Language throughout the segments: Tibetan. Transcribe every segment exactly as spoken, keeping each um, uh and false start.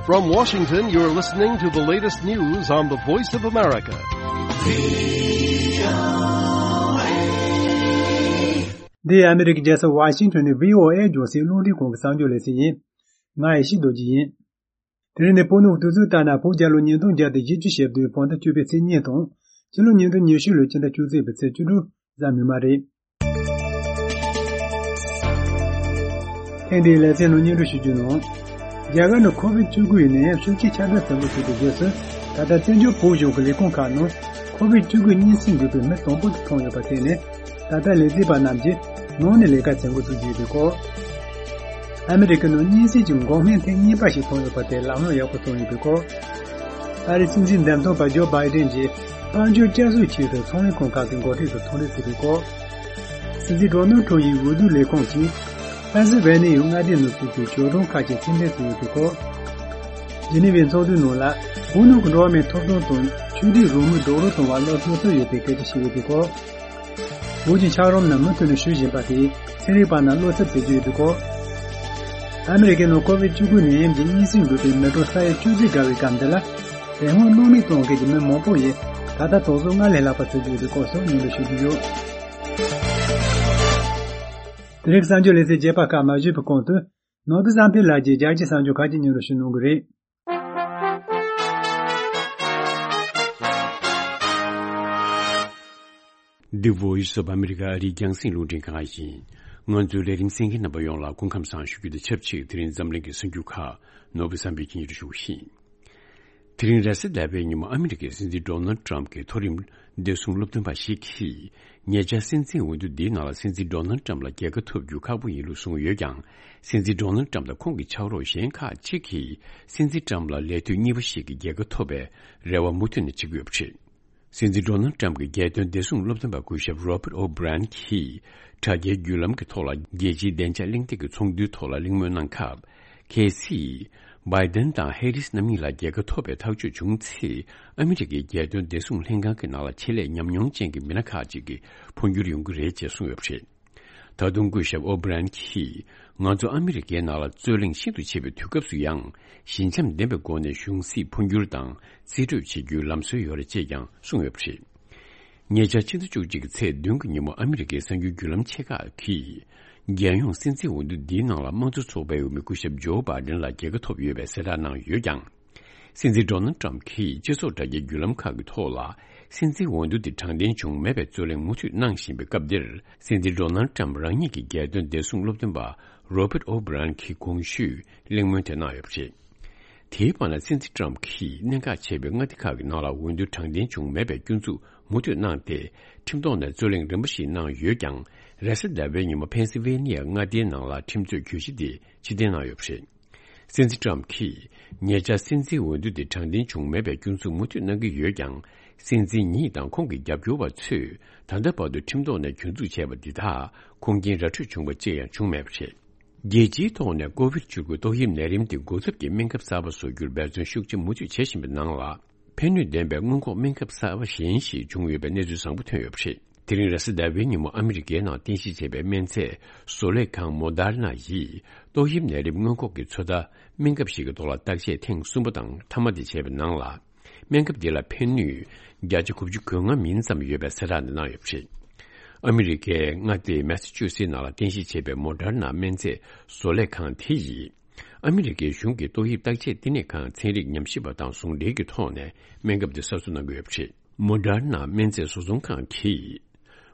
From Washington, you're listening to the latest news on the Voice of America. འདི་ཨ་མི་རི་ཀའི་རྒྱལ་ས་ཝ་ཤིང་ཊོན་ནས་བྷི་ཨོ་ཨེ་རྒྱང་སྲིང་རླུང་འཕྲིན་ཁང་གི་གསར་འགྱུར་ལས་ཚན་ཡིན། ང་ཡེ་ཤེས་རྡོ་རྗེ་ཡིན། དེ་རིང་ནི་བོད་ནང་གི་དུས་ཚོད་ལྟར་ན་བོད་རྒྱལ་ལོ་ཉིས་སྟོང་བརྒྱ་དང་བཞི་བཅུ་ཞེ་བདུན་བོད་ཟླ་བཅུ་པའི་ཚེས་གཉིས་དང་། སྤྱི་ལོ་ཉིས་སྟོང་ཉི་ཤུ་ལོའི་སྤྱི་ཟླ་བཅུ་གཅིག་པའི་ཚེས་བཅུ་དྲུག་གཟའ་མིག་དམར་རེད། ཐེངས་འདིའི་ལེ་ཚན་ནང་སྙན་སྒྲོན་ཞུ་རྒྱུ་ནང་། རྒྱ་གར་ནང་ཁོ་བིད་བཅུ་དགུ་ཡི་ནད་ཡམས་ཤུགས་ཆེ་ཁྱབ་གདལ་ཟིན་པ་ཞིག་གི་རྗེས་སུ། ད་ལྟ་བཙན་བྱོལ་བོད་གཞུང་གི་ལས་ཁུངས་ཁག་ནང་ཁོ་བིད་བཅུ་དགུ་གཉན་སྲིན་འགོས་པའི་མི་དང་པོ་དེ་མཐོང་ཡོད་པ་དེ་ནི། ད་ལྟ་ལས་བྱེད་པ་རྣམས་ཀྱིས་ནང་ནས་ལས་ཀ་བྱེད་འགོ་ཚུགས་ཀྱི་ཡོད་པའི་སྐོར། ཨ་མི་རི་ཀའི་ནང་གཉན་སྲིན་གྱི་འགོག་སྨན་ཐེངས་གཉིས་པ་ཞིག་ཐོན་ཡོད་པ་དེ་ལམ་ལྷོང་ཡག་པོ་སོང་ཡོད་པའི་སྐོར། ཨ་རིའི་སྲིད་འཛིན་འདེམས་ཐོན་པ་ཇོ་བྷའི་ཌེན་གྱིས་དཔལ་འབྱོར་བསྐྱར་གསོའི་ཆེད་དུ་ཚོང་ལས་ཁང་ཁག་གི་འགོ་ཁྲིད་ཚོ་ཐུག་འཕྲད་བྱས་པའི་སྐོར། སྲིད་འཛིན་ཌོ་ནལ་ཊམ་ཡི་འོས་བསྡུ་ལས་ཁུངས་ཀྱིས་ཕེན་སིལ་ཝེ་ནི་ཡའི་མངའ་སྡེ་ནང་བཙུགས་པའི་ཞོ་སྒྲོན་ཁག་ཅིག་ཕྱིར་འཐེན་བྱས་ཡོད་པའི་སྐོར། ཇི་ནི་ཝའི་ཚོགས་འདུའི་ནང་ལ་བོད་ནང་གི་འགྲོ་བ་མིའི་ཐོབ་ཐང་དང་ཆོས་དད་རང་མོས་རྡོག་རོལ་གཏོང་བར་བློ་སྤྲོ་སོ་ཡོད་པའི་སྐད་ཆ་བཤད་ཡོད་པའི་སྐོར། བོད་ཀྱི་འཁྱགས་རོམ་རྣམས་མུ་མཐུད་ནས་བཞུ་བཞིན་པ་དེས་ཚན་རིག་པ་རྣམས་བློ་འཚབ་བྱེད་ཀྱི་ཡོད་པའི་སྐོར། ཨ་མི་རི་ཀའི་ནང་ཁོ་བིད་བཅུ་དགུ་ནད་ཡམས་ཀྱི་གཉན་སྲིན་འགོས་པའི་མི་གྲངས་ས་ཡ་བཅུ་གཅིག་བརྒལ་བའི་སྐབས་འདི་ལ། དེ་སྔོན་སྣུམ་མེད་གཏོང་མཁན་གྱི་མི་མང་པོ་ཡིས་ད་ལྟ་དུས་ཚོད་སྔར་ལས་ལྷག་པ་བྱེད་ཀྱི་ཡོད་པའི་སྐོར་སོགས་སྙན་སྒྲོན་ཞུ་རྒྱུ་ཡོད། དེ་རིང་གསར་འགྱུར་ལེ་ཚན་རྒྱས་པ་ཁག་མ་ཞུས་པའི་གོང་དུ། ནོར་བུ་བསམ་འཕེལ་ལགས་ཀྱིས་རྒྱལ་སྤྱིའི་གསར་འགྱུར་ཁག་ཅིག་སྙན་སྒྲོན་ཞུ་གནང་གི་རེད། The Voice of America ཨ་རིའི་རྒྱང་སྲིང་རླུང་འཕྲིན་ཁང་ཡིན། ང་ཚོའི་ལས་རིམ་གསན་མཁན་རྣམ་པ་ཡོངས་ལ་སྐུ་ཁམས་བཟང་ཞུ་རྒྱུ་དང་ཆབས་ཅིག་དེ་རིང་འཛམ་གླིང་གི་གསར་འགྱུར་ཁག་ནོར་བུ་བསམ་འཕེལ་གྱིས་སྙན་སྒྲོན་ཞུ་གི་ཡིན། དེ་རིང་རེས་གཟའ་ཟླ་བའི་ཉིན་མོ་ཨ་མི་རི་ཀའི་སྲིད་འཛིན་ཌོ་ནལ་ཊམ་གྱི་མཐོ་རིམ་བདེ་སྲུང་སློབ་སྟོན་པ་ཞིག་གིས། ཉེ་ཆར་སྲིད་འཛིན་འོས་བསྡུ་འདིའི་ནང་ལ་སྲིད་འཛིན་ཌོ་ནལ་ཊམ་ལ་རྒྱལ་ཁ་ཐོབ་རྒྱུ་ཁག་པོ་ཡིན་ལུགས་གསུངས་ཡོད་ཀྱང་། སྲིད་འཛིན་ཌོ་ནལ་ཊམ་དང་ཁོང་གི་ཕྱག་རོགས་གཞན་ཁག་ཅིག་གིས་སྲིད་འཛིན་ཊམ་ལ་ལས་དུས་གཉིས་པ་ཞིག་གི་རྒྱལ་ཁ་ཐོབ་པའི་རེ་བ་མུ་མཐུད་ནས་བྱེད་ཀྱི་ཡོད་པ་རེད། སྲིད་འཛིན་ཌོ་ནལ་ཊམ་གྱི་རྒྱལ་དོན་བདེ་སྲུང་སློབ་སྟོན་པ་སྐུ་ཞབས་རོ་པར་ཨོ་བྷི་རན་གྱིས་དྲ་རྒྱའི་བརྒྱུད་ལམ་གྱི་ཐོག་ལ་རྒྱལ་སྤྱིའི་བདེ་འཇགས་གླེང་སྟེགས་ཀྱི་ཚོགས་འདུའི་ཐོག་ལ་གླེང་མོལ་གནང་སྐབས། གལ་སྲིད། བྷའི་ཏན་དང་ཧེ་རིས་རྣམ་གཉིས་ལ་རྒྱལ་ཁ་ཐོབ་པའི་ཐག་གཅོད་བྱུང་ཚེ། ཨ་མི་རི་ཀའི་རྒྱལ་དོན་བདེ་སྲུང་ལྷན་ཁང་གི་ནང་ལ་ཆེད་ལས་ཉམས་མྱོང་ཅན་གྱི་མི་སྣ་ཁག་ཅིག་གི་འཕོ་འགྱུར་ཡོང་གི་རེད་ཅེས་གསུངས་ཡོད་པ་རེད། ད་དུང་སྐུ་ཞབས་ཨོ་བྷི་རན་གྱིས། ང་ཚོ་ཨ་མི་རི་ཀའི་ནང་ལ་རྩོད་གླེང་ཤིན་ཏུ་ཆེ་བའི་དུས་སྐབས་སུ་ཡང་། ཞི་འཇམ་ལྡན་པའི་སྒོ་ནས་གཞུང་སྲིད་འཕོ་འགྱུར་དང་རྩིས་སྤྲོད་བྱེད་རྒྱུའི་ལམ་སྲོལ་ཡོད་རེད་ཅེས་ཀྱང་གསུངས་ཡོད་པ་རེད། ཉེ་ཆར་ཕྱི་ཟླ་བཅུ་གཅིག་གི་ཚེས་བདུན་གྱི་ཉིན་མོ་ཨ་མི་རི་ཀའི་གསར་འགྱུར་བརྒྱུད་ལམ་ཆེ་ཁག་གིས། རྒྱལ་ཡོངས་སྲིད་འཛིན་འོས་བསྡུ་འདིའི་ནང་ལ་དམངས་གཙོ་ཚོགས་པའི་འོས་མི་སྐུ་ཞབས་ཇོ་བྷའི་ཏན་ལ་རྒྱལ་ཁ་ཐོབ་ཡོད་པའི་གསལ་བསྒྲགས་གནང་ཡོད་ཀྱང་། སྲིད་འཛིན་ཌོ་ནལ་ཊམ་གྱིས་སྤྱི་ཚོགས་དྲ་རྒྱའི་བརྒྱུད་ལམ་ཁག་གི་ཐོག་ལ། སྲིད་འཛིན་འོས་བསྡུ་དེ་དྲང་བདེན་བྱུང་མེད་པའི་རྩོད་གླེང་མུ་མཐུད་གནང་བཞིན་པའི་སྐབས་འདིར། སྲིད་འཛིན་ཌོ་ནལ་ཊམ་རང་ཉིད་ཀྱི་རྒྱལ་དོན་བདེ་སྲུང་སློབ་སྟོན་པ་རོ་པར་ཨོ་བྷི་རན་གྱིས་གོང་ཞུས་གླེང་མོལ་དེ་གནང་ཡོད་པ་རེད། དེའི་བར་ན་སྲིད་འཛིན་ཊམ་གྱིས་གནད་འགག་ཆེ་བའི་མངའ་སྡེ་ཁག་གི་ནང་ལ་འོས་བསྡུ་དྲང་བདེན་བྱུང་མེད་པའི་སྐྱོན་འཛུགས་མུ་མཐུད་གནང་སྟེ། ཁྲིམས་ཐོག་ནས་རྩོད་གླེང་རིམ་པ་ཞིག་གནང་ཡོད་ཀྱང་། རེས་གཟའ་ཟླ་བའི་ཉིན་མོ་ཕེན་སི་ཝེ་ནི་ཡ་མངའ་སྡེའི་ནང་ལ་ཁྲིམས་རྩོད་གྱོད་གཞི་དེ་ཕྱིར་འཐེན་གནང་ཡོད་པ་རེད། སྲིད་འཛིན་ཊམ་གྱིས། ཉེ་ཆར་སྲིད་འཛིན་འོས་བསྡུ་དེ་དྲང་བདེན་བྱུང་མེད་པའི་སྐྱོན་འཛུགས་མུ་མཐུད་གནང་གི་ཡོད་ཀྱང་། སྲིད་འཛིན་ཉིད་དང་ཁོང་གི་རྒྱབ་སྐྱོར་བ་ཚོས་ད་ལྟ་བར་དུ་ཁྲིམས་ཐོག་ནས་གྱོད་འཛུགས་བྱས་པ་འདི་དག་ཁུངས་སྐྱེལ་ར་འཕྲོད་བྱུང་བ་ཅིག་ཡང་བྱུང་མེད་པ་རེད། རྒྱལ་སྤྱིའི་ཐོག་ནས་ཀོ་བིད་བཅུ་དགུ་ཏོག་དབྱིབས་ནད་རིམས་དེ་འགོ་ཁྲིད་ཀྱི་སྨན་ཁབ་གསར་པ་བཟོ་རྒྱུར་འབད་བརྩོན་ཤུགས་ཆེ་མུ་མཐུད་བྱེད་བཞིན་པའི་ནང་ལ། ཕན་ནུས་ལྡན་པའི་སྔོན་འགོག་སྨན་ཁབ་གསར་པ་གཞན་ཞིག་བྱུང་ཡོད་པའི་གནས་ཚུལ་བཟང་པོ་ཐོན་ཡོད་པ་རེད། དེ་རིང་རེས་གཟའ་ཟླ་བའི་ཉིན་མོ་ཨ་མི་རི་ཀའི་ནང་རྟེན་གཞི་བྱས་པའི་སྨན་རྫས་བཟོ་ལས་ཁང་མོ་ཌར་ན་ཡིས་ཏོག་དབྱིབས་ནད་རིམས་སྔོན་འགོག་གི་ཚོད་ལྟ་སྨན་ཁབ་ཞིག་གི་ཐོག་ལ་བརྟག་དཔྱད་ཐེངས་གསུམ་པ་དང་མཐའ་མ་དེ་བྱས་པའི་ནང་ལ། སྨན་ཁབ་འདི་ལ་ཕན་ནུས་བརྒྱ་ཆ་དགུ་བཅུ་གོ་ལྔ་མིན་ཙམ་ཡོད་པའི་གསལ་བསྒྲགས་འདི་གནང་ཡོད་པ་རེད། ཨ་མི་རི་ཀའི་མངའ་སྡེ་མེ་སི་ཆུ་སི་ནང་ལ་རྟེན་གཞི་བྱས་པའི་མོ་ཌར་ན་སྨན་རྫས་བཟོ་ལས་ཁང་དེ་ཡིས། ཨ་མི་རི་ཀའི་གཞུང་གི་ཏོག་དབྱིབས་བརྟག་དཔྱད་བསྟི་གནས་ཁང་ཚན་རིག་ཉམས་ཞིབ་པ་དང་ཟུང་འབྲེལ་གྱི་ཐོག་ནས་སྨན་ཁབ་འདི་གསར་བཟོ་གནང་གི་ཡོད་པ་རེད། མོ་ཌར་ན་སྨན་རྫས་བཟོ་ཚོང་ཁང་གིས།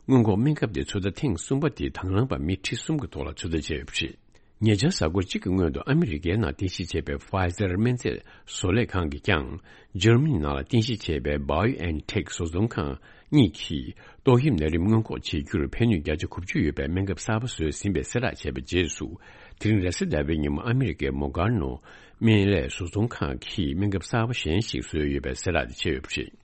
སྔོན་འགོག་སྨན་ཁབ་དེ་ཚོད་ལྟ་ཐེངས་གསུམ་པ་དེ་དང་བླངས་པ་མི་ཁྲི་གསུམ་གྱི་ཐོག་ལ་ཚོད་ལྟ་བྱས་ཡོད་པ་རེད། ཉེ་ཆར་གཟའ་འཁོར་གཅིག་གི་སྔོན་དུ་ཨ་མི་རི་ཀའི་ནང་རྟེན་གཞི་བྱས་པའི་Pfizer སྨན་རྫས་བཟོ་ལས་ཁང་གིས་ཀྱང་། འཇར་མ་ནི་ནང་ལ་རྟེན་གཞི་བྱས་པའི་BioNTech བཟོ་ཚོང་ཁང་གཉིས་ཀྱིས་ཏོག་དབྱིབས་ནད་རིམས་སྔོན་འགོག་བྱེད་རྒྱུར་ཕན་ནུས་བརྒྱ་ཆ་དགུ་བཅུ་ཡོད་པའི་སྨན་ཁབ་གསར་པ་བཟོས་ཟིན་པའི་གསལ་བསྒྲགས་བྱས་པའི་རྗེས་སུ། དེ་རིང་རེས་གཟའ་ཟླ་བའི་ཉིན་མོ་ཨ་མི་རི་ཀའི་མོ་གྷར་ནོ་སྨན་ལས་བཟོ་ཚོང་ཁང་གིས་སྨན་ཁབ་གསར་པ་གཞན་ཞིག་བཟོས་ཡོད་པའི་གསལ་བསྒྲགས་དེ་བྱས་ཡོད་པ་རེད།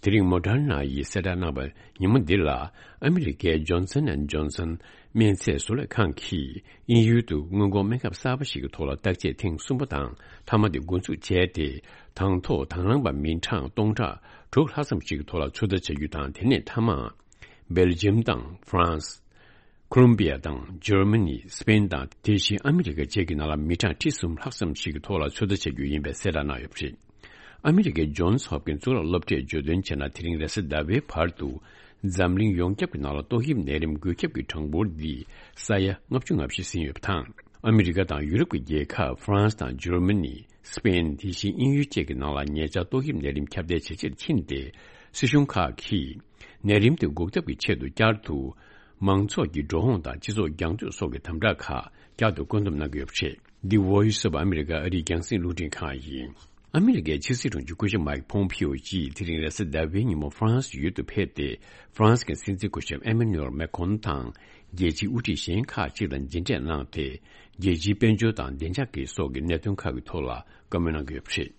དེ་རིང་མོ་ཌར་ན་ཡིས་གསལ་བསྒྲགས་གནང་བ་ཉིན་མོ་འདི་ལ་ཨ་མི་རི་ཀའི་Johnson and Johnson སྨན་རྫས་བཟོ་ལས་ཁང་གིས་དབྱིན་ཡུལ་དུ་སྔོན་འགོག་སྨན་ཁབ་གསར་པ་ཞིག་གི་ཐོག་ལ་བརྟག་དཔྱད་ཐེངས་གསུམ་པ་དང་མཐའ་མ་དེ་འགོ་འཛུགས་བྱས་ཏེ། དང་ཐོག་དང་བླངས་པ་མི་གྲངས་སྟོང་ཕྲག་དྲུག་ལྷག་ཙམ་ཞིག་གི་ཐོག་ལ་ཚོད་ལྟ་བྱ་རྒྱུ་དང་། དེ་ནས་མཐའ་མ་སྦེལ་ཇམ་དང་ཧྥ་རན་སི། ཁོ་ལོམ་བི་ཡ་དང་འཇར་མ་ནི། སི་པེན་དང་། དེ་བཞིན་ཨ་མི་རི་ཀ་བཅས་ཀྱི་ནང་ལ་མི་གྲངས་ཁྲི་གསུམ་ལྷག་ཙམ་ཞིག་གི་ཐོག་ལ་ཚོད་ལྟ་བྱ་རྒྱུ་ཡིན་པའི་གསལ་བསྒྲགས་གནང་ཡོད་པ་རེད། ཨ་མི་རི་ཀའི་ཇོན་སི་ཧོབ་ཀིན་གཙུག་ལག་སློབ་གྲྭས་བརྗོད་དོན་བྱས་ན། དེ་རིང་རེས་གཟའ་ཟླ་བའི་བར་དུ་འཛམ་གླིང་ཡོངས་ཁྱབ་ཀྱི་ནང་ལ་ཏོག་དབྱིབས་ནད་རིམས་འགོས་ཁྱབ་ཀྱི་གྲངས་འབོར་འདི་ས་ཡ་ལྔ་བཅུ་ང་བཞི་ཟིན་ཡོད་པ་དང་། ཨ་མི་རི་ཀ་དང་ཡུ་རོབ་ཀྱི་རྒྱལ་ཁབ་ཧྥ་རན་སི་དང་འཇར་མ་ནི། སི་པེན། དེ་བཞིན་དབྱིན་ཡུལ་བཅས་ཀྱི་ནང་ལ་ཉེ་ཆར་ཏོག་དབྱིབས་ནད་རིམས་ཁྱབ་གདལ་ཇེ་ཆེར་ཕྱིན་ཏེ། སྲིད་གཞུང་ཁག་གིས་ནད་རིམས་དེ་འགོག་ཐབས་ཀྱི་ཆེད་དུ་བསྐྱར་དུ་མང་ཚོགས་ཀྱི་འགྲོ་འོང་དང་སྤྱི་ཚོགས་རྒྱང་མཐུད་སོགས་ཀྱི་དམ་དྲག་ཁག་བསྐྱར་དུ་བཀོད་འདོམས་གནང་གི་ཡོད་པ་རེད། འདི་Voice of America ཨ་རིའི་རྒྱང་སྲིང་རླུང་འཕྲིན་ཁང་ཡིན། ཨ་མི་རི་ཀའི་ཕྱི་སྲིད་དྲུང་ཆེ་སྐུ་ཞབས་མའིག་ཕོམ་ཕིའོ་ཡིས་དེ་རིང་རེས་གཟའ་ཟླ་བའི་ཉིན་མོ་ཧྥ་རན་སི་ཡུལ་དུ་ཕེབས་ཏེ། ཧྥ་རན་སི་གི་སྲིད་འཛིན་སྐུ་ཞབས་ཨེ་མ་ནུ་ཨེལ་མེ་ཁོན་དང་རྒྱལ་སྤྱིའི་དབུ་ཁྲིད་གཞན་ཁག་ཅིག་དང་མཇལ་འཕྲད་གནང་སྟེ། རྒྱལ་སྤྱིའི་དཔལ་འབྱོར་དང་བདེ་འཇགས་ཀྱི་སོགས་ཀྱི་གནད་དོན་ཁག་གི་ཐོག་ལ་བཀའ་མོལ་གནང་གི་ཡོད་པ་རེད།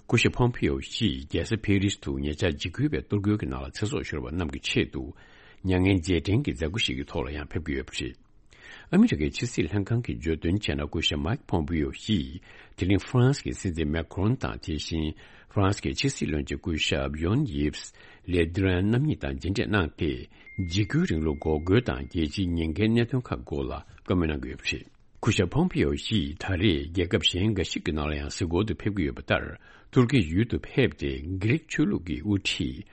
སྐུ་ཞབས་ཕོམ་ཕིའོ་ཡིས་རྒྱལ་ས་ཕེ་རིས་དུ་ཉེ་ཆར་འཇིགས་སྐུལ་བའི་གཏོར་རྒོལ་གྱི་ནང་ལ་ཚེ་སྲོག་ཤོར་བ་རྣམས་ཀྱི་ཆེད་དུ་མྱ་ངན་རྗེས་དྲན་གྱི་མཛད་སྒོ་ཞིག་གི་ཐོག་ལ་ཡང་ཕེབས་ཀྱི་ཡོད་པ་རེད། ཨ་མི་རི་ཀའི་ཕྱི་སྲིད་ལྷན་ཁང་གིས་བརྗོད་དོན་བྱས་ན། སྐུ་ཞབས་མའིག་ཕོམ་པིའོ་ཡིས་དེ་རིང་ཧྥ་རན་སི་གི་སྲིད་འཛིན་མེ་ཁོན་དང་། དེ་བཞིན་ཧྥ་རན་སི་གི་ཕྱི་སྲིད་བློན་ཆེན་སྐུ་ཞབས་ཡོན་ཡིབས་ལེ་དི་རན་རྣམ་གཉིས་དང་མཇལ་འཕྲད་གནང་སྟེ། འཇིགས་སྐུལ་རིང་ལུགས་འགོག་རྒོལ་དང་རྒྱལ་སྤྱིའི་ཉེན་ཁའི་གནད་དོན་ཁག་སྐོར་ལ་བཀའ་མོལ་གནང་གི་ཡོད་པ་རེད། སྐུ་ཞབས་ཕོམ་པིའོ་ཡིས་ད་རེས་རྒྱལ་ཁབ་གཞན་འགའ་ཞིག་གི་ནང་ལ་ཡང་གཟིགས་སྐོར་དུ་ཕེབས་ཀྱི་ཡོད་པ་ལྟར། ཏུར་ཀི་ཡུལ་དུ་ཕེབས་ཏེ། གྷི་རིག་ཆོས་ལུགས་ཀྱི་དབུ་ཁྲིད་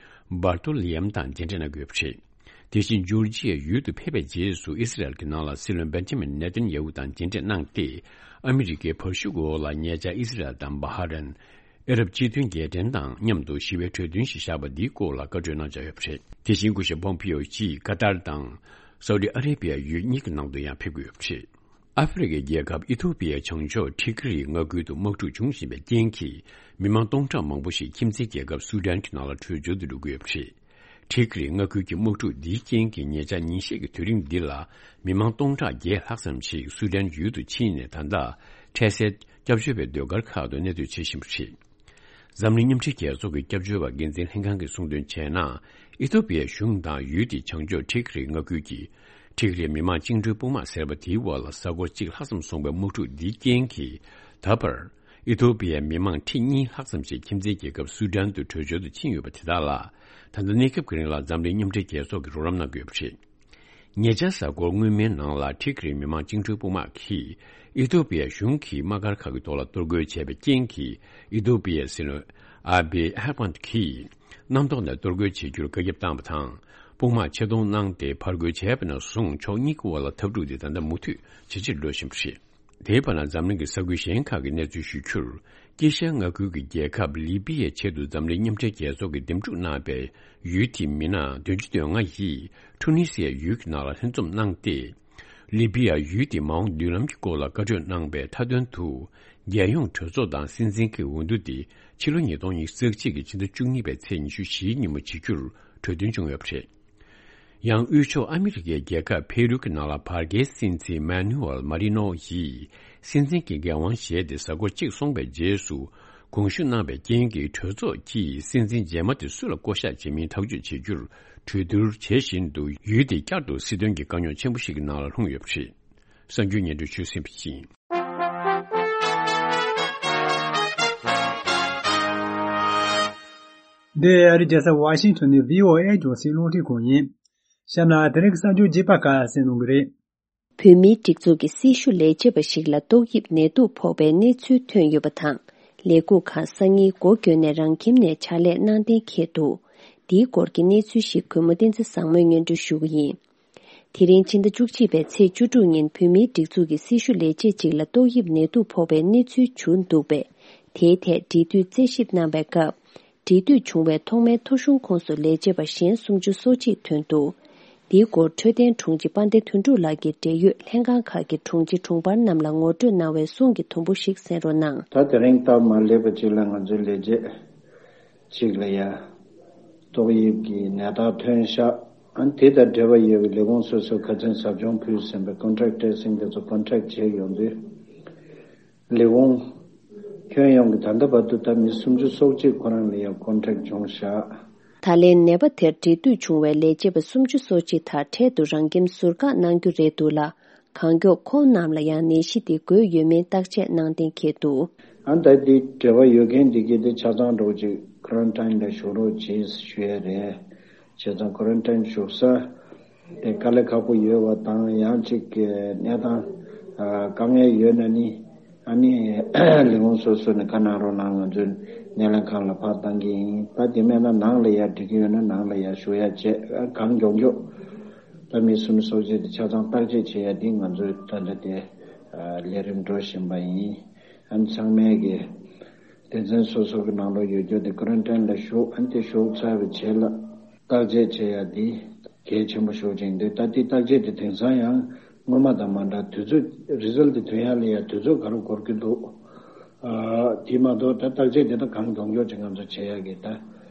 བར་ཏོ་ལི་ཡམ་དང་མཇལ་འཕྲད་གནང་གི་ཡོད་པ་རེད། དེ་བཞིན་ཇོར་ཇི་ཡ་ཡུལ་དུ་ཕེབས་པའི་རྗེས་སུ། ཨི་སི་རལ་གྱི་ནང་ལ་སྲིད་བློན་བེན་ཇ་མིན་ནེ་ཐན་ཡ་ཧུ་དང་མཇལ་འཕྲད་གནང་སྟེ། ཨ་མི་རི་ཀའི་བར་ཤུགས་འོག་ལ་ཉེ་ཆར་ཨི་སི་རལ་དང་བྷ་ཧ་རན། ཨ་རབ་སྤྱི་མཐུན་རྒྱལ་ཕྲན་དང་མཉམ་དུ་ཞི་བའི་གྲོས་མཐུན་ཞིག་བཞག་པ་འདིའི་སྐོར་ལ་བཀའ་གྲོས་གནང་འཆར་ཡོད་པ་རེད། དེ་བཞིན་སྐུ་ཞབས་ཕོམ་པིའོ་ཡིས་ཀ་ཏར་དང་སའུ་ཏི་ཨ་རེ་བི་ཡ་ཡུལ་གཉིས་ཀྱི་ནང་དུ་ཡང་ཕེབས་ཀྱི་ཡོད་པ་རེད། ཨ་ཧྥེ་རི་ཁའི་རྒྱལ་ཁབ་ཨི་ཐོ་པི་ཡའི་བྱང་ཕྱོགས་ཁྲི་ཀི་རི་མངའ་ཁུལ་དུ་དམག་འཁྲུག་བྱུང་བཞིན་པའི་རྐྱེན་གྱིས། མི་མང་སྟོང་ཕྲག་མང་པོ་ཞིག་ཁྱིམ་མཚེས་རྒྱལ་ཁབ་སུ་ཌན་གྱི་ནང་ལ་བྲོས་བྱོལ་དུ་འགྲོ་གི་ཡོད་པ་རེད། ཁྲི་ཀི་རི་མངའ་ཁུལ་གྱི་དམག་འཁྲུག་འདིའི་རྐྱེན་གྱིས། ཉེ་ཆར་ཉིན་ཤས་ཀྱི་དུས་རིང་འདི་ལ། མི་མང་སྟོང་ཕྲག་བརྒྱད་ལྷག་ཙམ་ཞིག་སུ་ཌན་ཡུལ་དུ་ཕྱིན་ནས། ད་ལྟ་འཕྲལ་སེལ་སྐྱབས་བཅོལ་བའི་སྡོད་སྒར་ཁག་ཏུ་གནས་སྡོད་བྱེད་བཞིན་པ་རེད། འཛམ་གླིང་མཉམ་འབྲེལ་རྒྱལ་ཚོགས་ཀྱི་སྐྱབས་བཅོལ་བ་འགན་འཛིན་ལྷན་ཁང་གིས་གསུངས་དོན་བྱས་ན། ཨི་ཐོ་པི་ཡའི་གཞུང་དང་ཡུལ་དེའི་བྱང་ཕྱོགས་ཁྲི་ཀི་རི་མངའ་ཁུལ་གྱི་ཁྲི་ཀི་རི་མི་དམངས་བཅིངས་འགྲོལ་དཔུང་དམག་ཟེར་བ་དེའི་འོག་ལ། གཟའ་འཁོར་གཅིག་ལྷག་ཙམ་སོང་བའི་དམག་འཁྲུག་འདིའི་རྐྱེན་གྱིས། ད་བར་ཨི་ཐོ་པི་ཡའི་མི་དམངས་ཁྲི་གཉིས་ལྷག་ཙམ་ཞིག་ཁྱིམ་མཚེས་རྒྱལ་ཁབ་སུ་ཌན་དུ་བྲོས་བྱོལ་དུ་ཕྱིན་ཡོད་པ་དེ་དག་ལ། ད་ལྟ་གནས་སྐབས་ཀྱི་རིང་ལ་འཛམ་གླིང་མཉམ་འབྲེལ་རྒྱལ་ཚོགས་ཀྱིས་རོགས་རམ་གནང་གི་ཡོད་པ་རེད། ཉེ་ཆར་གཟའ་འཁོར་སྔོན་མའི་ནང་ལ། ཁྲི་ཀི་རི་མི་དམངས་བཅིངས་འགྲོལ་དཔུང་དམག་གིས་ཨི་ཐོ་པི་ཡ་གཞུང་གི་དམག་སྒར་ཁག་གི་ཐོག་ལ་གཏོར་རྒོལ་བྱས་པའི་རྐྱེན་གྱིས། ཨི་ཐོ་པི་ཡའི་སྲིད་བློན་ཨ་བྷེ་ཨ་ཧ་མད་ཀྱིས་གནམ་ཐོག་ནས་གཏོར་རྒོལ་བྱེད་རྒྱུར་བཀའ་ཁྱབ་བཏང་བ་དང་། དཔུང་དམག་ཆེད་གཏོང་གནང་སྟེ། ཕར་རྒོལ་བྱས་པ་ནས་བཟུང་ཕྱོགས་གཉིས་ཀྱི་དབར་ལ་འཐབ་འཁྲུག་དེ་ད་ལྟ་མུ་མཐུད་ཇེ་ཆེར་འགྲོ་བཞིན་པ་རེད། དེའི་བར་ན། འཛམ་གླིང་གི་ས་ཁུལ་གཞན་ཁག་གི་གནས་ཚུལ་ཞུ་རྒྱུར། དཀྱིལ་ཤར་མངའ་ཁུལ་གྱི་རྒྱལ་ཁབ་ལི་པི་ཡའི་ཆེད་དུ་འཛམ་གླིང་མཉམ་འབྲེལ་རྒྱལ་ཚོགས་ཀྱིས་འདེམས་སྒྲུག་གནང་བའི་ཡུལ་དེའི་མི་སྣ་བདུན་ཅུ་དོན་ལྔ་ཡིས་ཁྲུ་ནི་སི་ཡའི་ཡུལ་གྱི་ནང་ལ་ལྷན་འཛོམས་གནང་སྟེ། ལི་པི་ཡ་ཡུལ་དེའི་མ་འོངས་མདུན་ལམ་གྱི་སྐོར་ལ་བཀའ་གྲོས་གནང་བའི་མཐའ་དོན་དུ། རྒྱལ་ཡོངས་གྲོས་ཚོགས་དང་སྲིད་འཛིན་གྱི་འོས་བསྡུ་དེ་ཕྱི་ལོ་ཉིས་སྟོང་ཉི་ཤུ་རྩ་གཅིག་གི་ཕྱི་ཟླ་བཅུ་གཉིས་པའི་ཚེས་ཉི་ཤུ་བཞིའི་ཉིན་མོ་བྱེད་རྒྱུར་གྲོས་མཐུན་བྱུང་ཡོད་པ་རེད། ཡང་། དབུས་ཕྱོགས་ཨ་མི་རི་ཀའི་རྒྱལ་ཁབ་ཕེ་རུ་གྱི་ནང་ལ་བར་བརྒལ་སྲིད་འཛིན་མཱ་ནུ་ཨེལ་མཱ་རི་ནོ་ཡིས་སྲིད་འཛིན་གྱི་འགན་དབང་བཞེས་ཏེ། གཟའ་འཁོར་གཅིག་སོང་བའི་རྗེས་སུ་དགོངས་ཞུ་གནང་བའི་རྐྱེན་གྱིས། གྲོས་ཚོགས་ཀྱིས་སྲིད་འཛིན་རྗེས་མ་དེ་སུ་ལ་བསྐོ་གཞག་བྱེད་མིན་ཐག་གཅོད་བྱེད་རྒྱུར་གྲོས་བསྡུར་བྱེད་བཞིན་དུ། ཡུལ་དེས་བསྐྱར་དུ་སྲིད་དོན་གྱི་དཀའ་རྙོག་ཆེན་པོ་ཞིག་གི་ནང་ལ་ལྷུང་ཡོད་པ་རེད། གསར་འགྱུར་སྙན་སྒྲོན་ཞུས་ཟིན་པ་ཡིན། འདི་ཨ་རིའི་རྒྱལ་ས་ཝ་ཤིང་ཊོན་ནས་བྷི་ཨོ་ཨེ་རྒྱང་སྲིང་རླུང་འཕྲིན་ཁང་ཡིན། གཤམ་ན་དེ་རིང་གི་གསར་འགྱུར་རྒྱས་པ་ཁག་གསན་གནང་གི་རེད། བོད་མིའི་སྒྲིག་འཛུགས་ཀྱི་སྲི་ཞུ་ལས་བྱེད་པ་ཞིག་ལ་ཏོག་དབྱིབས་ནད་དུག་ཕོག་པའི་གནས་ཚུལ་ཐོན་ཡོད་པ་དང་། ལས་ཁུངས་ཁག་སང་ཉིན་སྒོ་བརྒྱབ་ནས་རང་ཁྱིམ་ནས་ཕྱག་ལས་གནང་གཏན་འཁེལ་འདུག། འདིའི་སྐོར་གྱི་གནས་ཚུལ་ཞིག་གུས་མོ་བསྟན་འཛིན་བཟང་མོས་སྙན་སྒྲོན་ཞུ་གི་ཡིན། དེ་རིང་ཕྱི་ཟླ་བཅུ་གཅིག་པའི་ཚེས་བཅུ་དྲུག་ཉིན་བོད་མིའི་སྒྲིག་འཛུགས་ཀྱི་སྲི་ཞུ་ལས་བྱེད་ཅིག་ལ་ཏོག་དབྱིབས་ནད་དུག་ཕོག་པའི་གནས་ཚུལ་བྱུང་འདུག་པས། དེའི་ཐད་འབྲེལ་མཐུད་རྩད་ཞིབ་གནང་བའི་སྐབས། འབྲེལ་མཐུད་བྱུང་བའི་ཐོག་མའི་ཐོ་གཞུང་ཁོངས་སུ་ལས་བྱེད་པ་གཞན་སུམ་ཅུ་སོ་གཅིག་ཐོན་འདུག། འདིའི་སྐོར་འཕྲོད་བསྟེན་དྲུང་ཆེ་དཔལ་ལྡན་དོན་གྲུབ་ལགས་ཀྱིས་འབྲེལ་ཡོད་ལྷན་ཁང་ཁག་གི་དྲུང་ཆེ་དྲུང་འཕར་རྣམས་ལ་ངོ་སྤྲོད་གནང་བའི་གསུང་གི་དུམ་བུ་ཞིག་གསན་རོགས་གནང་། ད་དེ་རིང་སྟབས་མ་ལེགས་པ་ཅིག་ལ་ང་ཚོའི་ལས་བྱེད་ཅིག་ལ་ཡ་ཏོག་དབྱིབས་ཀྱི་ནད་རྟགས་ཐོན་ཤག། ཨ་ནི་དེ་དང་འབྲེལ་བ་ཡོད་པའི་ལས་ཁུངས་སོ་སོའི་ཁ་ཚན་ཟབ་སྦྱོང་ཕུལ་ཟིན་པའི་ཀོན་ཊེག་ཊེ་སིང་དེ་ཚོ་ཀོན་ཊེག་བྱས་ཡོང་དུས། ལས་ཁུངས་ཁྱོན་ཡོངས་ཀྱི་ད་ལྟ་བར་དུ་ད་མི་སུམ་ཅུ་སོ་གཅིག་ཁོ་རང་ལ་ཡང་ཀོན་ཊེག་བྱུང་བཞག། ད་ལན་ནད་པ་དེར་འབྲེལ་མཐུད་བྱུང་བའི་ལས་བྱེད་པ་སུམ་ཅུ་སོ་གཅིག་དག་འཕྲལ་དུ་རང་ཁྱིམ་ཟུར་བཀག་གནང་རྒྱུ་རེད་འདུག་ལ། གང་མགྱོགས་ཁོང་རྣམས་ལ་ཡང་ནད་གཞི་དེ་འགོས་ཡོད་མིན་བརྟག་དཔྱད་གནང་གཏན་འཁེལ་འདུག། ཨ་ད་འདི་འབྲེལ་བ་ཡོད་མཁན་འདི་གས་དེ་ཆ་ཚང་འགྲོ་ཅིག་ཁོ་རན་ཊིན་ལ་བཞུགས་རོགས་བྱེད་ཞུ་ཡ་རེད། བྱས་ཙང་ཁོ་རན་ཊིན་བཞུགས་ས་ དེ་དཀའ་ལས་ཁག་པོ་ཡོད་པ་དང་ཡང་གཅིག་གི་གནས་སྟངས་དཀའ་ངལ་ཡོད་ན་ནི་ཨ་ནི་ལས་ཁུངས་སོ་སོ་ནས་ཁ་གནང་རོགས་གནང་། ང་ཚོའི་སྣེ་ལེན་ཁང་ལ་ཕར་བཏང་གི་ཡིན། ད་དེ་མེད་ན་ནང་ལ་ཡར་འགྲིག་གི་ཡོད་ན་ནང་ལ་ཡར་ཞུ་ཡ་བྱས་གང་མགྱོགས་མགྱོགས་ད་མི་སུམ་ཅུ་སོ་བཞི་དེ་ཆ་ཚང་བརྟག་དཔྱད་བྱེད་ཡ་འདི་ང་ཚོའི་ད་ལྟ་དེ་ལས་རིམ་འགྲོ་བཞིན་པ་ཡིན། ཨ་ནི་ཚང་མས་ཀྱི་སྡེ་ཚན་སོ་སོ་གི་ནང་ལོགས་ཡོད་རྒྱུ་དེ་ཀོ་རན་ཊིན་ལ་བཞུགས། ཨ་ནི་དེ་བཞུགས་ཚར་བའི་རྗེས་ལ་བརྟག་དཔྱད་བྱེད་ཡ་འདི་གལ་ཆེན་པོ་ཤོར་ཅིང་འདུག་ད་དེ་བརྟག་དཔྱད་དེ་དེང་སང་ཡང་སྔོན་མ་དང་མ་འདྲ་དུས་ཚོད་རི་ཛལ་ཊི་དེ་ཐོན་ཡ་ལ་ཡ་དུས་ཚོད་ག་རེ་འགོར་གྱི་འདུག་ཨ་དེ་མ་གཏོགས་ད་བརྟག་དཔྱད་དེ་ད་གང་མགྱོགས་མགྱོགས་ཅིག་ང་ཚོ་བྱེད་ཡ་གི་ད་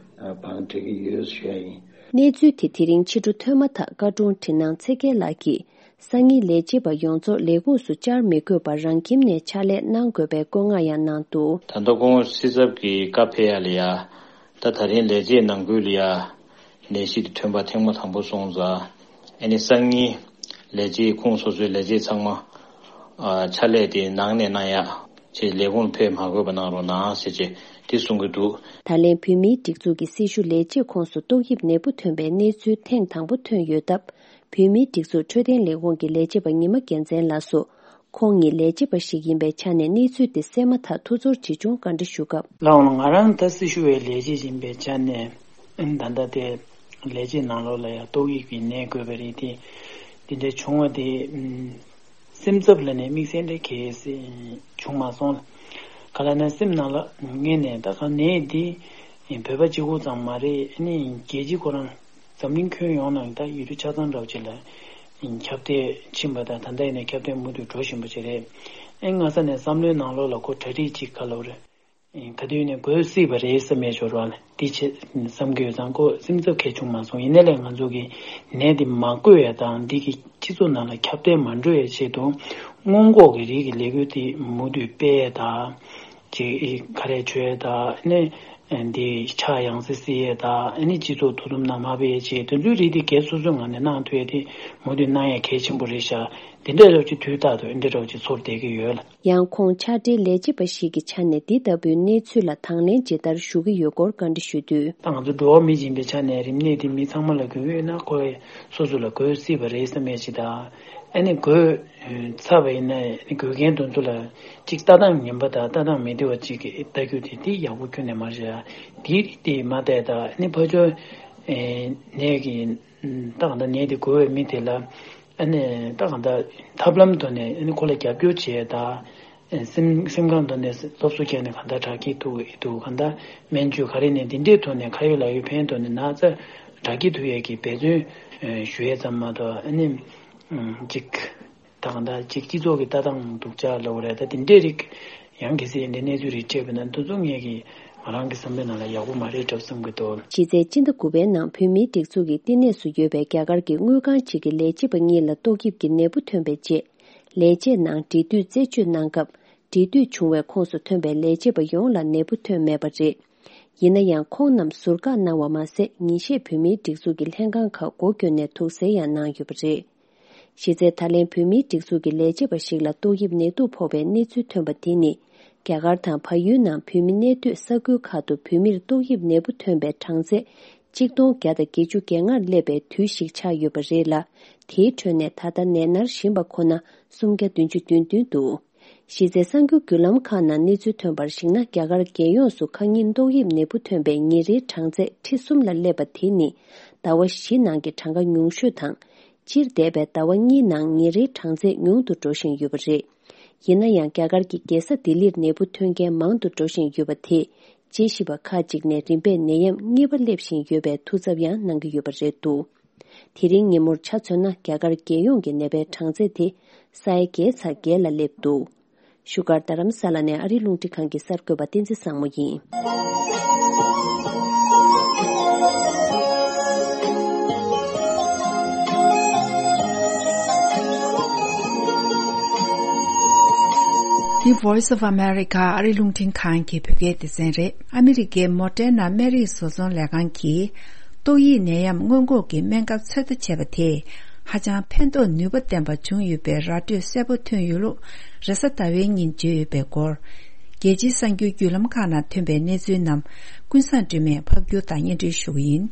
བང་སྒྲིག་གི་ཡོད་ཞུ་ཡ་ཡིན། གནས་ཚུལ་དེ་དེ་རིང་ཕྱི་དྲོ་ཐོན་མ་ཐག་བཀའ་དྲུང་ཁྲི་ནང་ཚེ་རྒྱལ་ལགས་ཀྱིས་སང་ཉིན་ལས་བྱེད་པ་ཡོངས་རྫོགས་ལས་ཁུངས་སུ་བཅར་མི་དགོས་པར་རང་ཁྱིམ་ནས་ཕྱག་ལས་གནང་དགོས་པའི་བཀོད་མངགས་ཡང་གནང་འདུག་ད་ལྟ་ཁོང་སྲིད་ཚབ་ཀྱི་བཀའ་ཕེབས་ཡ་ལ་ཡ། ད་ད་རིང་ལས་བྱེད་ནང་ཁུལ་ལ་ཡ་ནད་གཞི་དེ་ཐོན་པ་ཐེངས་མ་དང་པོ་སོང་ཙང་ཨ་ནི་སང་ཉིན་ལས་བྱེད་ཁོངས་སོ་སོའི་ལས་བྱེད་ཚང་མ་ཨ་ཕྱག་ལས་དེ་ནང་ནས་གནང་ཡ་ཅེས་ལས་ཁུངས་ལ་ཕེབས་མ་དགོས་པ་གནང་རོགས་གནང་ཟེར་ཅེས་དེ་གསུང་གི་འདུག་ད་ལན་བོད་མིའི་སྒྲིག་འཛུགས་ཀྱི་སྲི་ཞུ་ལས་བྱེད་ཁོངས་སུ་ཏོག་དབྱིབས་ནད་འབུ་ཐོན་པའི་གནས་ཚུལ་ཐེངས་དང་པོ་ཐོན་ཡོད་སྟབས། བོད་མིའི་སྒྲིག་འཛུགས་འཕྲོད་བསྟེན་ལས་ཁུངས་ཀྱི་ལས་བྱེད་པ་ཉི་མ་རྒྱལ་མཚན་ལགས་སུ། ཁོང་ཉིད་ལས་བྱེད་པ་ཞིག་ཡིན་པའི་ཆ་ནས་གནས་ཚུལ་དེ་གསན་མ་ཐག་ཐུགས་ཚོར་ཇི་བྱུང་བཀའ་འདྲི་ཞུ་སྐབས། ལགས་འོང་། ང་རང་ད་སྲི་ཞུ་བའི་ལས་བྱེད་ཡིན་པའི་ཆ་ནས་ཨ་ནི་ད་ལྟ་དེ་ལས་བྱེད་ནང་ལོགས་ལ་ཡང་ཏོག་དབྱིབས་ཀྱི་ནད་འགོས་པ་རེད་དེ། དེ་འདྲ་བྱུང་བ་དེ་ཨ་སེམས་འཚབ་ལ་ནས་དམིགས་བསལ་འདྲ་གལ་སྲིད་བྱུང་མ་སོང་། ག་ལ་ན་སེམས་ནང་ལ་ངས་ནས་ད་ག་ནད་འདི་བོད་པ་གཅིག་པོ་ཙམ་མ་རེད། ཨ་ནི་རྒྱལ་སྤྱི་ཁོ་རང་འཛམ་གླིང་ཁྱོན་ཡོངས་ནང་ད་ཡུལ་གྲུ་ཆ་ཚང་འདྲ་བོ་ཅིག་ལ་ཁྱབ་གདལ་ཕྱིན་པ་དང་ད་ལྟ་ཡིན་ན་ཁྱབ་གདལ་མུ་མཐུད་འགྲོ་བཞིན་པ་ཅིག་རེད། ཨེ་སྔ་ས་ནས་བསམ་བློའི་ནང་ལོགས་ལ་ཁོ་གྲ་སྒྲིག་ཅིག་ག་ལབ་རེད། ག་དུས་ནས་འགོས་སྲིད་པ་རེད་བསམ་ཡས་འབྱོར་བ་ལ་འདི་བྱེད་བསམ་གྱི་ཡོད་ཙང་ཁོ་སེམས་འཚབ་གལ་བྱུང་མ་སོང་། ཡིན་ནའི་ལས་ང་ཚོ་གི་ནད་འདི་མ་འགོས་ཡ་དང་འདི་གི་སྤྱི་ཚོགས་ནང་ལ་ཁྱབ་གདལ་མ་འགྲོ་ཡའི་ཆེད་དུ་སྔོན་འགོག་གི་རིགས་ཀྱི་ལས་འགུལ་འདི་མུ་མཐུད་སྤེལ་ཡ་དང་། ཅིག་ག་རེ་བྱོས་དང་ནི་འདི་ཕྱག་ཡང་སེ་བསིལ་ཡས་དང་ནི་སྤྱི་ཚོགས་དོ་དམ་ནང་མ་སྤེལ་ཡས་བྱས་དེ་ཚོའི་རིགས་འདི་སྒེར་སོ་སོའི་ངང་ནས་གནང་ཐུབ་ཡས་དེ་མུ་མཐུད་གནང་ཡས་གལ་ཆེན་པོ་རེད་ཤག་འདི་འདྲ་རོགས་ཀྱི་དུས་རྟག་ཏུ་འདི་འདྲ་རོགས་ཀྱི་ཚོར་བསྡད་ཀྱི་ཡོད་ལ། ཡང་ཁོང་ཕྱག་སྦྲེལ་ལས་བྱེད་པ་ཞིག་གི་ཆ་ནས་འདི་ལྟ་བུའི་གནས་ཚུལ་ལ་དང་ལེན་ཇི་ལྟར་ཞུ་གི་ཡོད་སྐོར་བཀའ་འདྲི་ཞུས་དུས། ད་ང་ཚོ་འགྲོ་བ་མི་ཡིན་པའི་ཆ་ནས་རིམས་ནད་འདི་མི་ཚང་མ་ལ་འགོས་ཡོད་ན་ཁོ་སོ་སོ་ལ་འགོས་སྲིད་པ་རེད་བསམ་ཡས་ཅིག་དང་། ཨ་ནི་འགོས་ཚར་བ་ཡིན་ན་འགོས་མཁན་དེ་ཚོ་ལ་ཅིག་ལྟ་སྟངས་ངན་པ་དང་ལྟ་སྟངས་མི་བདེ་བ་ཅིག་ལྟ་རྒྱུ་དེ་དེ་ཡག་པོ་ཁྱོན་ནས་མ་རེད། དེ་རིགས་དེ་མ་བལྟས་དང་ཨ་ནི་ཕར་ཕྱོགས་ནད་ཀྱི་ད་གང་ལྟར་ནད་དེ་འགོས་པའི་མི་དེ་ལ་ཨ་ནི་ད་གང་ལྟར་ཐབས་ལམ་ཐོག་ནས་ཨ་ནི་ཁོ་ལ་རྒྱབ་སྐྱོར་བྱེད་དང་། སེམས་སེམས་ཁམས་ཐོག་ནས་སློབ་གསོ་བརྒྱབ་ནས་གང་ལྟར་དྲག་སྐྱེད་ཐུབ་ཀྱི་འདུག་གང་ལྟར་སྨན་བཅོས་ག་རེ་ནས་འདི་འདྲའི་ཐོག་ནས་ཁ་ཡོད་ལག་ཡོད་ཕན་ཐོགས་ནས་ན་ཚ་དྲག་སྐྱེད་ཐུབ་ཡས་ཀྱི་འབད་བརྩོན་ཞུ་ཡས་ཙམ་མ་གཏོགས་ཨ་ནི་ཅིག་ད་གང་ལྟར་ཅིག་སྤྱི་ཚོགས་ཀྱི་ལྟ་སྟངས་སྡུག་ཅག་ལབ་དགོས་རེད། ད་དེ་འདྲའི་རིགས་ཡང་གལ་སྲིད་འདི་གནས་ཚུལ་རིགས་སྤྲད་པ་ན་འདི་ཚོ་ངས་ཀྱི་ང་རང་གི་བསམ་པའི་ནང་ལ་ཡག་པོ་མ་རེད་འདྲ་བསམ་གྱི་འདུག་གཞི་རྩའི་སྤྱི་ཟླ་དགུ་པའི་ནང་བོད་མིའི་སྒྲིག་འཛུགས་ཀྱི་བསྟི་གནས་སུ་ཡོད་པའི་རྒྱ་གར་གྱི་དངུལ་ཁང་གཅིག་གི་ལས་བྱེད་པ་གཉིས་ལ་ཏོག་དབྱིབས་ཀྱི་ནད་འབུ་ཐོན་པའི་རྗེས། ལས་བྱེད་ནང་འབྲེལ་མཐུད་རྩད་གཅོད་གནང་སྐབས། འབྲེལ་མཐུད་བྱུང་བའི་ཁོངས་སུ་ཐོན་པའི་ལས་བྱེད་པ་ཡོངས་ལ་ནད་འབུ་ཐོན་མེད་པ་རེད། ཡིན་ན་ཡང་ཁོང་རྣམས་ཟུར་བཀག་གནང་བ་མ་ཟད། ཉིན་ཤས་བོད་མིའི་སྒྲིག་འཛུགས་ཀྱི་ལྷན་ཁང་ཁག་སྒོ་བསྐྱོན་ནས་དུག་སེལ་ཡང་གནང་ཡོད་པ་རེད། གཞི་རྩའི་ད་ལན་བོད་མིའི་སྒྲིག་འཛུགས་ཀྱི་ལས་བྱེད་པ་ཞིག་ལ་ཏོག་དབྱིབས་ནད་དུག་ཕོག་པའི་གནས་ཚུལ་ཐོན་པ་དེ་ནི། རྒྱ་གར་དང་བལ་ཡུལ་ནང་བོད་མི་གནས་སྡོད་ས་ཁུལ་ཁག་ཏུ་བོད་མིར་ཏོག་དབྱིབས་ནད་འབུ་ཐོན་པའི་གྲངས་ཚད་གཅིག་སྟོང་བརྒྱ་དང་བརྒྱད་ཅུ་གྱ་ལྔར་སླེབས་པའི་དུས་ཤིག་ཆགས་ཡོད་པ་རེད་ལ། དེའི་ཁྲོད་ནས་ད་ལྟ་ནད་མནར་བཞིན་པ་ཁོ་ན་སུམ་བརྒྱ་བདུན་ཅུ་དོན་བདུན་འདུག་གཞི་རྩའི་གསར་འགྱུར་བརྒྱུད་ལམ་ཁག་ནང་གནས་ཚུལ་ཐོན་པར་གཞིགས་ན། རྒྱ་གར་རྒྱལ་ཡོངས་སུ་ཁ་ཉིན་ཏོག་དབྱིབས་ནད་འབུ་ཐོན་པའི་ཉིན་རེའི་གྲངས་ཚད་ཁྲི་གསུམ་ལ་སླེབས་པ་དེ་ནི་ཟླ་བ་བཞི་ནང་གི་གྲངས་ཀ་ཉུང་ཤོས་དང་། སྤྱིར་འདས་པའི་ཟླ་བ་གཉིས་ནང་ཉིན་རེའི་གྲངས་ཚད་ཉུང་དུ་འགྲོ་བཞིན་ཡོད་པ་རེད། ཡིན་ན་ཡང་རྒྱ་གར་གྱི་རྒྱལ་ས་ལྡི་ལིར་ནད་འབུ་ཐོན་མཁན་མང་དུ་འགྲོ་བཞིན་ཡོད་པ་དེས་དཔྱད་ཞིབ་པ་ཁག་ཅིག་ནས་རིམ་པས་ནད་ཡམས་གཉིས་པ་སླེབས་བཞིན་ཡོད་པའི་ཐུགས་འཚབ་ཡང་གནང་གི་ཡོད་པ་རེད་འདུག་དེ་རིང་ཉིན་མོར་ཆ་མཚོན་ན། རྒྱ་གར་རྒྱལ་ཡོངས་ཀྱི་ནད་པའི་གྲངས་ཚད་དེ་ས་ཡ་བརྒྱད་ཚེག་བརྒྱད་ལ་སླེབས་འདུག་བཞུགས་སྒར་རྡ་རམ་ས་ལ་ནས་ཨ་རིའི་རླུང་འཕྲིན་ཁང་གི་གསར་འགོད་པ་བསྟན་འཛིན་བཟང་མོ་ཡིན། འདི་Voice of America ཨ་རིའི་རླུང་འཕྲིན་ཁང་གི་བོད་སྐད་སྡེ་ཚན་རེད། ཨ་མི་རི་ཀའི་མོ་ཊའི་ནང་སྨན་རིགས་བཟོ་ཚོང་ལས་ཁང་གིས། ཏོག་དབྱིབས་ནད་ཡམས་སྔོན་འགོག་གི་སྨན་ཁབ་ཚོད་ལྟ་བྱས་པ་དེས་ཧ་ཅང་ཕན་ཐོགས་ནུས་པ་ལྡན་པ་བྱུང་ཡོད་པའི་ར་སྤྲོད་གསལ་པོ་ཐོན་ཡོད་ལུགས་རེས་གཟའ་ཟླ་བའི་ཉིན་བརྗོད་ཡོད་པའི་སྐོར། རྒྱལ་སྤྱིའི་གསར་འགྱུར་བརྒྱུད་ལམ་ཁག་ནང་ཐོན་པའི་གནས་ཚུལ་རྣམས་ཀུན་བཟང་སྒྲོལ་མས་ཕབ་སྒྱུར་དང་སྙན་སྒྲོན་ཞུ་གི་ཡིན།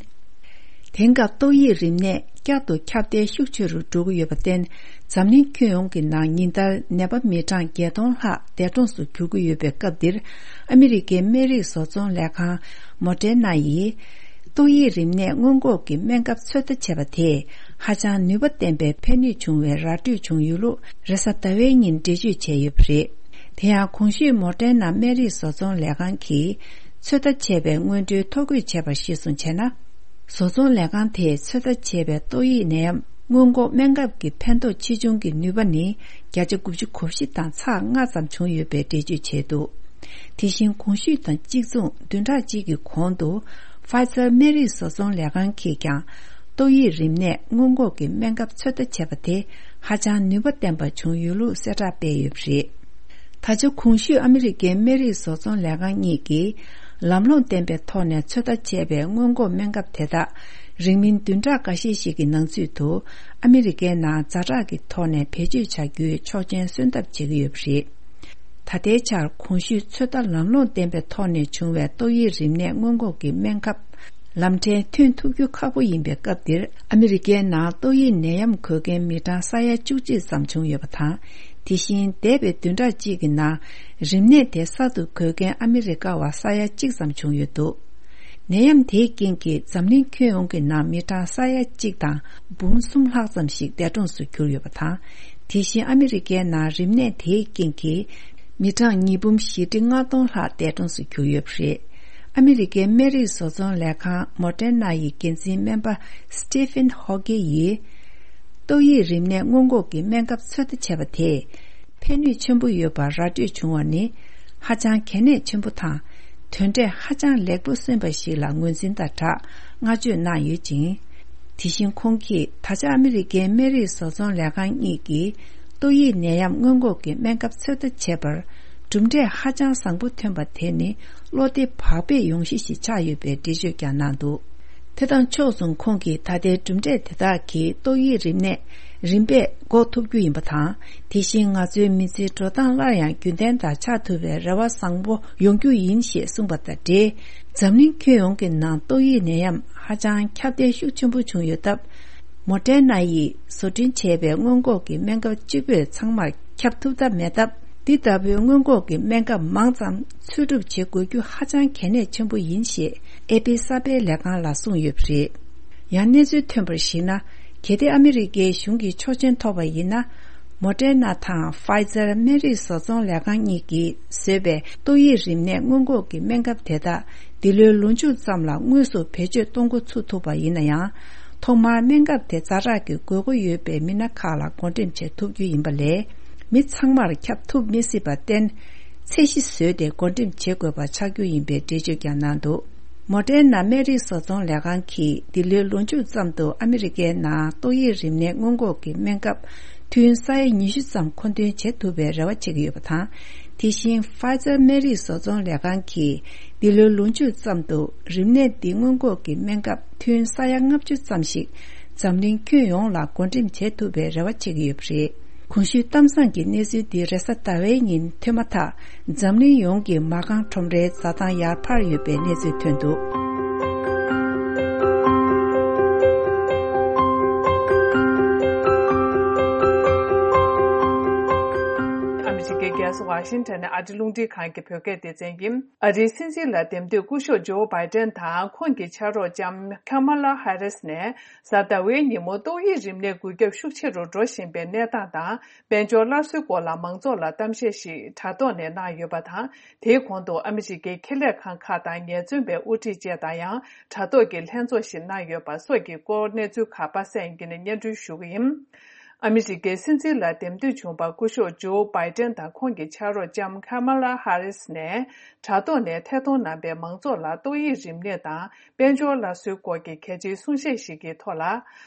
དེང་སྐབས་ཏོག་དབྱིབས་རིམས་ནད་བསྐྱར་དུ་ཁྱབ་གདལ་ཤུགས་ཆེ་རུ་འགྲོ་གི་ཡོད་པར་བརྟེན། འཛམ་གླིང་ཁྱོན་ཡོངས་ཀྱི་ནང་ཉིན་ལྟར་ནད་པ་མི་གྲངས་བརྒྱད་སྟོང་ལྷག་འདས་གྲོངས་སུ་གྱུར་གྱི་ཡོད་པའི་སྐབས་འདིར། ཨ་མི་རི་ཀའི་སྨན་རིགས་བཟོ་ཚོང་ལས་ཁང་མོ་ཌེར་ན་ཡིས། ཏོག་དབྱིབས་རིམས་ནད་སྔོན་འགོག་གི་སྨན་ཁབ་ཚོད་ལྟ་བྱས་པ་དེས་ཧ་ཅང་ནུས་པ་ལྡན་པའི་ཕན་ནུས་བྱུང་བའི་ར་སྤྲོད་བྱུང་ཡོད་ལུགས་རེས་གཟའ་ཟླ་བའི་ཉིན་འགྲེལ་བརྗོད་བྱས་ཡོད་པ་རེད། དེ་ཡང་གོང་ཞུས་མོ་ཌེར་ན་སྨན་རིགས་བཟོ་ཚོང་ལས་ཁང་གིས་ཚོད་ལྟ་བྱས་པའི་སྔོན་འགྲོའི་ཐོ་འགོད་བྱས་པར་གཞིར་བཟུང་བྱས་ན། བཟོ་ཚོང་ལས་ཁང་དེས་ཚོད་ལྟ་བྱས་པའི་ཏོག་དབྱིབས་ནད་ཡམས་སྔོན་འགོག་སྨན་ཁབ་ཀྱི་ཕན་ཐོགས་ཆེ་ཆུང་གི་ནུས་པ་ནི་བརྒྱ་ཆ་དགུ་བཅུ་གོ་བཞི་དང་ཚེག་ལྔ་ཙམ་བྱུང་ཡོད་པའི་འགྲེལ་བརྗོད་བྱས་འདུག་དེ་བཞིན་གོང་ཞུས་དང་གཅིག་མཚུངས་བདུན་ཕྲག་གཅིག་གི་གོང་དུ་ཕའི་ཛར་སྨན་རིགས་བཟོ་ཚོང་ལས་ཁང་གིས་ཀྱང་ཏོག་དབྱིབས་རིམས་ནད་སྔོན་འགོག་གི་སྨན་ཁབ་ཚོད་ལྟ་བྱས་པ་དེ་ཧ་ཅང་ནུས་པ་ལྡན་པ་བྱུང་ཡོད་ལུགས་གསལ་བསྒྲགས་སྤེལ་ཡོད་པ་རེད། ད་ཆ་གོང་ཞུས་ཨ་མི་རི་ཀའི་སྨན་རིགས་བཟོ་ཚོང་ལས་ཁང་གཉིས་ཀྱིས་ལམ་ལྷོང་ལྡན་པའི་ཐོག་ནས་ཚོད་ལྟ་བྱས་པའི་སྔོན་འགོག་སྨན་ཁབ་དེ་དག་རིང་མིན་བདུན་ཕྲག་འགའ་ཤས་ཤིག་གི་ནང་ཚུད་དུ་ཨ་མི་རི་ཀའི་ནང་ཛ་དྲག་གི་ཐོག་ནས་བེད་སྤྱོད་བྱ་རྒྱུའི་ཆོག་མཆན་སོན་ཐབས་བྱེད་ཀྱི་ཡོད་པ་རེད། ད་ལྟའི་ཆར་གོང་ཞུས་ཚོད་ལྟ་ལམ་ལྷོང་ལྡན་པའི་ཐོག་ནས་བྱུང་བའི་ཏོག་དབྱིབས་རིམས་ནད་སྔོན་འགོག་གི་སྨན་ཁབ་ལམ་ཕྲན་ཐོན་ཐུབ་རྒྱུ་ཁག་པོ་ཡིན་པའི་སྐབས་འདིར། ཨ་མི་རི་ཀའི་ནང་ཏོག་དབྱིབས་ནད་ཡམས་འགོས་མཁན་མི་གྲངས་ས་ཡ་བཅུ་གཅིག་ཙམ་བྱུང་ཡོད་པ་དང་། དེ་བཞིན་འདས་པའི་བདུན་ཕྲག་གཅིག་གི་ནང་རིམས་ནད་དེ་གསར་དུ་འགོས་མཁན་ཨ་མི་རི་ཀ་བ་ས་ཡ་གཅིག་ཙམ་བྱུང་ཡོད་འདུག་ནད་ཡམས་དེའི་རྐྱེན་གྱིས་འཛམ་གླིང་ཁྱོན་ཡོངས་ཀྱི་ནང་མི་གྲངས་ས་ཡ་གཅིག་དང་འབུམ་གསུམ་ལྷག་ཙམ་ཞིག་འདས་གྲོངས་སུ་གྱུར་ཡོད་པ་དང་། དེ་བཞིན་ཨ་མི་རི་ཀའི་ནང་རིམས་ནད་དེའི་རྐྱེན་གྱིས་མི་གྲངས་ཉིས་འབུམ་བཞི་ཁྲི་ལྔ་སྟོང་ལྷག་འདས་གྲོངས་སུ་གྱུར་ཡོད་པ་རེད། ཨ་མི་རི་ཀའི་སྨན་རིགས་བཟོ་ཚོང་ལས་ཁང་མོ་ཌེར་ན་ཡི་འགན་འཛིན་སྨན་པ་སི་ཏི་ཕིན་ཧོ་ཀེ་ཡིས། ཏོག་དབྱིབས་རིམས་ནད་སྔོན་འགོག་གི་སྨན་ཁབ་ཚོད་ལྟ་བྱས་པ་དེས་ཕན་ནུས་ཆེན་པོ་ཡོད་པར་ར་སྤྲོད་བྱུང་བ་ནི་ཧ་ཅང་གལ་གནད་ཆེན་པོ་དང་། དོན་འབྲས་ཧ་ཅང་ལེགས་པོ་སོན་པ་ཞིག་ལ་ངོས་འཛིན་དང་སྦྲགས་བསྔགས་བརྗོད་གནང་ཡོད་ཅིང་། དེ་བཞིན་ཁོང་གིས་ད་ཆ་ཨ་མི་རི་ཀའི་སྨན་རིགས་བཟོ་ཚོང་ལས་ཁང་གཉིས་ཀྱིས་ཏོག་དབྱིབས་ནད་ཡམས་སྔོན་འགོག་གི་སྨན་ཁབ་ཚོད་ལྟ་བྱས་པར་གྲུབ་འབྲས་ཧ་ཅང་བཟང་པོ་ཐོན་པ་དེ་ནི་བློ་བདེ་བག་ཕེབས་ཡོང་གཞི་ཞིག་ཆགས་ཡོད་པའི་འགྲེལ་བརྗོད་ཀྱང་གནང་འདུག་དེ་དང་ཕྱོགས་མཚུངས་ཁོང་གིས་ད་ལྟའི་གྲུབ་འབྲས་དེ་དག་གིས་ཏོག་དབྱིབས་རིམས་ནད་རིམ་པས་འགོག་ཐུབ་རྒྱུ་ཡིན་པ་དང་། དེ་བཞིན་ང་ཚོའི་མི་ཚེའི་འགྲོ་སྟངས་སླར་ཡང་རྒྱུན་ལྡན་དང་ཆགས་ཐུབ་པའི་རེ་བ་བཟང་པོ་ཡོང་རྒྱུ་ཡིན་ཞེས་གསུངས་པ་དང་འབྲེལ། འཛམ་གླིང་ཁྱོན་ཡོངས་ཀྱི་ནང་ཏོག་དབྱིབས་ནད་ཡམས་ཧ་ཅང་ཁྱབ་གདལ་ཤུགས་ཆེན་པོ་བྱུང་ཡོད་སྟབས། མོ་ཌེར་ན་ཡིས་བཟོ་སྐྲུན་བྱས་པའི་སྔོན་འགོག་གི་སྨན་ཁབ་གཅིག་པོས་ཚང་མར་ཁྱབ་ཐུབ་ཐབས་མེད་སྟབས། འདི་ལྟ་བུའི་སྔོན་འགོག་གི་སྨན་ཁབ་མང་ཙམ་འཚོལ་སྒྲུབ་བྱེད་དགོས་རྒྱུ་ཧ་ཅང་གལ་གནད་ཆེན་པོ་ཡིན་ཞེས་ཨེ་པི་གསར་སྤེལ་ལས་ཁང་ལ་གསུངས་ཡོད་པ་རེད། ཡང་གནས་ཚུལ་ཐོན་པར་གཞིགས་ན། གལ་ཏེ་ཨ་མི་རི་ཀའི་གཞུང་གིས་ཆོག་མཆན་ཐོབ་པ་ཡིན་ན། མོ་ཌེར་ན་དང་ཕའི་ཛར་སྨན་རིགས་བཟོ་ཚོང་ལས་ཁང་གཉིས་ཀྱིས་བཟོས་པའི་ཏོག་དབྱིབས་རིམས་ནད་སྔོན་འགོག་གི་སྨན་ཁབ་དེ་དག་འདི་ལོའི་ལོ་མཇུག་ཙམ་ལ་དངོས་སུ་བེད་སྤྱོད་གཏོང་འགོ་ཚུགས་ཐུབ་པ་ཡིན་ན་ཡང་། ཐོག་མར་སྨན་ཁབ་དེ་ཛ་དྲག་གི་དགོས་མཁོ་ཡོད་པའི་མི་སྣ་ཁག་ལ་བགོ་འགྲེམས་བྱེད་ཐུབ་རྒྱུ་ཡིན་པ་ལས། མི་ཚང་མར་ཁྱབ་ཐུབ་མི་སྲིད་པར་བརྟེན། ཚད་གཞི་བཟོས་ཏེ་བགོ་འགྲེམས་བྱེད་དགོས་པ་ཆགས་རྒྱུ་ཡིན་པའི་འགྲེལ་བརྗོད་ཀྱང་གནང་འདུག་མོ་ཌེར་ན་སྨན་རིགས་བཟོ་ཚོང་ལས་ཁང་གིས་འདི་ལོའི་ལོ་མཇུག་ཙམ་དུ་ཨ་མི་རི་ཀའི་ནང་ཏོག་དབྱིབས་རིམས་ནད་སྔོན་འགོག་གི་སྨན་ཁབ་ཐུན་ས་ཡ་ཉི་ཤུ་ཙམ་མཁོ་འདོན་བྱེད་ཐུབ་པའི་རེ་བ་བྱེད་ཀྱི་ཡོད་པ་དང་། དེ་བཞིན་ཕའི་ཛར་སྨན་རིགས་བཟོ་ཚོང་ལས་ཁང་གིས་འདི་ལོའི་ལོ་མཇུག་ཙམ་དུ་རིམས་ནད་འདི་སྔོན་འགོག་གི་སྨན་ཁབ་ཐུན་ས་ཡ་ལྔ་བཅུ་ཙམ་ཞིག་འཛམ་གླིང་ཁྱོན་ཡོངས་ལ་བགོ་འགྲེམས་བྱེད་ཐུབ་པའི་རེ་བ་བྱེད་ཀྱི་ཡོད་པ་རེད། གོང་ཞུས་གཏམ་བཟང་གི་གནས་ཚུལ་འདི་རེས་གཟའ་ཟླ་བའི་ཉིན་ཐོན་མ་ཐག་འཛམ་གླིང་ཡོངས་ཀྱི་མ་རྐང་ཁྲོམ་རའི་འཛའ་ཐང་ཡར་འཕར་ཡོད་པའི་གནས་ཚུལ་ཐོན་འདུག་ཨ་མི་རི་ཀའི་རྒྱལ་ས་ཝ་ཤིང་ཊོན་ནས་ཨ་རི་རླུང་འཕྲིན་ཁང་གི་བོད་སྐད་སྡེ་ཚན་ཡིན། ཨ་རིའི་སྲིད་འཛིན་ལ་འདེམས་ཐོན་སྐུ་ཞབས་ཇོ་བྷའི་ཏན་དང་ཁོང་གི་ཕྱག་རོགས་ལྕམ་ཁ་མ་ལ་ཧ་རིས་ནས་གཟའ་ཟླ་བའི་ཉིན་མོ་ཏོག་དབྱིབས་རིམས་ནད་འགོས་ཁྱབ་ཤུགས་ཆེ་རུ་འགྲོ་བཞིན་པའི་གནས་སྟངས་དང་། དཔལ་འབྱོར་སླར་གསོའི་སྐོར་ལ་མང་ཚོགས་ལ་གཏམ་བཤད་ཞིག་དྲ་ཐོག་ནས་གནང་ཡོད་པ་དང་། དེའི་གོང་དུ་ཨ་མི་རི་ཀའི་ཁེ་ལས་ཁང་ཁག་དང་ངལ་རྩོལ་པའི་དབུ་ཁྲིད་བཅས་དང་ཡང་དྲ་ཐོག་གི་ལྷན་ཚོགས་ཤིག་གནང་ཡོད་པ་སོགས་ཀྱི་སྐོར་གནས་ཚུལ་ཁག་པ་སངས་སྐྱིད་ནས་སྙན་སྒྲོན་ཞུ་གི་ཡིན། ཨ་མི་རི་ཀའི་སྲིད་འཛིན་ལ་འདེམས་ཐོན་བྱུང་བ་སྐུ་ཞབས་ཇོ་བྷའི་ཏན་དང་ཁོང་གི་ཕྱག་རོགས་ལྕམ་ཁ་མ་ལ་ཧ་རིས་ནས་དྲ་ཐོག་ནས་ཐད་གཏོང་གནང་པའི་མང་ཚོགས་ལ་ཏོག་དབྱིབས་རིམས་ནད་དང་དཔལ་འབྱོར་སླར་གསོའི་སྐོར་གྱི་གལ་ཆེའི་གསུང་བཤད་ཞིག་གི་ཐོག་ལ།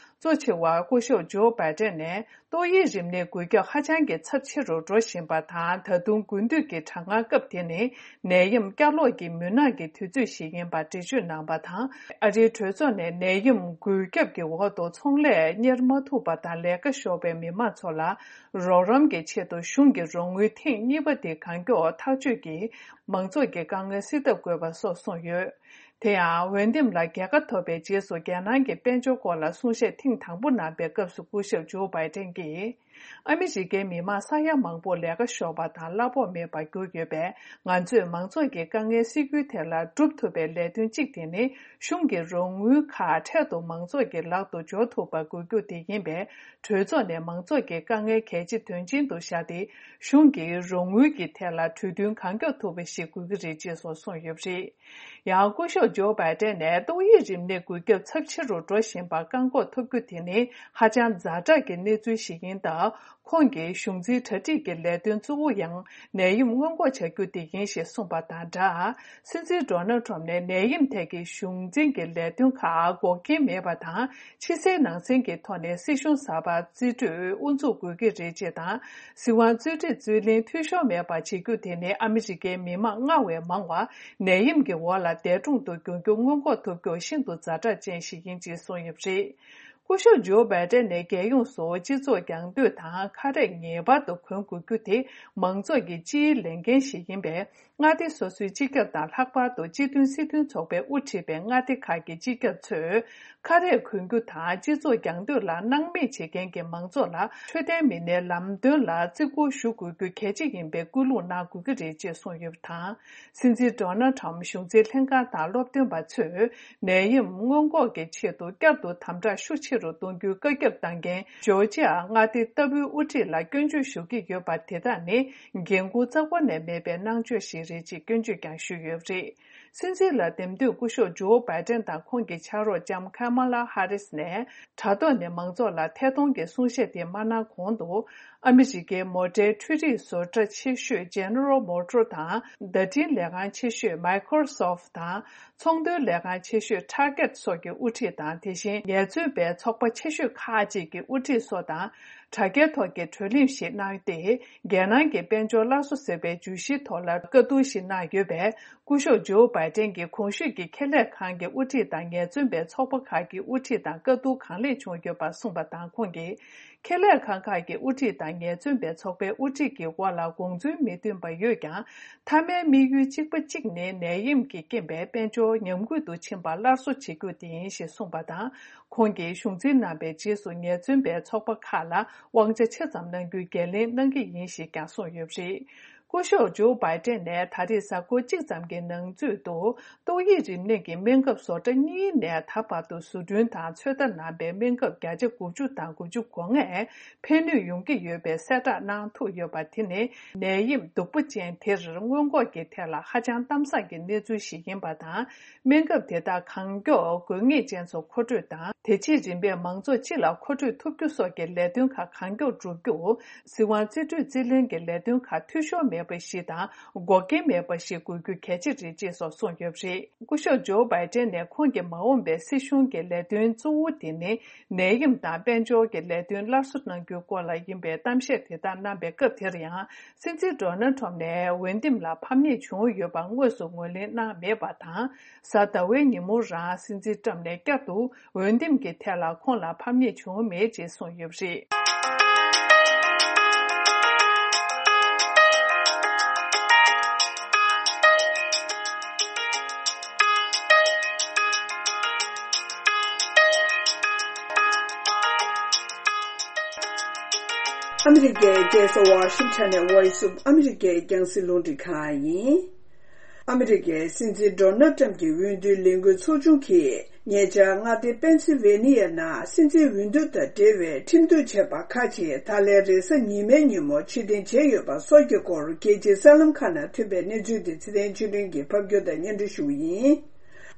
གཙོ་ཆེ་བ་སྐུ་ཞབས་ཇོ་བྷའི་ཏན་ནས་ཏོག་དབྱིབས་རིམས་ནད་འགོས་ཁྱབ་ཧ་ཅང་གི་ཚབས་ཆེ་རུ་འགྲོ་བཞིན་པ་དང་། ད་དུང་དགུན་དུས་ཀྱི་གྲང་ངར་སྐབས་དེ་ནི་ནད་ཡམས་བསྐྱར་ལོག་གི་མུན་ནག་གི་དུས་ཚོད་ཞིག་ཡིན་པ་འགྲེལ་བརྗོད་གནང་བ་དང་། ཨ་རིའི་གྲོས་ཚོགས་ནས་ནད་ཡམས་འགོས་ཁྱབ་ཀྱི་འོག་ཏུ་ཚོང་ལས་གཉེར་མ་ཐུབ་པ་དང་ལས་ཀ་ཤོར་བའི་མི་མང་ཚོ་ལ་རོགས་རམ་གྱི་ཆེད་དུ་གཞུང་གི་རོགས་དངུལ་ཐེངས་གཉིས་པ་དེ་གང་མགྱོགས་ཐག་གཅོད་ཀྱིས་མང་ཚོགས་ཀྱི་དཀའ་ངལ་སེལ་ཐབས་དགོས་པ་སོགས་གསུངས་ཡོད། དེ་ཡང་འོས་འདེམས་ལ་རྒྱལ་ཁ་ཐོབ་པའི་རྗེས་སུ་རྒྱལ་ནང་གི་དཔལ་འབྱོར་སྐོར་ལ་གསུང་བཤད་ཐེངས་དང་པོ་གནང་པའི་སྐབས་སུ་སྐུ་ཞབས་ཇོ་བྷའི་ཏན་གྱིས། ཨ་མི་རི་ཀའི་མི་མང་ས་ཡ་མང་པོ་ལས་ཀ་ཤོར་བ་དང་གླ་ཕོགས་མེད་པར་གྱུར་ཡོད་པས། ང་ཚོས་མང་ཚོགས་ཀྱི་དཀའ་ངལ་སེལ་རྒྱུའི་ཐད་ལ་སྒྲུབ་ཐུབ་པའི་ལས་དོན་གཅིག་དེ་ནི། གཞུང་གི་རོགས་དངུལ་ཁག་འཕྲལ་དུ་མང་ཚོགས་ཀྱི་ལག་ཏུ་འབྱོར་ཐུབ་པ་དགོས་རྒྱུ་དེ་ཡིན་པས། གྲོས་ཚོགས་ནས་མང་ཚོགས་ཀྱི་དཀའ་ངལ་གལ་ཆེ་དོན་ཆེན་དུ་བཞག་སྟེ། གཞུང་གི་རོགས་དངུལ་གྱི་ཐད་ལ་གྲོས་མཐུན་གང་མགྱོགས་ཐུབ་པ་ཞིག་དགོས་ཀྱི་རེད་ཅེས་སོགས་གསུངས་ཡོད་པ་རེད། ཡང་སྐུ་ཞབས་ཇོ་བྷའི་ཏན་ནས་ཏོག་དབྱིབས་རིམས་ནད་འགོས་ཁྱབ་ཚབས་ཆེ་རུ་འགྲོ་བཞིན་པ་བཀག་འགོག་ཐུབ་རྒྱུ་དེ་ནི་ཧ་ཅང་ཛ་དྲག་གི་གནས་ཚུལ་ཞིག་ཡིན་སྟབས། ཁོང་གིས་གཞུང་འཛིན་གྲ་སྒྲིག་གི་ལས་དོན་གཙོ་བོ་ཡང་ནད་ཡམས་སྔོན་འགོག་བྱ་རྒྱུ་དེ་ཡིན་ཞེས་གསུངས་པ་དང་སྦྲགས། སྲིད་འཛིན་ཌོ་ནལ་ཁྲོམ་ནས་ནད་ཡམས་ཐད་ཀྱི་གཞུང་འཛིན་གྱི་ལས་དོན་ཁག་འགོག་རྐྱེན་མེད་པ་དང་། ཕྱི་གསལ་ནང་གསལ་གྱི་ཐོག་ནས་སྲིད་གཞུང་གསར་པ་རྩིས་སྤྲོད་དབུ་འཛུགས་དགོས་ཀྱི་རེད་ཅེས་དང་། སྲིད་དབང་རྩིས་སྤྲོད་རྩིས་ལེན་འཐུས་ཤོར་མེད་པ་བྱེད་རྒྱུ་དེ་ནི་ཨ་མི་རི་ཀའི་མི་མང་སྔར་བས་མང་བ་ནད་ཡམས་ཀྱི་འོག་ལ་འདས་གྲོངས་དུ་འགྱུར་རྒྱུ་སྔོན་འགོག་ཐུབ་རྒྱུ་ཤིན་ཏུ་ཛ་དྲག་ཅན་ཞིག་ཡིན་ཅེས་གསུངས་ཡོད་པ་རེད། སྐུ་ཞབས་ཇོ་བྷའི་ཏན་ནས་རྒྱལ་ཡོངས་སུ་སྤྱི་ཚོགས་རྒྱང་སྡོད་དང་ཁ་རས་ངེས་པར་དུ་གོན་དགོས་རྒྱུ་དེ་མང་ཚོགས་ཀྱི་སྤྱིའི་ལས་འགན་ཞིག་ཡིན་པས། མངའ་སྡེ་སོ་སོའི་སྤྱི་ཁྱབ་དང་ལྷག་པར་དུ་སྤྱི་མཐུན་སྲིད་དོན་ཚོགས་པས་དབུ་ཁྲིད་པའི་མངའ་སྡེ་ཁག་གི་སྤྱི་ཁྱབ་ཚོས་ཁ་རས་གོན་རྒྱུ་དང་སྤྱི་ཚོགས་རྒྱང་སྡོད་ལ་སྣང་མེད་བྱེད་མཁན་གྱི་མང་ཚོགས་ལ་འཕྲོད་བསྟེན་མི་སྣའི་ལམ་སྟོན་ལ་བརྩི་བཀུར་ཞུ་དགོས་རྒྱུ་གལ་ཆེ་ཡིན་པའི་སྐུལ་སློང་གནང་དགོས་ཀྱི་རེད་ཅེས་གསུངས་ཡོད་པ་དང་། སྲིད་འཛིན་ཌོ་ནལ་ཁྲམ་གཞུང་འཛིན་ལྷན་ཁང་དང་སློབ་སྟོན་པ་ཚོས་ནད་ཡམས་སྔོན་འགོག་གི་ཆེད་དུ་བསྐྱར་དུ་དམ་དྲག་ཤུགས་ཆེ་རུ་གཏོང་རྒྱུའི་བཀའ་ཁྱབ་བཏང་མཁན་ཇོར་ཇི་ཡ་མངའ་སྡེ་ལྟ་བུའི་དབུ་ཁྲིད་ལ་སྐྱོན་བརྗོད་ཞུ་གི་ཡོད་པ་དེ་དག་ནི་འགན་འཁུར་རྩ་བ་ནས་མེད་པའི་གནང་སྤྱོད་ཞིག་རེད་ཅེས་སྐྱོན་བརྗོད་ཀྱང་ཞུས་ཡོད་པ་རེད། སྲིད་འཛིན་ལ་འདེམས་ཐོན་སྐུ་ཞབས་ཇོ་བྷའི་ཏན་དང་ཁོང་གི་ཕྱག་རོགས་ལྕམ་ཁ་མ་ལ་ཧ་རིས་ནས་དྲ་ཐོག་ནས་མང་ཚོགས་ལ་ཐད་གཏོང་གི་གསུང་བཤད་དེ་མ་གནང་གོང་དུ། ཨ་མི་རི་ཀའི་མོ་ཊའི་འཕྲུལ་རིག་བཟོ་གྲྭ་ཆེ་ཤོས་General Motors དང་། བརྡ་འཕྲིན་ལས་ཁང་ཆེ་ཤོས་Microsoft དང་། ཚོང་དོན་ལས་ཁང་ཆེ་ཤོས་Target སོགས་ཀྱི་དབུ་ཁྲིད་དང་། དེ་བཞིན་ངལ་རྩོལ་པའི་ཚོགས་པ་ཆེ་ཤོས་ཁག་ཅིག་གི་དབུ་ཁྲིད་སོགས་དང་། དྲ་རྒྱའི་ཐོག་གི་བགྲོ་གླེང་ཞིག་གནང་སྟེ། རྒྱལ་ནང་གི་དཔལ་འབྱོར་སླར་གསོ་ཟེར་བའི་བརྗོད་གཞིའི་ཐོག་ལ་བཀའ་བསྡུར་ཞིག་གནང་ཡོད་པས། སྐུ་ཞབས་ཇོ་བྷའི་ཏན་གྱིས་གོང་ཞུས་ཀྱི་ཁེ་ལས་ཁང་གི་དབུ་ཁྲིད་དང་ངལ་རྩོལ་པའི་ཚོགས་པ་ཁག་གི་དབུ་ཁྲིད་དང་བཀའ་བསྡུར་གང་ལེགས་བྱུང་ཡོད་པ་གསུངས་པ་དང་། ཁོང་གིས། ཁེ་ལས་ཁང་ཁག་གི་དབུ་ཁྲིད་དང་ངལ་རྩོལ་པའི་ཚོགས་པའི་དབུ་ཁྲིད་ཀྱི་དབར་ལ་དགོངས་ཚུལ་མི་མཐུན་པ་ཡོད་ཀྱང་། མཐའ་མའི་དམིགས་ཡུལ་གཅིག་པ་གཅིག་ནི་ནད་ཡམས་ཀྱི་རྐྱེན་པས་དཔལ་འབྱོར་ཉམས་རྒུད་དུ་ཕྱིན་པ་སླར་གསོ་བྱེད་རྒྱུ་དེ་ཡིན་ཞེས་གསུངས་པ་དང་། ཁོང་གིས་གཞུང་འཛིན་གནང་པའི་རྗེས་སུ་ངལ་རྩོལ་པའི་ཚོགས་པ་ཁག་ལ་དབང་ཆ་ཆེ་ཙམ་གནང་རྒྱུའི་འགན་ལེན་གནང་གི་ཡིན་ཞེས་ཀྱང་གསུངས་ཡོད་པ་རེད། སྐུ་ཞབས་ཇོ་བྷའི་ཏན་ནས་ད་རེས་གཟའ་འཁོར་གཅིག་ཙམ་གྱི་ནང་ཚུད་དུ། ཏོག་དབྱིབས་རིམས་ནད་ཀྱི་སྨན་ཁབ་བཟོ་གྲྭ་གཉིས་ནས་ད་བར་དུ་བཟོ་སྐྲུན་དང་ཚོད་ལྟ་གནང་པའི་སྨན་ཁབ་བརྒྱ་ཆ་དགུ་བཅུ་དང་དགུ་བཅུ་གོ་ལྔས་ཕན་ནུས་ཡོང་གི་ཡོད་པའི་གསལ་བསྒྲགས་གནང་ཐུབ་ཡོད་པ། དེ་ནི་ནད་ཡམས་སྡུག་པོ་ཅན་དེར་སྔོན་འགོག་གི་ཐད་ལ་ཧ་ཅང་གཏམ་བཟང་གི་གནས་ཚུལ་ཞིག་ཡིན་པ་དང་། སྨན་ཁབ་དེ་དག་གང་མགྱོགས་དགོས་ངེས་ཅན་ཚོ་མཁོ་སྤྲོད་དང་། དེ་རྗེས་རིམ་པས་མང་ཚོགས་སྤྱི་ལ་མཁོ་སྤྲོད་ཐུབ་རྒྱུ་སོགས་ཀྱི་ལས་དོན་ཁག་གང་མགྱོགས་བསྒྲུབ་རྒྱུ། སྲིད་དབང་རྩིས་སྤྲོད་རྩིས་ལེན་གྱི་ལས་དོན་ཁག་འཐུས་ཤོར་མེད་པ་ཞིག་དང་འགོག་རྐྱེན་མེད་པ་ཞིག་དགོས་རྒྱུ་གལ་ཆེ་རེད་ཅེས་སོགས་གསུངས་ཡོད་པ་རེད། སྐུ་ཞབས་ཇོ་བྷའི་ཏན་ནས་ཁོང་གི་མ་འོངས་པའི་སྲིད་གཞུང་གི་ལས་དོན་གཙོ་བོ་དེ་ནི་ནད་ཡམས་དང་དཔལ་འབྱོར་གྱི་ལས་དོན་སླར་གསོ་གནང་རྒྱུའི་སྐོར་ལ་ཡིན་པའི་གཏམ་བཤད་དེ་དག་གནང་པའི་སྐབས་དེར་ཡང་། སྲིད་འཛིན་ཌོ་ནལ་ཁྲོམ་ནས་འོས་འདེམས་ལ་ཕམ་ཉེས་བྱུང་ཡོད་པ་དངོས་སུ་ངོས་ལེན་གནང་མེད་པ་དང་། གཟའ་ཟླ་བའི་ཉིན་མོ་རང་སྲིད་འཛིན་ཊྲམ་ནས་བསྐྱར་དུ། འོས་འདེམས་ཀྱི་ཐད་ལ་ཁོང་ལ་ཕམ་ཉེས་བྱུང་མེད་ཅེས་གསུངས་ཡོད་པ་རེད། ཨ་མི་རི་ཀའི་རྒྱལ་ས་ཝ་ཤིང་ཊོན་ནས་Voice of America རྒྱང་སྲིང་རླུང་འཕྲིན་ཁང་ཡིན། ཨ་མི་རི་ཀའི་སྲིད་འཛིན་ཌོ་ནལ་ཊྲམ་གྱི་འོས་བསྡུའི་ལས་འགུལ་ཚོགས་ཆུང་གིས་ཉེ་ཆར་མངའ་སྡེ་པེན་སིལ་ཝེ་ནི་ཡ་ནང་སྲིད་འཛིན་འོས་བསྡུ་དང་འབྲེལ་བའི་ཁྲིམས་གཏུག་བྱས་པ་ཁག་ཅིག་ད་ལན་རེས་གཟའ་ཉི་མའི་ཉིན་མོ་ཕྱིར་འཐེན་བྱས་ཡོད་པ་སོགས་ཀྱི་སྐོར་རྒྱལ་སྤྱིའི་གསར་ལམ་ཁག་ནང་ཐོན་པའི་གནས་ཚུལ་དེ་ཚེ་བརྟན་ཆོས་སྒྲོན་གྱིས་ཕབ་སྒྱུར་དང་སྙན་སྒྲོན་ཞུ་བ་ཡིན།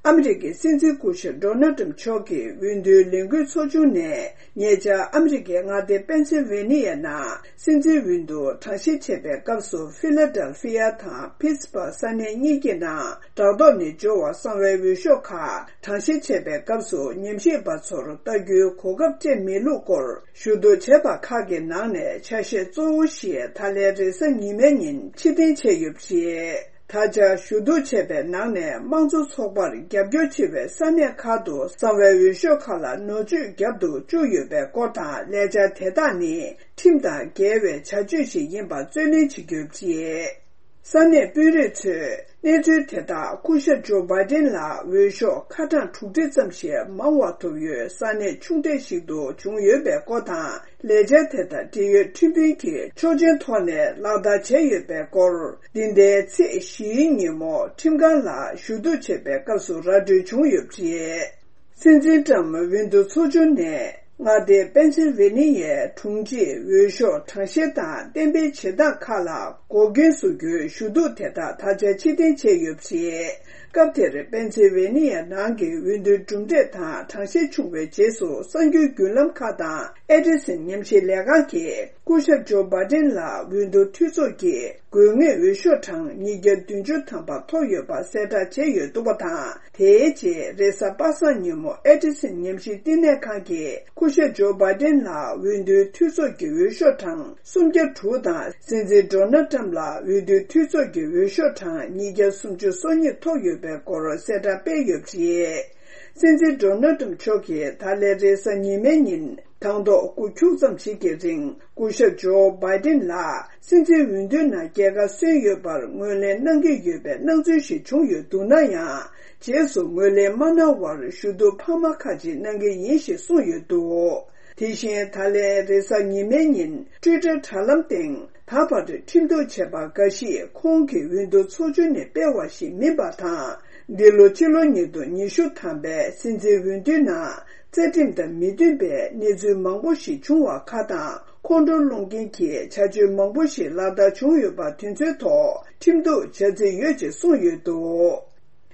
ཨ་མི་རི་ཀའི་སྲིད་འཛིན་སྐུ་ཞབས་ཌོ་ནལ་ཊྲམ་མཆོག་གིས་འོས་བསྡུའི་ལས་འགུལ་ཚོགས་ཆུང་ནས། ཉེ་ཆར་ཨ་མི་རི་ཀའི་མངའ་སྡེ་པེན་སིལ་ཝེ་ནི་ཡ་ནང་སྲིད་འཛིན་འོས་བསྡུ་གྲངས་བཤེར་བྱེད་པའི་སྐབས་སུ་ཧྥི་ལ་ཌེལ་ཧྥི་ཡ་དང་ཕིཊ་སྦར་ས་གནས་གཉིས་ཀྱི་ནང་བྲག་ཐོག་ནས་འབྱོར་བ་གསང་བའི་འོས་ཤོག་ཁག་གྲངས་བཤེར་བྱེད་པའི་སྐབས་སུ་ཉམས་ཞིབ་པ་ཚོར་ལྟ་རྒྱུའི་གོ་སྐབས་སྤྲད་མེད་ལུགས་སྐོར་ཞུ་གཏུག་བྱས་པ་ཁག་གི་ནང་ནས་ཆ་ཤས་གཙོ་བོ་ཞིག་ད་ལན་རེས་གཟའ་ཉི་མའི་ཉིན་ཕྱིར་འཐེན་བྱས་ཡོད་པ་རེད། ད་ཆ་ཞུ་གཏུག་བྱས་པའི་ནང་ནས་དམངས་གཙོ་ཚོགས་པར་རྒྱབ་སྐྱོར་བྱེད་པའི་ས་གནས་ཁག་ཏུ་གསང་བའི་འོས་ཤོག་ཁག་ལ་ནོར་བཅོས་བརྒྱབ་ཏུ་བཅུག་ཡོད་པའི་སྐོར་དང་། ལས་འཆར་དེ་དག་ནི་ཁྲིམས་དང་འགལ་བའི་བྱ་སྤྱོད་ཞིག་ཡིན་པར་རྩོད་ལེན་བྱེད་རྒྱུ་རེད། ས་གནས་དཔོན་རིགས་ཚོས་ གནས་ཚུལ་དེ་དག་སྐུ་ཞབས་ཇོ་བྷའི་ཏིན་ལ་འོས་ཤོག་ཁ་གྲངས་དྲུག་ཁྲི་ཙམ་ཞིག་མང་བ་ཐོབ་ཡོད་ས་གནས་ཆུང་གྲས་ཤིག་ཏུ་བྱུང་ཡོད་པའི་སྐོར་དང་། ལས་འཆར་དེ་དང་འབྲེལ་ཡོད་ཁྲིམས་དཔོན་གྱིས་ཆོག་མཆན་ཐོག་ནས་ལག་བསྟར་བྱས་ཡོད་པའི་སྐོར། འདི་ཟླའི་ཚེས་བཞིའི་ཉིན་མོ་ཁྲིམས་ཁང་ལ་ཞུ་གཏུག་བྱེད་པའི་སྐབས་སུ་ར་སྤྲོད་བྱུང་ཡོད་པ་རེད། སྲིད་འཛིན་ཏྲམ་འོས་བསྡུ་ཚོགས་ཆུང་ནས་མངའ་སྡེ་པེན་སིལ་ཝེ་ནི་ཡའི་དྲུང་ཆེས་འོས་ཤོག་གྲངས་བཤེར་དང་གཏན་འབེབས་བྱེད་སྟངས་ཁག་ལ་འགོག་རྐྱེན་བཟོ་རྒྱུའི་ཞུ་གཏུག་དེ་དག་ད་ཆ་ཕྱིར་འཐེན་བྱས་ཡོད་པ་རེད། སྐབས་དེར་པེན་སིལ་ཝེ་ནི་ཡ་ནང་གི་འོས་བསྡུའི་གྲུབ་འབྲས་དང་གྲངས་བཤེར་བྱུང་བའི་རྗེས་སུ་གསར་འགྱུར་བརྒྱུད་ལམ་ཁག་དང་ཨེ་ཌི་སན་ཉམས་ཞིབ་ལས་ཁང་གིས་སྐུ་ཞབས་ཇོ་བྷའི་ཏིན་ལ་འོས་བསྡུ་འཐུས་ཚོགས་ཀྱིས་དགོས་ངེས་འོས་ཤོག་གྲངས་ཉིས་བརྒྱ་བདུན་ཅུ་ཐམ་པ་ཐོབ་ཡོད་པ་གསལ་བསྒྲགས་བྱས་ཡོད་འདུག་པ་དང་། དེའི་རྗེས་རེས་གཟའ་པ་སངས་ཉིན་མོ་ཨེ་ཌི་སན་ཉམས་ཞིབ་བསྟི་གནས་ཁང་གིས་སྐུ་ཞབས་ཇོ་བྷའི་ཏིན་ལ་འོས་བསྡུའི་འཐུས་ཚོགས་ཀྱི་འོས་ཤོག་གྲངས་སུམ་བརྒྱ་དྲུག་དང་། སྲིད་འཛིན་ཌོ་ནལ་ཏྲམ་ལ་འོས་བསྡུའི་འཐུས་ཚོགས་ཀྱི་འོས་ཤོག་གྲངས་ཉིས་བརྒྱ་སུམ་ཅུ་སོ་གཉིས་ཐོབ་ཡོད་པའི་སྐོར་གསལ་བསྒྲགས་སྤེལ་ཡོད་པ་རེད། སྲིད་འཛིན་ཌོ་ནལ་ཏྲམ་མཆོག་གིས་ད་ལན་རེས་གཟའ་ཉི་མའི་ཉིན་དང་ཐོག་སྐུ་ཁྱུག་ཙམ་ཞིག་གི་རིང་སྐུ་ཞབས་ཇོ་བྷའི་ཏིན་ལ་སྲིད་འཛིན་འོས་བསྡུའི་ནང་རྒྱལ་ཁ་སོན་ཡོད་པར་ངོས་ལེན་གནང་གི་ཡོད་པའི་སྣང་ཚུལ་ཞིག་བྱུང་ཡོད་འདུག་ན་ཡང་། རྗེས་སུ་ངོས་ལེན་མ་གནང་བར་ཞུ་གཏུག་འཕར་མ་ཁག་ཅིག་གནང་གི་ཡིན་ཞེས་གསུངས་ཡོད་འདུག་དེ་བཞིན་ད་ལན་རེས་གཟའ་ཉི་མའི་ཉིན་ཊུའི་ཊར་དྲ་ལམ་སྟེང་ད་བར་ཁྲིམས་གཏུག་བྱས་པ་འགའ་ཞིག་ཁོང་གི་འོས་བསྡུ་ཚོགས་ཆུང་ནས་སྤེལ་བ་ཞིག་མིན་པ་དང་། འདི་ལོ་ཕྱི་ལོ་ཉིས་སྟོང་ཉི་ཤུ་ཐམ་པའི་སྲིད་འཛིན་འོས་བསྡུའི་ནང་རྩ་ཁྲིམས་དང་མི་མཐུན་པའི་གནས་ཚུལ་མང་པོ་ཞིག་བྱུང་བ་ཁག་དང་། ཁོང་ཁྲོ་སློང་མཁན་གྱི་བྱ་སྤྱོད་མང་པོ་ཞིག་ལག་བསྟར་བྱུང་ཡོད་པ་དེ་ཚོའི་ཐོག་ཁྲིམས་གཏུག་བྱ་རྩིས་ཡོད་ཅེས་གསུངས་ཡོད་འདུག་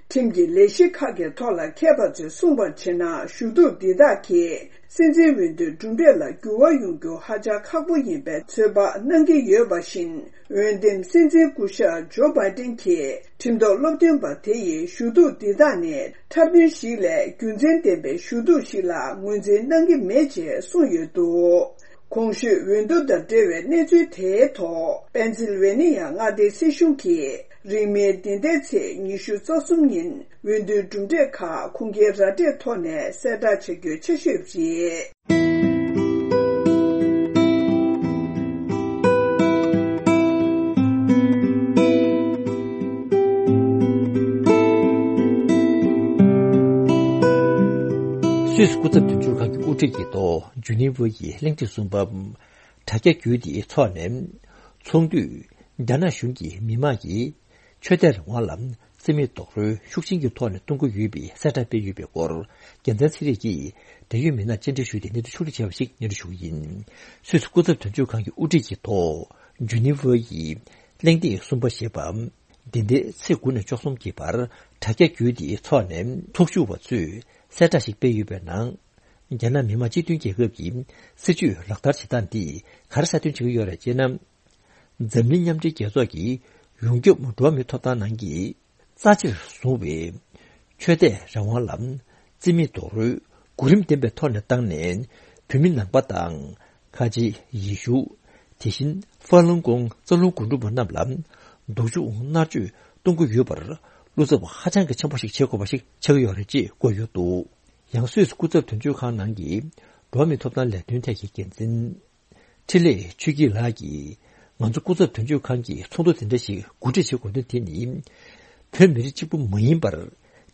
ཁྲིམས་ཀྱི་ལས་གཞི་ཁག་གི་ཐོག་ལ་མཁས་པ་ཚོས་གསུངས་པར་བྱས་ན། ཞུ་གཏུག་འདི་དག་གིས་སྲིད་འཛིན་འོས་བསྡུའི་གྲུབ་འབྲས་ལ་འགྱུར་བ་ཡོང་རྒྱུ་ཧ་ཅང་ཁག་པོ་ཡིན་པའི་ཚོད་དཔག་གནང་གི་ཡོད་པ་བཞིན། འོས་འདེམས་སྲིད་འཛིན་སྐུ་ཞབས་ཇོ་བྷའི་ཏིན་གྱིས་ཁྲིམས་ཐོག་སློབ་སྟོན་པ་དེ་ཡི་ཞུ་གཏུག་འདི་དག་ནི་འཁྲབ་སྟོན་ཞིག་ལས་རྒྱུ་མཚན་ལྡན་པའི་ཞུ་གཏུག་ཞིག་ལ་ངོས་འཛིན་གནང་གི་མེད་ཅེས་གསུངས་ཡོད་འདུག་གོང་ཞུས་འོས་བསྡུ་དང་འབྲེལ་བའི་གནས་ཚུལ་དེའི་ཐོག་པེན་སིལ་ཝེ་ནི་ཡ་མངའ་སྡེའི་སྲིད་གཞུང་གིས་རིང་མིན་འདི་ཟླའི་ཚེས་ཉི་ཤུ་རྩ་གསུམ་ཉིན་འོས་བསྡུའི་གྲུབ་འབྲས་ཁག་ཁུངས་སྐྱེལ་ར་སྤྲོད་ཐོག་ནས་གསལ་བསྒྲགས་བྱ་རྒྱུའི་འཆར་གཞི་ཡོད་པ་རེད། སུད་སི་སྐུ་ཚབ་དོན་གཅོད་ཁང་གི་དབུ་ཁྲིད་ཀྱི་ཐོག་ཇུ་ནི་ཝ་ཡི་གླེང་སྟེགས་གསུམ་པ། དྲ་རྒྱ་བརྒྱུད་དེ་འཚོགས་ནས། ཚོགས་འདུས་རྒྱ་ནག་གཞུང་གིས་མི་དམངས་ཀྱི་ཆོས་དད་རང་དབང་ལ་རྩིས་མེད་རྡོག་རོལ་ཤུགས་ཆེན་གྱི་ཐོག་ནས་གཏོང་གི་ཡོད་པའི་གསལ་བསྒྲགས་སྤེལ་ཡོད་པའི་སྐོར། རྒྱལ་མཚན་ཚེ་རིང་གིས་འབྲེལ་ཡོད་མི་སྣར་བཅར་འདྲི་ཞུས་ཏེ་གནས་ཚུལ་ཕྱོགས་སྒྲིག་བྱས་པ་ཞིག་སྙན་སྒྲོན་ཞུ་གི་ཡིན། སུད་སི་སྐུ་ཚབ་དོན་གཅོད་ཁང་གི་དབུ་ཁྲིད་ཀྱི་ཐོག་ཇུ་ནི་ཝ་ཡི་གླེང་སྟེགས་གསུམ་པ་ཞེས་པ། འདི་ཟླའི་ཚེས་དགུ་ནས་བཅུ་གསུམ་གྱི་བར་དྲ་རྒྱ་བརྒྱུད་དེ་འཚོགས་ནས་ཚོགས་ཞུགས་པ་ཚོས་གསལ་བསྒྲགས་ཤིག་སྤེལ་ཡོད་པའི་ནང་། རྒྱ་ནག་མི་དམངས་སྤྱི་མཐུན་རྒྱལ་ཁབ་ཀྱི་སྲིད་བྱུས་ལག་བསྟར་བྱེད་སྟངས་འདིས་ག་རེ་གསལ་སྟོན་བྱེད་ཀྱི་ཡོད་རེད་ཅེ་ན། འཛམ་གླིང་མཉམ་འབྲེལ་རྒྱལ་ཚོགས་ཀྱིས་ཡོངས་ཁྱབ་འགྲོ་བ་མིའི་ཐོབ་ཐང་ནང་གི་རྩ་ཆེར་བཟུང་བའི་ཆོས་དད་རང་དབང་ལ་རྩིས་མེད་རྡོག་རོལ་གོ་རིམ་ལྡན་པའི་ཐོག་ནས་བཏང་ནས། བོད་མི་ནང་པ་དང་། ཁ་ཆེ་ཡེ་ཤུ། དེ་བཞིན་ཧྥ་ལུན་གོང་རྩ་རླུང་རྒུན་འབྲུམ་པ་རྣམས་ལ་སྡུག་སྦྱོང་མནར་གཅོད་གཏོང་གི་ཡོད་པར། བློ་འཚབ་ཧ་ཅང་གི་ཆེན་པོ་ཞིག་བྱེད་དགོས་པ་ཞིག་ཆགས་ཀྱི་ཡོད་རེད་ཅེས་བཀོད་ཡོད་འདུག་ཡང་སུད་སི་སྐུ་ཚབ་དོན་གཅོད་ཁང་ནང་གི་འགྲོ་བ་མིའི་ཐོབ་ཐང་ལས་དོན་ཐད་ཀྱི་འགན་འཛིན་འཕྲིན་ལས་ཆོས་སྐྱིད་ལགས་ཀྱིས། ང་ཚོ་སྐུ་ཚབ་དོན་གཅོད་ཁང་གིས་ཚོགས་འདུ་དེ་འདྲ་ཞིག་གོ་སྒྲིག་བྱེད་དགོས་དོན་དེ་ནི། བོད་མི་རིགས་གཅིག་པུ་མ་ཡིན་པར།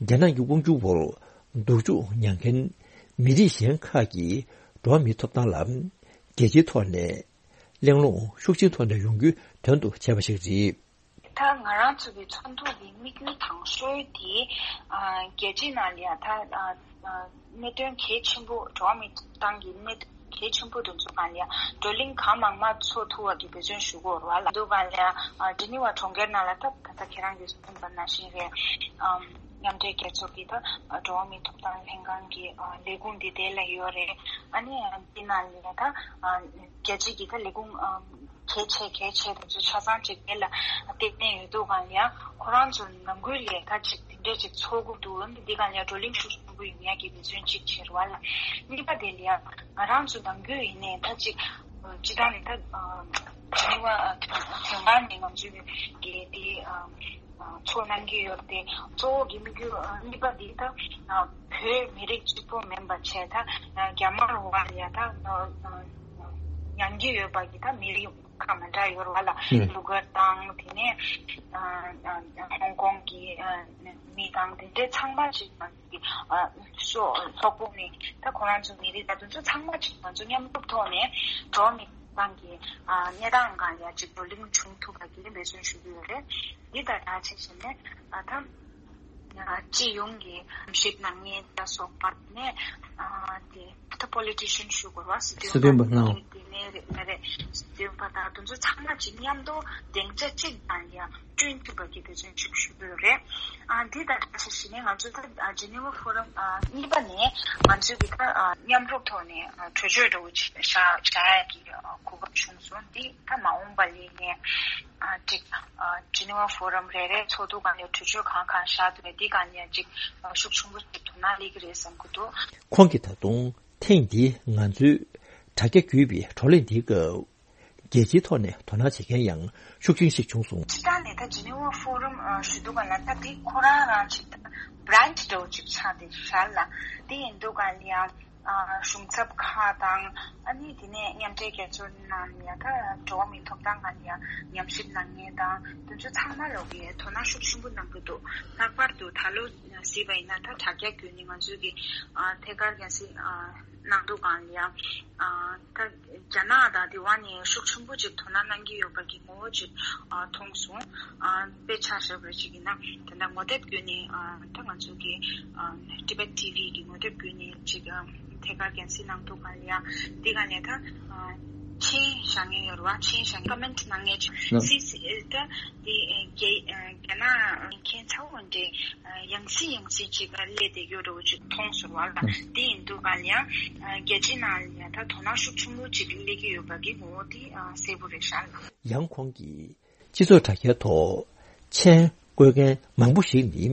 རྒྱ་ནག་གི་དབང་སྒྱུར་འོག་སྡུག་སྦྱོང་མྱངས་མཁན་མི་རིགས་གཞན་ཁག་གི་འགྲོ་བ་མིའི་ཐོབ་ཐང་ལ། རྒྱལ་སྤྱིའི་ཐོག་ནས་གླེང་སློང་ཤུགས་ཆེན་ཐོག་ནས་ཡོང་རྒྱུའི་དོན་དུ་བྱས་པ་ཞིག་རེད། ད་ང་རང་ཚོ་གི་ཚོགས་འདུ་གི་དམིགས་ཡུལ་དང་ཤོས་དེ། ཨ། རྒྱལ་སྤྱིའི་ནང་ལ་ཡང་ད། ཨ། ཨ། གནད་དོན་གལ་ཆེན་པོ། འགྲོ་བ་མིའི་ཐོབ་ཐང་གི་གནད་དོན་གལ་ཆེན་པོ་དེ་ཚོ་སྒང་ལ་ཡང་བགྲོ་གླེང་གང་མང་མང་ཚོགས་ཐུབ་པ་གི་འབད་བརྩོན་ཞུ་དགོས་རེད་བ་ལ། འདུག་སྒང་ལ་ཡང་། ཨ། ཇི་ནི་ཝ་གྲོང་ཁྱེར་ནང་ལ་ད་ད་ལྟ་ཁྱེད་རང་གིས་གསུངས་པ་ནང་བཞིན་རེད། ཨམ། མཉམ་འབྲེལ་རྒྱལ་ཚོགས་ཀྱི་ད་འགྲོ་བ་མིའི་ཐོབ་ཐང་ལྷན་ཁང་གི། ཨ། ལས་ཁུངས་འདི་དེ་ལ་ཡོད་རེད། ཨ་ནི་འདི་ནང་ལ་ད། ཨ། རྒྱལ་སྤྱི་གི་ད་ལས་ཁུངས། ཨ། གལ་ཆེ་གལ་ཆེ་དེ་ཚོ་ཆ་ཚང་གཅིག་དེ་ལ་བརྟེན་ནས་ཡོད་འདུག་སྒང་ལ་ཡང་། ཁོ་རང་ཚོ་ནང་ཁུལ་ལ་ད་ཅིག་དེ་འདྲ་ཅིག་ཚོགས་དགོས་འདུག་འདི་སྒང་ལ་ཡང་བགྲོ་གླེང་ཤུགས་ཆེན་པོ་ཡོང་ཡག་གི་འབད་བརྩོན་གཅིག་བྱེད་རེད་བ་ལ། གཉིས་པ་དེ་ལ་ཡང་ང་རང་ཚོ་ནང་ཁུལ་ཡིན་ནའི་ད་ཅིག་སྤྱི་བཏང་ནས་ད་ཨ། ཇི་ནི་ཝ། ཨ། དོན་དོན་ཁང་ནས་ང་ཚོའི་གི་དེ། ཨ། ཨ། ཚོགས་གནང་གི་ཡོད་དེ། གཙོ་བོ་གི་དམིགས་ཡུལ། ཨ། གཉིས་པ་དེ་ད། ཨ། བོད་མི་རིགས་གཅིག་པོ་མིན་པ་བྱས་ད། ཨ། རྒྱ་དམར་བ་ལ་ཡ་ད། ཨ། ཨ། མྱང་གི་ཡོད་པ་གི་ད་མི་རིགས། ཁག་མི་འདྲ་ཡོད་རེད་བ་ལ། ཨུ། ལུ་གར་དང་དེ་ནས་ཨ་ཨ་ཧོང་ཀོང་གི་ཨ་མི་དང་དེ་འདྲའི་ཚང་མ་ཅིག་ཨ་སོ་སོག་པོ་ནས་ད་ཁོ་རང་ཚོ་མི་རིགས་ད་དུང་ཚོ་ཚང་མ་ཅིག་ང་ཚོ་མཉམ་རུབ་ཐོག་ནས་འགྲོ་མི་ཏང་གི་ཨ་གནས་སྟངས་སྒང་ལ་ཅིག་བགྲོ་གླེང་བྱུང་ཐུབ་པ་གི་འབད་བརྩོན་ཞུ་གི་ཡོད་རེད། འདི་དང་སྦྲགས་བྱས་བྱས་ནས་ཨ་ད་ཨ་སྤྱི་ཡོངས་ཀྱི་ཉམས་ཞིབ་གནང་མཁན་ལ་སོགས་པ་ནས་ཨ་དེ་ད་པོ་ལི་ཊི་ཤན་ཞུ་དགོས་རེད་བ། སྲིད་དོན་སྲིད་དོན་པ་པ་ནང་དེ་ནས་རེད་མ་རེད། སྲིད་དོན་པ་དང་དེ་ཚོ་ཚང་མ་ཅིག་མཉམ་དུ་སྡིངས་ཆ་གཅིག་སྒང་ལ་བསྐྲུན་ཐུབ་པ་གི་འབད་བརྩོན་ཞིག་ཞུ་གི་ཡོད་རེད། ཨ་འདི་དང་སྦྲགས་བྱས་བྱས་ནས་ང་ཚོ་ད་ཨ་ཇི་ནི་ཝ་ཕོ་རམ་ཨ་གཉིས་པ་ནས་ང་ཚོའི་གི་ད་ཨ་མཉམ་རུབ་ཐོག་ནས་ཨ་གྲོས་ཆོད་འདྲ་བོ་ཅིག་བཞག་བཞག་ཡ་གི་ཨ་གོ་སྐབས་བྱུང་སོང་། འདི་ད་མ་འོངས་པ་ལ་ནས་ཨ་ཅིག་ཨ་ཇི་ནི་ཝ་ཕོ་རམ་རེ་རེ་ཚོགས་འདུ་སྒང་ལ་གྲོས་ཆོད་གང་གང་བཞག་འདུག་པས། འདི་སྒང་ལ་ཅིག་ཨ་ཤུགས་ཆེན་པོ་ཅིག་དོ་སྣང་སླེབས་ཀྱི་རེད་བསམ་གྱི་འདུག་ཁོང་གིས་ད་དུང་ཐེངས་འདིའི་ང་ཚོའི་དྲ་རྒྱ་བརྒྱུད་པའི་བགྲོ་གླེང་འདིའི་སྐབས། རྒྱལ་སྤྱིའི་ཐོག་ནས་དོ་སྣང་བྱེད་མཁན་ཡང་ཤུགས་ཆེན་ཞིག་བྱུང་སོང་། སྤྱིར་བཏང་ནས་ད་ཇི་ནི་ཝ་ཕོ་རམ་ཞུ་དུས་སྒང་ལ་ད་དེ་ཁོ་རང་རང་ཅིག་ད་བྷི་རན་ཆི་འདྲ་བོ་ཅིག་ཆགས་བསྡད་ཤག་ལ། དེ་ཡིན་དུས་སྒང་ལ་ཡང་གཞུང་ཚབ་ཁག་དང་ཨ་ནི་དེ་ནས་མཉམ་འབྲེལ་རྒྱལ་ཚོགས་ནང་ལ་ཡང་ད་འགྲོ་བ་མིའི་ཐོབ་ཐང་སྒང་ལ་ཡང་ཉམས་ཞིབ་གནང་མཁན་དང་དེ་ཚོ་ཚང་མ་ལོག་གིས་དོ་སྣང་ཤུགས་ཆེན་པོ་གནང་གི་འདུག་ལྷག་པར་དུ་ད་ལོ་གཟིགས་པ་ཡིན་ན་ད་དྲ་རྒྱ་བརྒྱུད་ནས་ང་ཚོའི་གི་ཐད་ཀར་རྒྱལ་སྲིད་གནང་དུས་སྒང་ལ་ཡང་ཨ་ད་རྒྱ་ནག་དང་དེ་བ་ནས་ཤུགས་ཆེན་པོ་ཅིག་དོ་སྣང་གནང་གི་ཡོད་པ་གི་ངོ་བོ་ཅིག་ཨ་མཐོང་སོང་། ཨ་དཔེ་ཆ་བཞག་པ་ཅིག་ཡིན་ན་དེ་འདྲ་ངོ་དེབ་བརྒྱུད་ནས་ཨ་ད་ང་ཚོ་གི་ཨ་Tibet T V་གི་ངོ་དེབ་བརྒྱུད་ནས་ཅིག་ཨ་ཐད་ཀར་རྒྱལ་སྲིད་གནང་དུས་སྒང་ལ་ཡང་དེ་སྒང་ནས་ད་ཨ་མཆན་བཞག་མཁན་ཡོད་རེད་བ། མཆན་བཞག་མཁན་ཀོ་མེན་ཊི་གནང་མཁན་ཅིག་ལགས། སི་སི་ད་དེ་རྒྱ་རྒྱ་ནག་མཁན་ཚ་བོ་འདྲའི་ཡང་སེ་ཡང་སེ་ཅིག་སླེབས་བསྡད་ཡོད་འདྲ་བོ་ཅིག་མཐོང་སོང་བ་ལ། དེ་ཡིན་དུས་སྒང་ལ་ཡང་རྒྱལ་སྤྱིའི་ནང་ལ་ཡང་ད་དོ་སྣང་ཤུགས་ཆེན་པོ་ཅིག་སླེབས་ཀྱི་ཡོད་པ་གི་ངོ་བོ་དེ་གསལ་པོ་རེད་ཤག་ལགས། ཡང་ཁོང་གིས་སྤྱི་ཚོགས་དྲ་རྒྱའི་ཐོག་མཆན་བཀོད་མཁན་མང་པོ་ཞིག་ནི་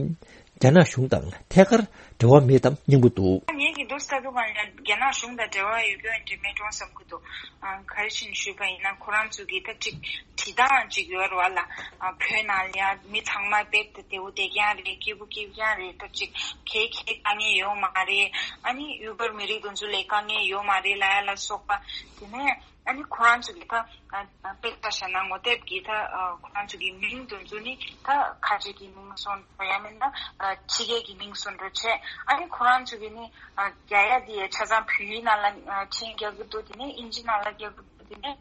རྒྱ་ནག་གཞུང་དང་ཐད་ཀར་འབྲེལ་བ་མེད་དམ་སྙམ་གྱི་འདུག་ངེད་ཀྱི་འདུག་ས་དུ་གང་ལ་རྒྱ་ནག་གཞུང་དང་འབྲེལ་བ་ཡོད་རྒྱུ་འདྲ་མེད་འགྲོ་བསམ་གྱི་འདུག་ཨ་ག་རེ་བྱས་ནས་ཞུས་པ་ཡིན་ན་ཁོ་རང་ཚོ་གི་ད་ཅིག་བྲིས་སྟངས་ཅིག་ཡོད་རེད་བ་ལ། ཨ་བོད་ནང་ལ་ཡང་མི་ཚང་མ་རྦད་དེ་བདེ་བོ་བདེ་རྐྱང་རེད། སྐྱིད་པོ་སྐྱིད་རྐྱང་རེད། ད་ཅིག་ག་ག་དཀའ་ངལ་ཡོད་མ་རེད། ཨ་ནི་ཡུ་གུར་མི་རིགས་དེ་ཚོ་ལ་དཀའ་ངལ་ཡོད་མ་རེད་ལབ་ཡ་ལ་སོགས་པ། དེ་ནས་ཨ་ནི་ཁོ་རང་ཚོ་གི་ད་ཨ་ཨ་དཔེ་ཆ་བཞག་ན་ངོ་དེབ་ཀྱི་ད་ཨ་ཁོ་རང་ཚོ་གི་མིང་དེ་ཚོ་ནི་ད་ཁ་ཆེ་གི་མིང་བཟོ་འདྲ་ཡང་མིན་ན་ཨ་ཕྱི་རྒྱལ་གྱི་མིང་བཟོ་འདྲ་བྱས། ཨ་ནི་ཁོ་རང་ཚོ་གི་ནི་ཨ་རྒྱ་ཡིག་དེ་ཆ་ཚང་བོད་ཡིག་ནང་ལ་ཨ་མཆན་རྒྱག་གི་འདུག་དེ་ནས་ཨིན་ཇི་ནང་ལ་རྒྱག་གི་འདུག་དེ་ནས་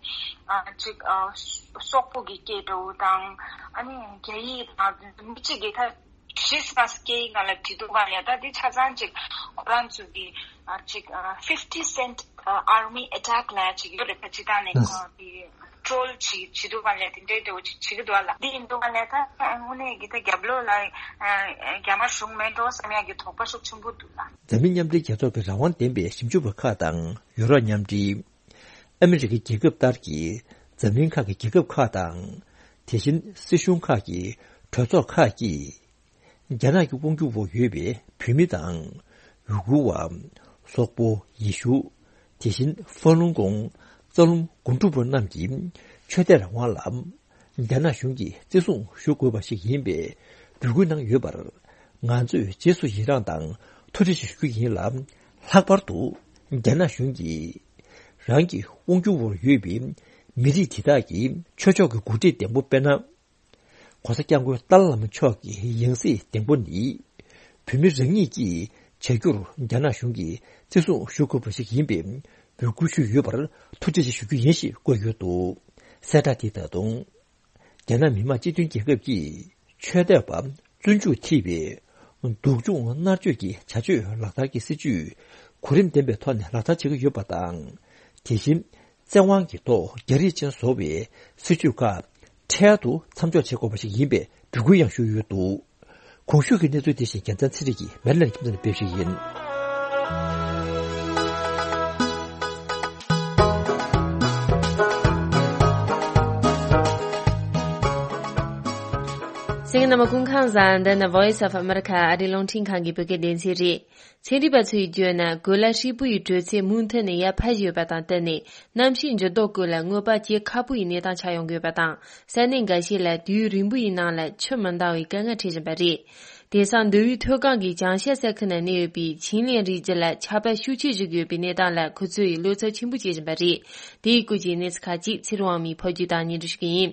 ཨ་ཅིག་ཨ་སོག་པོ་གི་སྐད་འདྲ་བོ་དང་། ཨ་ནི་རྒྱ་ཡིག་དང་མི་གཅིག་གིས་ད་ཤེས་མ་སྐད་ཡིག་ནང་ལ་བྲིས་འདུག་ག་ལ། ད་དེ་ཆ་ཚང་ཅིག་ཁོ་རང་ཚོ་གི་ཨ་ཅིག་ཨ་fifty cent ཨ་army attack་ལབ་ཅིག་ཡོད་རེད། ད་ཅིག་ད་ནས་ཨ་དེ་ཊོལ་ཅིག་བྱེད་འདུག་ག་ལ། དེ་འདྲའི་འདྲ་བོ་ཅིག་བྱེད་ཀྱི་འདུག་ག་ལ། དེ་ཡིན་འདུག་ག་ལ། ད་དངོས་གནས་ཀྱི་ད་རྒྱབ་ལོགས་ལ་ཨ་རྒྱ་དམར་གཞུང་མེད་འགྲོ་བསམ་ཡག་གི་དོགས་པ་ཤུགས་ཆེན་པོ་འདུག་ལ། འཛམ་གླིང་མཉམ་འབྲེལ་རྒྱལ་ཚོགས་ཀྱི་རང་དབང་ལྡན་པའི་ཞིབ་འཇུག་པ་ཁག་དང་ཡུ་རོབ་མཉམ་འབྲེལ། ཨ་མི་རི་ཀའི་རྒྱལ་ཁབ་ལྟར་གྱི་འཛམ་གླིང་ཁག་གི་རྒྱལ་ཁབ་ཁག་དང་། དེ་བཞིན་སྲིད་གཞུང་ཁག་གི་གྲོས་ཚོགས་ཁག་གིས། རྒྱ་ནག་གི་དབང་སྒྱུར་འོག་ཡོད་པའི་བོད་མི་དང་། ཡུ་གུར་བ། སོག་པོ། ཡེ་ཤུ། དེ་བཞིན་ཧྥ་ལུང་ཀོང་། རྩ་རླུང་དགོན་སྒྲུབ་པ་རྣམས་ཀྱི་ཆོས་དད་རང་དབང་ལ། རྒྱ་ནག་གཞུང་གིས་བརྩི་སྲུང་ཞུ་དགོས་པ་ཞིག་ཡིན་པའི་འབོད་སྐུལ་གནང་ཡོད་པར། ང་ཚོས་རྗེས་སུ་ཡི་རངས་དང་ཐུགས་རྗེ་ཆེ་ཞུ་རྒྱུ་ཡིན་ལ། ལྷག་པར་དུ་རྒྱ་ནག་གཞུང་གིས་རང་གི་དབང་སྒྱུར་འོག་ཡོད་པའི་མི་རིགས་དེ་དག་གི་ཆོས་ཕྱོགས་ཀྱི་འགོ་ཁྲིད་ལྡན་པོ་དཔེར་ན། ༸གོང་ས་༸སྐྱབས་མགོན་ཏཱ་ལའི་བླ་མ་མཆོག་གི་ཡང་སྲིད་ལྡན་པོ་ནི། བོད་མི་རང་ཉིད་ཀྱིས་བྱ་རྒྱུར་རྒྱ་ནག་གཞུང་གིས་བརྩི་སྲུང་ཞུ་དགོས་པ་ཞིག་ཡིན་པའི་འབོད་སྐུལ་ཞུས་ཡོད་པར་ཐུགས་རྗེ་ཆེ་ཞུ་རྒྱུ་ཡིན་ཞེས་བཀོད་ཡོད་འདུག་གསལ་བསྒྲགས་དེ་ད་དུང་། རྒྱ་ནག་མི་དམངས་སྤྱི་མཐུན་རྒྱལ་ཁབ་ཀྱིས་ཆོས་དད་པ་བཙོན་འཇུག་ཐེ་བའི་སྡུག་སྦྱོང་མནར་གཅོད་ཀྱི་བྱ་སྤྱོད་ལག་བསྟར་གྱི་སྲིད་ཇུས་གོ་རིམ་ལྡན་པའི་ཐོག་ནས་ལག་བསྟར་བྱེད་ཀྱི་ཡོད་པ་དང་། དེ་བཞིན། བཙན་དབང་གི་ཐོག་རྒྱ་རིགས་ཅན་བཟོ་བའི་སྲིད་ཇུས་ཁག་འཕྲལ་དུ་མཚམས་འཇོག་བྱེད་དགོས་པ་ཞིག་ཡིན་པའི་འབོད་སྐུལ་ཡང་ཞུས་ཡོད་འདུག་གོང་ཞུས་ཀྱི་གནས་ཚུལ་དེ་བཞིན་རྒྱལ་མཚན་ཚེ་རིང་གིས་མེ་ལན་ཁྱིམ་ཚང་ནས་སྤེལ་ཞུས་ཡིན། གསན་མཁན་རྣམ་པ་སྐུ་ཁམས་བཟང་། འདི་ནི་Voice of America ཨ་རིའི་རླུང་འཕྲིན་ཁང་གི་བོད་སྐད་སྡེ་ཚན་རེད། ཚན་རིག་པ་ཚོས་བརྗོད་ན། གོས་ལ་ཧྲིལ་པོ་ཡི་དྲོད་ཚད་མུ་མཐུད་ནས་ཡར་འཕར་བཞིན་ཡོད་པ་དང་བསྟུན་ནས། གནམ་གཤིས་འགྱུར་ལྡོག་སྐོར་ལ་དངོས་པོ་སྐྱེ་ཁག་པོ་ཡི་གནས་སྟངས་ཆགས་ཡོང་གི་ཡོད་པ་དང་། ས་གནས་འགའ་ཤས་ལ་དུས་ཡུན་རིང་པོ་ཡི་ནང་ལ་ཆུ་མི་འདང་བའི་དཀའ་ངལ་འཕྲད་བཞིན་པ་རེད། དེང་སང་མདོ་དབུས་མཐོ་སྒང་གི་བྱང་ཤར་ས་ཁུལ་ན་གནས་ཡོད་པའི་ཆིན་ལེན་རིགས་རྒྱུད་ལ་ཆར་པ་ཤུགས་ཆེ་བཞུར་གྱི་ཡོད་པའི་གནས་སྟངས་ལ་ཁོ་ཚོས་བློ་འཚབ་ཆེན་པོ་བྱེད་བཞིན་པ་རེད། དེའི་སྐོར་གྱི་གནས་ཚུལ་ཁག་ཅིག་ཚེ་རིང་དབང་མོས་ཕབ་སྒྱུར་དང་སྙན་སྒྲོན་ཞུ་གི་ཡིན།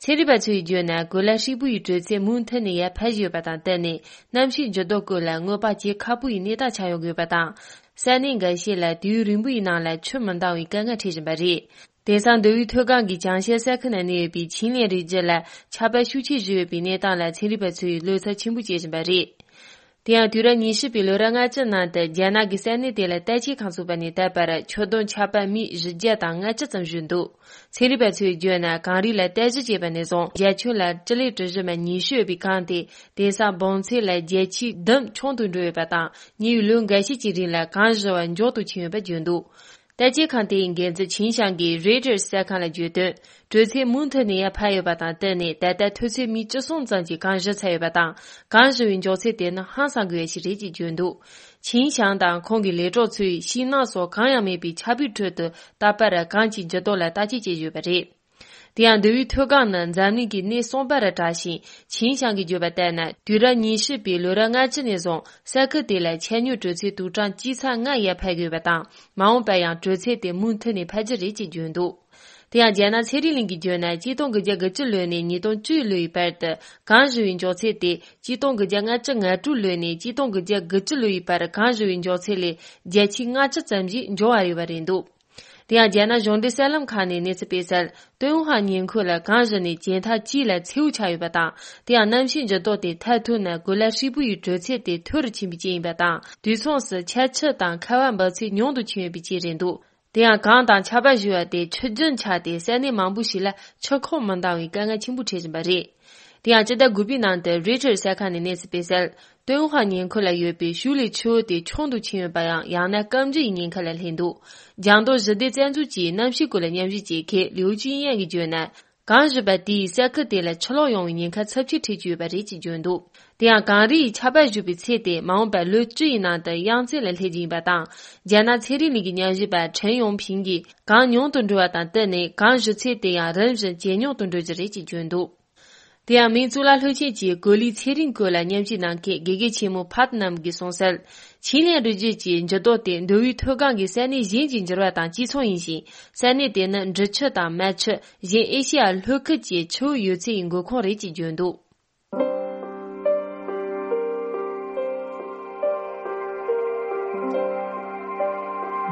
ཚན་རིག་པ་ཚོས་བརྗོད་ན། གོ་ལ་ཧྲིལ་པོ་ཡི་དྲོད་ཚད་མུ་མཐུད་ནས་ཡར་འཕར་བཞིན་ཡོད་པ་དང་བསྟུན་ནས། གནམ་གཤིས་འགྱུར་ལྡོག་སྐོར་ལ་སྔོན་དཔག་བྱེད་ཁག་པོ་ཡི་གནས་སྟངས་ཆགས་ཡོང་གི་ཡོད་པ་དང་། ས་གནས་འགའ་ཤས་ལ་དུས་ཡུན་རིང་པོ་ཡི་ནང་ལ་ཆུ་མི་འདང་བའི་དཀའ་ངལ་འཕྲད་བཞིན་པ་རེད། དེང་སང་མདོ་དབུས་མཐོ་སྒང་གི་བྱང་ཤར་ས་ཁུལ་ན་གནས་ཡོད་པའི་ཆིན་ལེན་རིགས་རྒྱུད་ལ་ཆར་པ་ཤུགས་ཆེ་བཞུར་ཡོད་པའི་གནས་སྟངས་ལ་ཚན་རིག་པ་ཚོས་བློ་འཚབ་ཆེན་པོ་བྱེད་བཞིན་པ་རེད། དེ་ཡང་དུས་རབས་ཉི་ཤུ་པའི་ལོ་རབས་ལྔ་བཅུ་ནང་དུ་རྒྱ་ནག་གི་ས་གནས་དེ་ལ་བརྟག་དཔྱད་ཁང་ཚུགས་པ་ནས་ད་བར་ཆུ་དོན་ཆར་པ་སྨི་བཞི་བརྒྱ་དང་ལྔ་བཅུ་ཙམ་བཞུར་འདུག་ཚན་རིག་པ་ཚོས་བརྗོད་ན། གངས་རི་ལ་བརྟག་ཞིབ་བྱས་པ་ནས་བཟུང་། རྒྱ་ཁྱོན་ལ་སྤྱི་ལེ་གྲུ་བཞི་མ་ཉི་ཤུ་ཡོད་པའི་གངས་དེ་དེང་སང་འབུམ་ཚད་ལ་བརྒྱ་ཆའི་བདུན་ཆུང་དུ་འགྲོ་ཡོད་པ་དང་། ཉེ་བའི་ལོ་འགའ་ཤས་ཀྱི་རིང་ལ་གངས་བཞུར་བ་མགྱོགས་དུ་ཕྱིན་ཡོད་པ་བརྗོད་འདུག་བརྟག་དཔྱད་ཁང་དེའི་འགན་འཛིན་ཆིན་ཞང་གིས་རོའི་ཊར་གསར་ཁང་ལ་བརྗོད་དོན། དྲོད་ཚད་མུ་མཐུད་ནས་ཡར་འཕར་ཡོད་པ་དང་བསྟུན་ནས། ད་ལྟ་མཐོ་ཚད་སྨི་བཅུ་གསུམ་ཙམ་གྱི་གངས་བཞུར་ཚར་ཡོད་པ་དང་། གངས་བཞུར་བའི་མགྱོགས་ཚད་དེ་ནི་ཧང་སང་དགོས་ཡ་ཞིག་རེད་ཅེས་བརྗོད་འདུག་ཆིན་ཞང་དང་ཁོང་གི་ལས་གྲོགས་ཚོས་ཤིང་ནགས་སོགས་གང་ཡང་མེད་པའི་ཆར་པའི་ཁྲོད་དུ། ད་བར་གངས་ཀྱི་འགྱུར་ལྡོག་ལ་བརྟག་དཔྱད་བྱས་ཡོད་པ་རེད། དེ་ཡང་མདོ་དབུས་མཐོ་སྒང་ནི་འཛམ་གླིང་གི་སྣེ་གསུམ་པ་རུ་གྲགས་ཤིང་། ཆིན་ཞང་གིས་བརྗོད་པ་ལྟར་ན། དུས་རབས་ཉི་ཤུ་པའི་ལོ་རབས་ལྔ་བཅུ་ནས་བཟུང་ས་ཁུལ་དེ་ལ་ཆར་རྙོག་དྲོད་ཚད་དུག་གྲངས་བཅུ་ཚེག་ལྔ་ཡར་འཕར་དགོས་པ་དང་། མ་འོངས་པར་ཡང་དྲོད་ཚད་དེ་མུ་མཐུད་ནས་འཕར་རྒྱུ་རེད་ཅེས་བརྗོད་འདུག་དེ་ཡང་རྒྱ་ནག་ཚན་རིག་གླིང་གིས་བརྗོད་ན། གཅིག་སྟོང་དགུ་བརྒྱ་དགུ་བཅུ་ལོ་ནས་ཉིས་སྟོང་བཅུ་ལོའི་བར་དུ་གངས་བཞུར་བའི་མགྱོགས་ཚད་དེ། གཅིག་སྟོང་དགུ་བརྒྱ་ལྔ་བཅུ་ང་དྲུག་ལོ་ནས་གཅིག་སྟོང་དགུ་བརྒྱ་དགུ་བཅུ་ལོའི་བར་གངས་བཞུར་བའི་མགྱོགས་ཚད་ལས་བརྒྱ་ཆའི་ལྔ་བཅུ་ཙམ་ཞིག་འགྱུར་བ་རེད་པ་རེད་འདུག་དེ་ཡང་རྒྱ་ནག་གཞུང་འབྲེལ་གསར་ལམ་ཁག་ནས་གནས་ཚུལ་སྤེལ་གསལ། ཏུན་ཧོང་ཉེ་འཁོར་ལ་གངས་བཞུར་ནས་བྱེ་ཐང་དཀྱིལ་ལ་མཚེའུ་ཆགས་ཡོད་པ་དང་། དེ་ཡང་གནམ་གཤིས་འགྱུར་ལྡོག་དེ་མཐར་ཐུག་ན་གོ་ལ་ཧྲིལ་པོ་ཡི་དྲོད་ཚད་དེ་མཐོ་རུ་ཕྱིན་པའི་རྐྱེན་ཡིན་པ་དང་། དུས་མཚུངས་སུ་ཆར་ཆུ་དང་ཁ་བ་འབབ་ཚད་ཉུང་དུ་ཕྱིན་ཡོད་པའི་རྐྱེན་རེད་འདུག་དེ་ཡང་གངས་དང་ཆར་པ་བཞུར་བ་དེ་ཆུ་རྒྱུན་ཆགས་ཏེ། ས་གནས་མང་པོ་ཞིག་ལ་ཆུ་ཁོག་མི་འདང་བའི་དཀའ་ངལ་ཆེན་པོ་འཕྲད་བཞིན་པ་རེད། དེ་ཡང་སྤྱི་ཟླ་དགུ་པའི་ནང་དུ་རོའི་ཊར་གསར་ཁང་ནས་གནས་ཚུལ་སྤེལ་གསལ། ཏུན་ཧོང་ཉེ་འཁོར་ལ་ཡོད་པའི་ཤུའུ་ལི་ཆུ་བོ་དེ་ཆུང་དུ་ཕྱིན་ཡོད་པ་ཡང་། ཡང་ན་སྐམ་རྒྱུ་ཡི་ཉེན་ཁ་ལ་སླེབས་འདུག་ལྗང་མདོག་ཞི་བདེ་རྩ་འཛུགས་ཀྱི་གནམ་གཤིས་སྐོར་ལ་ཉམས་ཞིབ་བྱེད་མཁན་ལིའུ་ཅུན་ཡན་གྱིས་བརྗོད་ན། གངས་བཞུར་བ་དེས་ས་ཁུལ་དེ་ལ་ཆུ་ལོག་ཡོང་བའི་ཉེན་ཁ་ཚབས་ཆེ་འཕྲད་ཀྱི་ཡོད་པ་རེད་ཅེས་བརྗོད་འདུག་དེ་ཡང་གངས་རི་ཡི་ཆར་པ་བཞུར་བའི་ཚད་དེ་མ་འོངས་པར་ལོ་བཅུ་ཡི་ནང་དུ་གཡང་རྩེ་ལ་སླེབས་རྒྱུ་ཡིན་པ་དང་། རྒྱ་ནག་ཚན་རིག་གླིང་གི་ཉམས་ཞིབ་པ་ཁྲེན་ཡོང་ཕིང་གིས། གངས་ཉུང་དུ་འགྲོ་བ་དང་བསྟུན་ནས་གངས་བཞུར་ཚད་དེ་ཡང་རིམ་བཞིན་ཇེ་ཉུང་དུ་འགྲོ་རྒྱུ་རེད་ཅེས་བརྗོད་འདུག་དེ་ཡང་མིང་གཙུག་ལག་སློབ་ཆེན་གྱི་གོ་ལའི་ཚན་རིག་སྐོར་ལ་ཉམས་ཞིབ་གནང་མཁན་དགེ་རྒན་ཆེན་མོ་ཕཱད་ནམ་གྱིས་གསུངས་གསལ། ཆིན་ལེན་རི་རྒྱུད་ཀྱི་འགྱུར་ལྡོག་དེ་མདོ་དབུས་མཐོ་སྒང་གི་ས་གནས་གཞན་གྱི་འགྱུར་བ་དང་གཅིག་མཚུངས་ཡིན་ཞིང་། ས་གནས་དེ་ནི་འབྲི་ཆུ་དང་མལ་ཆུ། གཞན་ཨེ་ཤེ་ཡ་ལྷོ་ཁུལ་གྱི་ཆུ་བོ་ཡོད་ཚད་ཡི་མགོ་ཁུངས་རེད་ཅེས་བརྗོད་འདུག་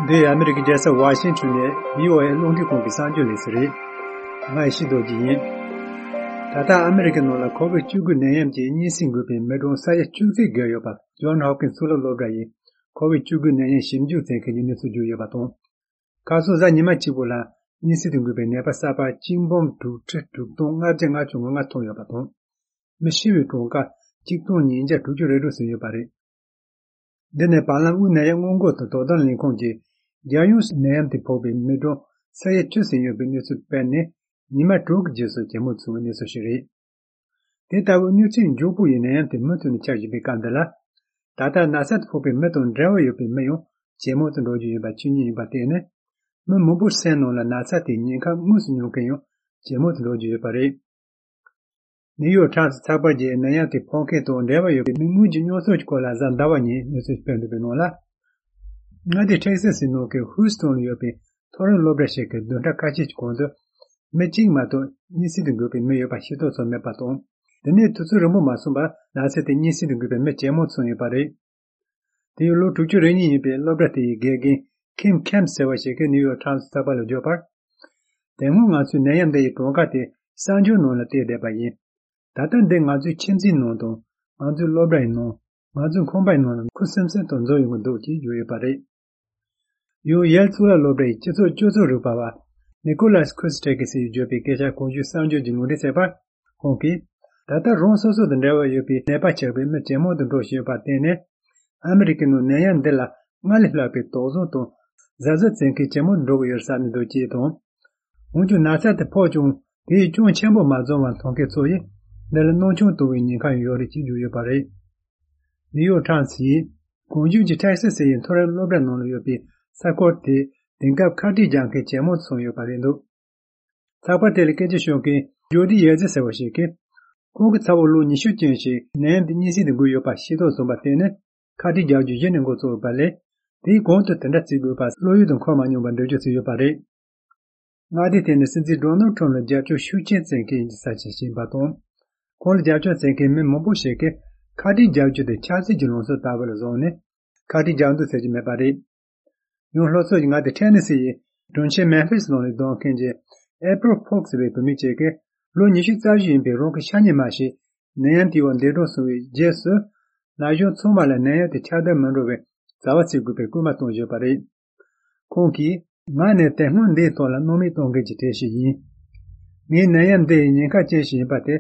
འདི་ཨ་མི་རི་ཀའི་རྒྱལ་ས་ཝ་ཤིང་ཊོན་ནས་བྷི་ཨོ་ཨེ་རླུང་འཕྲིན་ཁང་གི་གསར་འགྱུར་ལས་གསལ་རེད། ང་ཡེ་ཤེས་རྡོ་རྗེ་ཡིན། ད་ལྟ་ཨ་མི་རི་ཀའི་ནང་ལ་ཁོ་བིད་བཅུ་དགུ་ནད་ཡམས་ཀྱི་གཉན་སྲིན་འགོས་པའི་མི་གྲངས་ས་ཡ་བཅུ་གཅིག་བརྒལ་ཡོད་པ། ཇོན་ཧོབ་ཀིན་སི་གཙུག་ལག་སློབ་གྲྭ་ཡིས་ཁོ་བིད་བཅུ་དགུ་ནད་ཡམས་ཞིབ་འཇུག་བྱེད་མཁན་གྱི་གནས་ཚུལ་བརྗོད་ཡོད་པ་དང་། ཁ་སང་གཟའ་ཉི་མ་གཅིག་པོ་ལ་གཉན་སྲིན་དུ་འགོས་པའི་ནད་པ་གསར་པ་གཅིག་འབུམ་དྲུག་ཁྲི་དྲུག་སྟོང་ལྔ་བརྒྱ་ལྔ་བཅུ་ང་ལྔ་ཐོན་ཡོད་པ་དང་། མི་ཤི་བའི་གྲངས་ཀ་གཅིག་སྟོང་ཉིས་བརྒྱ་དྲུག་ཅུ་རེ་དྲུག་ཟིན་ཡོད་པ་རེད། འདི་ནི་བར་ལམ་དབུས་ནད་ཡམས་སྔོན་འགོག་དང་དོ་དམ་ལས་ཁུངས་ཀྱིས་རྒྱལ་ཡོངས་སུ་ནད་ཡམས་དེ་ཕོག་པའི་མི་གྲངས་ས་ཡ་བཅུ་ཟིན་ཡོད་པའི་གནས་ཚུལ་སྤེལ་ནས། ཉི་མ་དྲུག་གི་རྗེས་སུ་ཇེ་མང་སོང་བའི་གནས་ཚུལ་ཞིག་རེད། དེ་ལྟ་བུའི་གནོད་འཚེ་མགྱོགས་པོ་ཡིས་ནད་ཡམས་དེ་མུ་མཐུད་ནས་ཁྱབ་བཞིན་པའི་སྐབས་འདི་ལ། ད་ལྟ་ན་ཚ་དེ་ཕོག་པའི་མི་དང་འབྲེལ་བ་ཡོད་པའི་མི་ཡང་ཇེ་མང་དུ་འགྲོ་རྒྱུ་ཡིན་པ་ཆོས་ཉིད་ཡིན་པར་བརྟེན་ནས། མི་མང་པོའི་སེམས་ནང་ལ་ན་ཚ་དེའི་ཉེན་ཁ་དངོས་སུ་མྱོང་མཁན་ཡང་ཇེ་མང་དུ་འགྲོ་རྒྱུ་ཡོད་པ་རེད། ནིའུ་ཡོག་ཊའིམ་སི་ཚགས་པར་གྱིས་ནད་ཡམས་དེ་ཕོག་མཁན་དང་འབྲེལ་བ་ཡོད་པའི་མི་དངོས་ཀྱི་རྙོག་ཚོགས་ཀྱི་སྐོར་ལ་གཟའ་ཟླ་བ་ཉིན་གནས་ཚུལ་སྤེལ་འདུག་པའི་ནང་ལ། མངའ་སྡེ་ཊེག་སཱ་སིའི་ནང་གི་ཧུའུ་སི་ཊོན་ལ་ཡོད་པའི་མཐོ་རིམ་སློབ་གྲྭ་ཞིག་གི་བདུན་ཕྲག་ཁ་ཤས་ཀྱི་གོང་དུ། མི་གཅིག་མ་གཏོགས་གཉན་སྲིན་དུ་འགོས་པའི་མི་ཡོད་པ་ཤེས་རྟོགས་ཐོན་མེད་པ་དང་། དེ་ནས་དུས་ཚོད་རིང་པོ་མ་སོང་བར་ན་ཚ་དེ་གཉན་སྲིན་དུ་འགོས་པའི་མི་ཇེ་མང་སོང་ཡོད་པ་རེད། དེ་ཡང་ལོ་དྲུག་ཅུ་རེ་གཉིས་ཡིན་པའི་སློབ་གྲྭ་དེ་ཡི་དགེ་རྒན་ཁིམ་ཁེམ་ཟེར་བ་ཞིག་གིས་ནིའུ་ཡོག་ཊའིམ་སི་ཚགས་པར་ལ་བརྗོད་པར། དེ་སྔོན་ང་ཚོས་ནད་ཡམས་འདི་ཡི་གྲངས་ཀ་དེ་གསར་འགྱུར་ནང་ལ་བལྟས་བསྡད་པ་ཡིན། ད་ལྟ་འདི་ང་ཚོའི་ཁྱིམ་མཚེས་ནང་དང་། ང་ཚོའི་སློབ་གྲྭ་ཡི་ནང་། ང་ཚོའི་ཁང་པ་ཡི་ནང་ལ་ཁུ་སིམ་སིམ་དུ་འཛུལ་ཡོང་གི་འདུག་ཅེས་བརྗོད་ཡོད་པ་རེད། ཡང་ཡེལ་གཙུག་ལག་སློབ་གྲྭ་ཡི་སྤྱི་ཚོགས་སྤྱོད་ཚུལ་རིག་པ་བ་ནི་ཀོ་ལཱས་ཁུ་སི་ཊེ་ཀི་སི་ཡིས་བརྗོད་པའི་སྐད་ཆ་གོང་ཞུས་གསར་འགྱུར་གྱི་ལུང་འདྲེན་བྱས་པར། ཁོང་གིས། ད་ལྟ་རང་སོ་སོ་དང་འབྲེལ་བ་ཡོད་པའི་ནད་པ་ཆགས་པའི་མི་ཇེ་མང་དུ་འགྲོ་བཞིན་ཡོད་པར་བརྟེན་ནས། ཨ་མི་རི་ཀའི་ནང་ནད་ཡམས་འདི་ལ་སྔར་ལས་ལྷག་པའི་དོགས་ཟོན་དང་གཟབ་གཟབ་བྱེད་མཁན་ཇེ་མང་དུ་འགྲོ་གི་ཡོད་བསམ་གྱི་འདུག་ཅེས་དང་། འོན་ཀྱང་ན་ཚ་དེ་ཕོག་ཀྱང་དེས་གྱོང་ཆེན་པོ་མ་བཟོ་བར་མཐོང་མཁན་ཚོ་ཡིས་འདི་ལ་སྣང་ཆུང་གཏོང་བའི་ཉེན་ཁ་ཡང་ཡོད་རེད་ཅེས་བརྗོད་ཡོད་པ་རེད། ནིའུ་ཡོག་ཊའིམ་སི་ཡིས་གོང་བརྗོད་ཀྱི་ཊེག་སཱ་སི་ཡི་མཐོ་རིམ་སློབ་གྲྭ་ནང་ལ་ཡོད་པའི་ས་ཁུལ་དེ་དེང་སྐབས་ཁ་བྲལ་རྒྱག་མཁན་ཇེ་མང་དུ་སོང་ཡོད་པ་རེད་འདུག་ཚགས་པར་དེ་ལ་སྐད་ཆ་ཤོད་མཁན་ཇོ་ཌི་ཡེ་ཛི་ཟེར་བ་ཞིག་གིས། ཁོང་གིས་ཚ་བོ་ལོ་ཉི་ཤུ་ཅན་ཞིག་ནད་ཡམས་དེ་གཉན་སྲིན་དེ་འགོས་ཡོད་པ་ཤེས་རྟོགས་སོང་བ་དེ་ནི་ཁ་གྲངས་བརྒྱད་ཅུ་གཞི་ནས་འགོ་བཙུགས་ཡོད་པ་ལས། དེའི་གོང་དུ་དེ་འདྲ་བརྩི་དགོས་པ་བློ་ཡུལ་དུ་འཁོར་མ་མྱོང་བར་འགྲེལ་བརྗོད་བྱས་ཡོད་པ་རེད། མངའ་སྡེའི་ཐད་ནས་སྲིད་འཛིན་ཌོ་ནལ་ཊམ་ལ་རྒྱབ་སྐྱོར་ཤུགས་ཆེན་བྱེད་མཁན་ཡིན་ས་ཞིག་ཡིན་པ་དང་། ཁོང་ལ་རྒྱབ་སྐྱོར་བྱེད་མཁན་མི་མང་པོ་ཞིག་གིས་ཁ་གྲངས་བརྒྱད་ཅུ་དེ་ཆབ་སྲིད་ཀྱི་ལངས་ཕྱོགས་ལྟ་བུ་ལ་བཟུང་ནས་ཁ་གྲངས་རྒྱག་འདུག་ཟེར་གྱི་མེད་པ་རེད། ཡང་སློབ་ཚོགས་ཀྱི་མངའ་སྡེ་ཐེ་ནེ་སི་ཡི་དྲུང་ཆེ་མེམ་ཕིས་ནང་ལ་སྡོད་མཁན་གྱི་ཨེ་པྲིལ་ཕོག་ཟེར་བའི་བུད་མེད་ཅིག་གིས་ལོ་ཉི་ཤུ་རྩ་བཞི་ཡིན་པའི་རང་གི་ཤ་ཉེ་མ་ཞིག་ནད་ཡམས་དེའི་འོག་འདས་གྲོངས་སོང་བའི་རྗེས་སུ། ན་གཞོན་ཚང་མ་ལ་ནད་ཡམས་དེ་ཁྱབ་གདལ་མི་འགྲོ་བའི་བྱ་བ་བྱེད་དགོས་པའི་སྐུལ་མ་བཏང་ཡོད་པ་རེད། ཁོང་གིས། ང་ནི་དེ་སྔོན་འདིའི་ཐོག་ལ་སྣང་མེད་གཏོང་མཁན་གྱི་གྲས་ཤིག་ཡིན། ངས་ནད་ཡམས་འདི་ཡི་ཉེན་ཁ་ཅན་ཞིག་ཡིན་པ་དེ་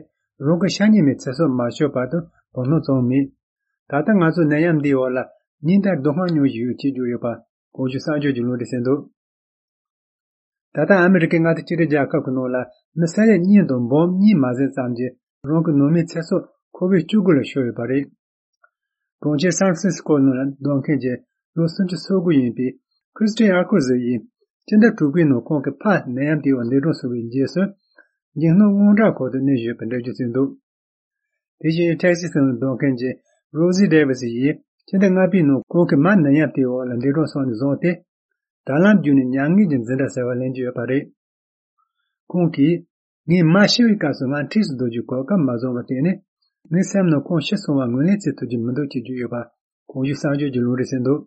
རང་གི་ཤ་ཉེ་མའི་ཚེ་སྲོག་མ་ཤོར་བར་དུ་དོ་སྣང་བྱུང་མེད། ད་ལྟ་ང་ཚོ་ནད་ཡམས་འདིའི་འོག་ལ་ཉིན་ལྟར་སྡུག་བསྔལ་མྱོང་བཞིན་ཡོད་ཅེས་བརྗོད་ཡོད་པ་གོང་ཞུས་གསར་འགྱུར་གྱི་ལུང་འདྲེན་བྱས་འདུག་ད་ལྟ་ཨ་མི་རི་ཀའི་མངའ་སྡེ་གཅིག་སྒྲིལ་རྒྱལ་ཁབ་ཀྱི་ནང་ལ་མི་ས་ཡ་གཉིས་དང་འབུམ་གཉིས་མ་ཟིན་ཙམ་གྱིས་རང་གི་ནང་མིའི་ཚེ་སྲོག་ཁོ་བོས་བཅུ་དགུ་ལ་ཤོར་ཡོད་པ་རེད། གྲོང་ཁྱེར་སན་ཧྥ་རན་སི་སྐོ་ནང་ལ་སྡོད་མཁན་གྱི་ལོ་སུམ་ཅུ་སོ་དགུ་ཡིན་པའི་ཁྲི་སི་ཏི་ཨ་ཁུ་ཟེ་ཡིས་སྤྱི་ཟླ་དྲུག་པའི་ནང་ཁོང་གི་ཕ་ནད་ཡམས་དེའི་འོག་འདས་གྲོངས་སོང་བའི་རྗེས་སུ། འཇིགས་སྣང་དངངས་སྐྲག་འཁོར་དུ་གནས་བཞིན་པའི་འགྲེལ་བརྗོད་བྱས་འདུག་དེ་བཞིན་ཐེག་སི་སི་ནང་སྡོད་མཁན་གྱི་རོ་སི་ཌེ་ཝི་སི་ཡིས་སྤྱི་ཟླ་ལྔ་པའི་ནང་ཁོང་གི་མ་ནད་ཡམས་དེའི་འོག་ལ་འདས་གྲོངས་སོང་ནས་བཟུང་སྟེ། དྲ་ལམ་བརྒྱུད་ནས་མྱ་ངན་གྱི་འཛིན་གྲྭ་ཟེར་བ་ལེན་གྱི་ཡོད་པ་རེད། ཁོང་གིས། ངའི་མ་ཤི་བའི་སྐབས་སུ་ང་འཁྲིས་སུ་སྡོད་རྒྱུའི་གོ་སྐབས་མ་བཟུང་བར་བརྟེན་ནས། ངའི་སེམས་ནང་ཁོང་ཤི་སོང་བ་ངོས་ལེན་བྱེད་ཐུབ་ཀྱི་མི་འདུག་ཅེས་བརྗོད་ཡོད་པ་གོང་ཞུས་གསར་འགྱུར་གྱིས་ལུང་འདྲེན་བྱས་འདུག་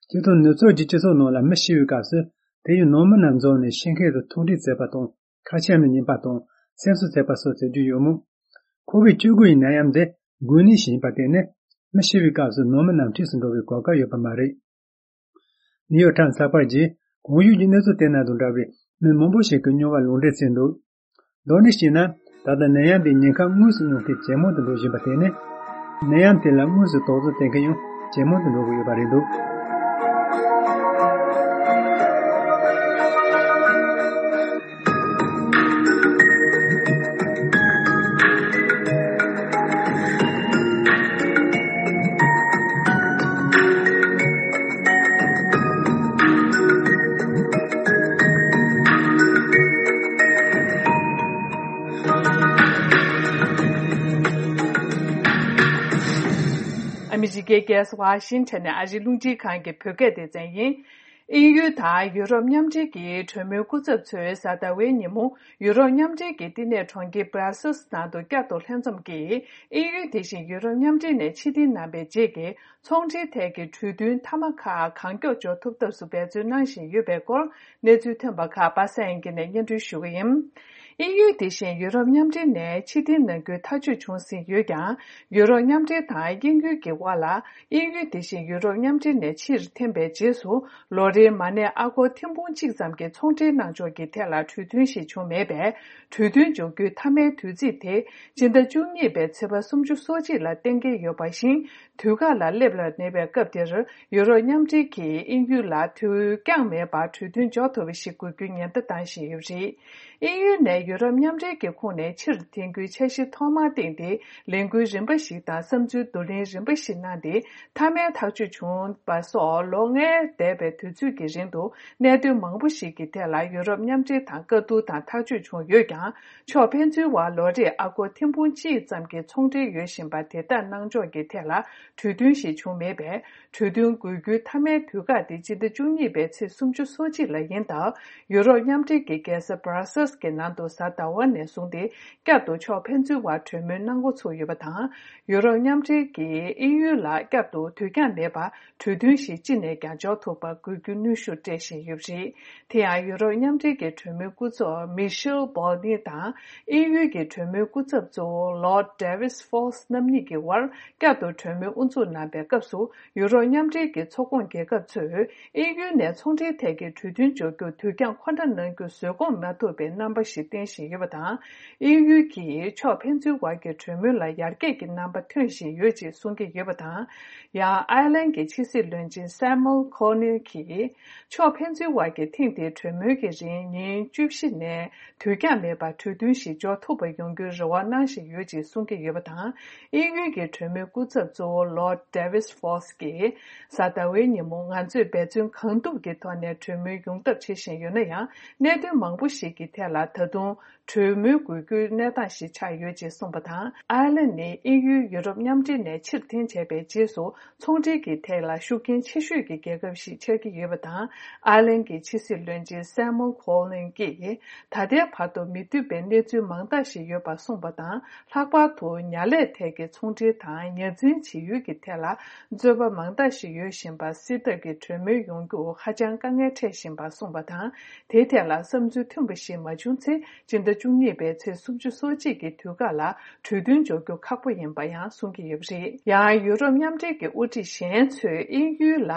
སྤྱིར་བཏང་ནུབ་ཕྱོགས་ཀྱི་སྤྱི་ཚོགས་ནང་ལ་མི་ཤི་བའི་སྐབས་སུ་དེ་ཡི་ནང་མི་རྣམས་འཛོམས་ནས་ཤི་མཁན་དང་ཐུག་འཕྲད་བྱེད་པ་དང་ཁ་ཆེམས་ལ་ཉན་པ་དང་སེམས་གསོ་བྱེད་པ་སོགས་བྱེད་རྒྱུ་ཡོད་མོད། ཁོ་བོད་བཅུ་དགུ་ཡི་ནད་ཡམས་འདི་འགོས་ནད་ཞིག་ཡིན་པར་བརྟེན་ནས་མི་ཤི་བའི་སྐབས་སུ་ནང་མི་རྣམས་འཁྲིས་སུ་འགྲོ་བའི་གོ་སྐབས་ཡོད་པ་མ་རེད། ནིའུ་ཡོག་ཊའིམ་ཚགས་པར་གྱིས་གོང་ཞུས་ཀྱི་གནས་ཚུལ་དེ་དང་འདྲ་བའི་མི་མང་པོ་ཞིག་གི་མྱོང་བ་ལུང་འདྲེན་བྱས་འདུག་དོན་དག་ཅིག་ནི། ད་ལྟ་ནད་ཡམས་དེའི་ཉེན་ཁ་དངོས་སུ་མྱོང་མཁན་ཇེ་མང་དུ་འགྲོ་བཞིན་པ་དེ་ནི། ནད་ཡམས་དེ་ལ་དངོས་སུ་དོགས་ཟོན་བྱེད་མཁན་ཡང་ཇེ་མང་དུ་འགྲོ་གི་ཡོད་པ་རེད་འདུག་ཨ་མི་རི་ཀའི་རྒྱལ་ས་ཝ་ཤིང་ཊོན་ནས་ཨ་རིའི་རླུང་འཕྲིན་ཁང་གི་བོད་སྐད་སྡེ་ཚན་ཡིན། དབྱིན་ཡུལ་དང་ཡུ་རོབ་མཉམ་འབྲེལ་གྱི་གྲོས་མོལ་སྐུ་ཚབ་ཚོས་གཟའ་ཟླ་བའི་ཉིན་མོ་ཡུ་རོབ་མཉམ་འབྲེལ་གྱི་བསྟི་གནས་གྲོང་ཁྱེར་སྦྲ་སེལ་ནང་དུ་བསྐྱར་དུ་ལྷན་འཛོམས་ཀྱིས། དབྱིན་ཡུལ་དེ་བཞིན་ཡུ་རོབ་མཉམ་འབྲེལ་ནས་ཕྱིར་འཐེན་གནང་བའི་རྗེས་ཀྱི་ཚོང་འབྲེལ་ཐད་ཀྱི་གྲོས་མཐུན་མཐའ་མ་ཁག་གང་མགྱོགས་འཇོག་ཐུབ་ཐབས་སུ་འབད་བརྩོན་གནང་བཞིན་ཡོད་པའི་སྐོར། གནས་ཚུལ་ཐོན་པ་ཁག་པ་སངས་དབྱངས་སྐྱིད་ནས་སྙན་སྒྲོན་ཞུ་གི་ཡིན། དབྱིན་ཡུལ་དེ་བཞིན་ཡུ་རོབ་མཉམ་འབྲེལ་ནས་ཕྱིར་འཐེན་གནང་རྒྱུའི་ཐག་གཅོད་བྱུང་ཟིན་ཡོད་ཀྱང་། ཡུ་རོབ་མཉམ་འབྲེལ་དང་དབྱིན་ཡུལ་གྱི་དབར་ལ། དབྱིན་ཡུལ་དེ་བཞིན་ཡུ་རོབ་མཉམ་འབྲེལ་ནས་ཕྱིར་འཐེན་པའི་རྗེས་སུ། ལོ་རེའི་མ་གནས་ཨ་སྒོར་ཐེར་འབུམ་གཅིག་ཙམ་གྱི་ཚོང་འབྲེལ་གནང་ཕྱོགས་ཀྱི་ཐད་ལ་གྲོས་མཐུན་ཞིག་བྱུང་མེད་པས། གྲོས་མཐུན་འཇོག་རྒྱུའི་མཐའ་མའི་དུས་ཚིགས་དེ། སྤྱི་ཟླ་བཅུ་གཉིས་པའི་ཚེས་པ་སུམ་ཅུ་སོ་གཅིག་ལ་གཏན་འཁེལ་ཡོད་པ་བཞིན། དུས་བཀག་ལ་སླེབས་ལ་ཉེ་བའི་སྐབས་དེར། ཡུ་རོབ་མཉམ་འབྲེལ་གྱིས་དབྱིན་ཡུལ་ལ་དུས་འགྱངས་མེད་པར་གྲོས་མཐུན་འཇོག་ཐུབ་པ་ཞིག་དགོས་རྒྱུའི་ཉེན་བརྡ་བཏང་བཞིན་ཡོད་པ་རེད། དབྱིན་ཡུལ་ནས་ཡུ་རོབ་མཉམ་འབྲེལ་གྱི་ཁོངས་ནས་ཕྱིར་འཐེན་རྒྱུའི་འཆར་གཞི་ཐོག་མར་བཏིང་སྟེ། ལས་འགུལ་རིམ་པ་ཞིག་དང་བསམ་ཚུལ་བསྡུ་ལེན་རིམ་པ་ཞིག་གནང་སྟེ། མཐའ་མའི་ཐག་གཅོད་བྱུང་བ་སོགས་ལོ་ལྔའི་འདས་པའི་དུས་ཚོད་ཀྱི་རིང་དུ། གནད་དོན་མང་པོ་ཞིག་གི་ཐད་ལ་ཡུ་རོབ་མཉམ་འབྲེལ་དང་བཀའ་བསྡུར་དང་ཐག་གཅོད་བྱུང་ཡོད་ཀྱང་། ཕྱོགས་ཕན་ཚུན་བར་ལོ་རེར་ཨ་སྒོར་ཐེར་འབུམ་གཅིག་ཙམ་གྱི་ཚོང་འབྲེལ་ཡོད་བཞིན་པ་དེ་དག་གནང་ཕྱོགས་ཀྱི་ཐད་ལ་གྲོས་མཐུན་ཞིག་བྱུང་མེད་པས། གྲོས་མཐུན་འགོད་རྒྱུའི་མཐའ་མའི་དུས་བཀག་དེ་སྤྱི་ཟླ་བཅུ་གཉིས་པའི་ཚེས་སུམ་ཅུ་སོ་གཅིག་ལ་ཡིན་སྟབས། ཡུ་རོབ་མཉམ་འབྲེལ་གྱི་རྒྱལ་ས་Brussels་གྱི་ནང་དུ་གཟའ་ཟླ་བ་ནས་བཟུང་སྟེ་བསྐྱར་དུ་ཕྱོགས་ཕན་ཚུན་བར་གྲོས་མོལ་གནང་འགོ་ཚུགས་ཡོད་པ་དང་། ཡུ་རོབ་མཉམ་འབྲེལ་གྱིས་དབྱིན་ཡུལ་ལ་བསྐྱར་དུ་དུས་འགྱངས་མེད་པར། གྲོས་མཐུན་ཞིག་ཅི་ནས་ཀྱང་འཇོག་ཐུབ་པར་དགོས་རྒྱུ་ནུས་ཤུགས་སྤྲད་བཞིན་ཡོད་པ་རེད། དེ་ཡང་ཡུ་རོབ་མཉམ་འབྲེལ་གྱི་གྲོས་མོལ་སྐུ་ཚབ་Michel Barnier་དང་དབྱིན་ཡུལ་གྱི་གྲོས་མོལ་སྐུ་ཚབ་གཙོ་བོ་Lord David Faust་རྣམ་གཉིས་ཀྱི་དབར་བསྐྱར་དུ་གྲོས་མོལ་དབུ་འཛུགས་གནང་པའི་སྐབས་སུ་ཡུ་རོབ་མཉམ་འབྲེལ་གྱི་ཚོགས་ཁོངས་རྒྱལ་ཁབ་ཚོས་དབྱིན་ཡུལ་ནས་ཚོང་འབྲེལ་ཐད་ཀྱི་གྲོས་མཐུན་འཇོག་རྒྱུར་དུས་འགྱངས་ཁོ་ན་གནང་རྒྱུ་བཟོད་སྒོམ་མ་ཐུབ་པའི་རྣམ་པ་ཞིག་བསྟན་བཞིན་ཡོད་པ་དང་། དབྱིན་ཡུལ་གྱིས་ཕྱོགས་ཕན་ཚུན་བར་གྱི་གྲོས་མོལ་ལ་ཡར་རྒྱས་ཀྱི་རྣམ་པ་ཐོན་བཞིན་ཡོད་ཅེས་གསུང་གི་ཡོད་པ་དང་། ཡང་ཨའི་ལན་གྱི་ཕྱི་སྲིད་བློན་ཆེན་Simon Coveney་གྱིས། ཕྱོགས་ཕན་ཚུན་བར་གྱི་ཐེངས་འདིའི་གྲོས་མོལ་གྱི་རིང་ཉིན་བཅུ་བཞི་ནས་དུས་འགྱངས་མེད་པར་གྲོས་མཐུན་ཞིག་འཇོག་ཐུབ་པ་ཡོང་རྒྱུའི་རེ་བ་གནང་བཞིན་ཡོད་ཅེས་གསུང་གི་ཡོད་པ་དང་། དབྱིན་ཡུལ་གྱི་གྲོས་མོལ་སྐུ་ཚབ་གཙོ་བོ། Lord Davis Ford ཀྱིས། གཟའ་ཟླ་བའི་ཉིན་མོ་ང་ཚོས་འབད་བརྩོན་གང་ཐུབ་ཀྱི་ཐོག་ནས་གྲོས་མོལ་ཡོང་ཐབས་བྱེད་བཞིན་ཡོད་ན་ཡང་། གནད་དོན་མང་པོ་ཞིག་གི་ཐད་ལ་ད་དུང་གྲོས་མོལ་དགོས་རྒྱུའི་གནས་སྟངས་ཤིག་ཆགས་ཡོད་ཅེས་གསུངས་པ་དང་། ཨར་ལན་ནི་དབྱིན་ཡུལ་ཡུ་རོབ་མཉམ་འབྲེལ་ནས་ཕྱིར་འཐེན་བྱས་པའི་རྗེས་སུ། ཚོང་འབྲེལ་གྱི་ཐད་ལ་ཤུགས་རྐྱེན་ཆེ་ཤོས་ཀྱི་རྒྱལ་ཁབ་ཞིག་ཆགས་ཀྱི་ཡོད་པ་དང་། ཨར་ལན་གྱི་ཕྱི་སྲིད་བློན་ཆེན་སེ་མོན་ཁོ་ལིན་གྱིས་ད་ལྟའི་བར་དུ་མི་མཐུན་པའི་གནས་ཚུལ་མང་དག་ཞིག་ཡོད་པ་གསུངས་པ་དང་། ལྷག་པར་དུ་ཉ་ལས་ཐད་ཀྱི་ཚོང་འབྲེལ་དང་ཉ་འཛིན་བྱེད་ཡུལ་གྱི་ཐད་ལ་རྩོད་པ་མང་དག་ཞིག་ཡོད་བཞིན་པ་སེལ་ཐབས་ཀྱི་གྲོས་མོལ་ཡོང་རྒྱུ་ཧ་ཅང་དཀའ་ངལ་འཕྲད་བཞིན་པ་གསུངས་པ་དང་། དེའི་ཐད་ལ་བསམ་ཚུལ་མཐུན་པ་ཞིག་མ་བྱུང་ཚེ། སྤྱི་ཟླ་བཅུ་གཉིས་པའི་ཚེས་སུམ་ཅུ་སོ་གཅིག་གི་དུས་བཀག་ལ་གྲོས་མཐུན་འཇོག་རྒྱུ་ཁག་པོ་ཡིན་པ་ཡང་གསུང་གི་ཡོད་པ་རེད། ཡང་ཡུ་རོབ་མཉམ་འབྲེལ་གྱི་དབུ་ཁྲིད་གཞན་ཚོས་དབྱིན་ཡུལ་ལ་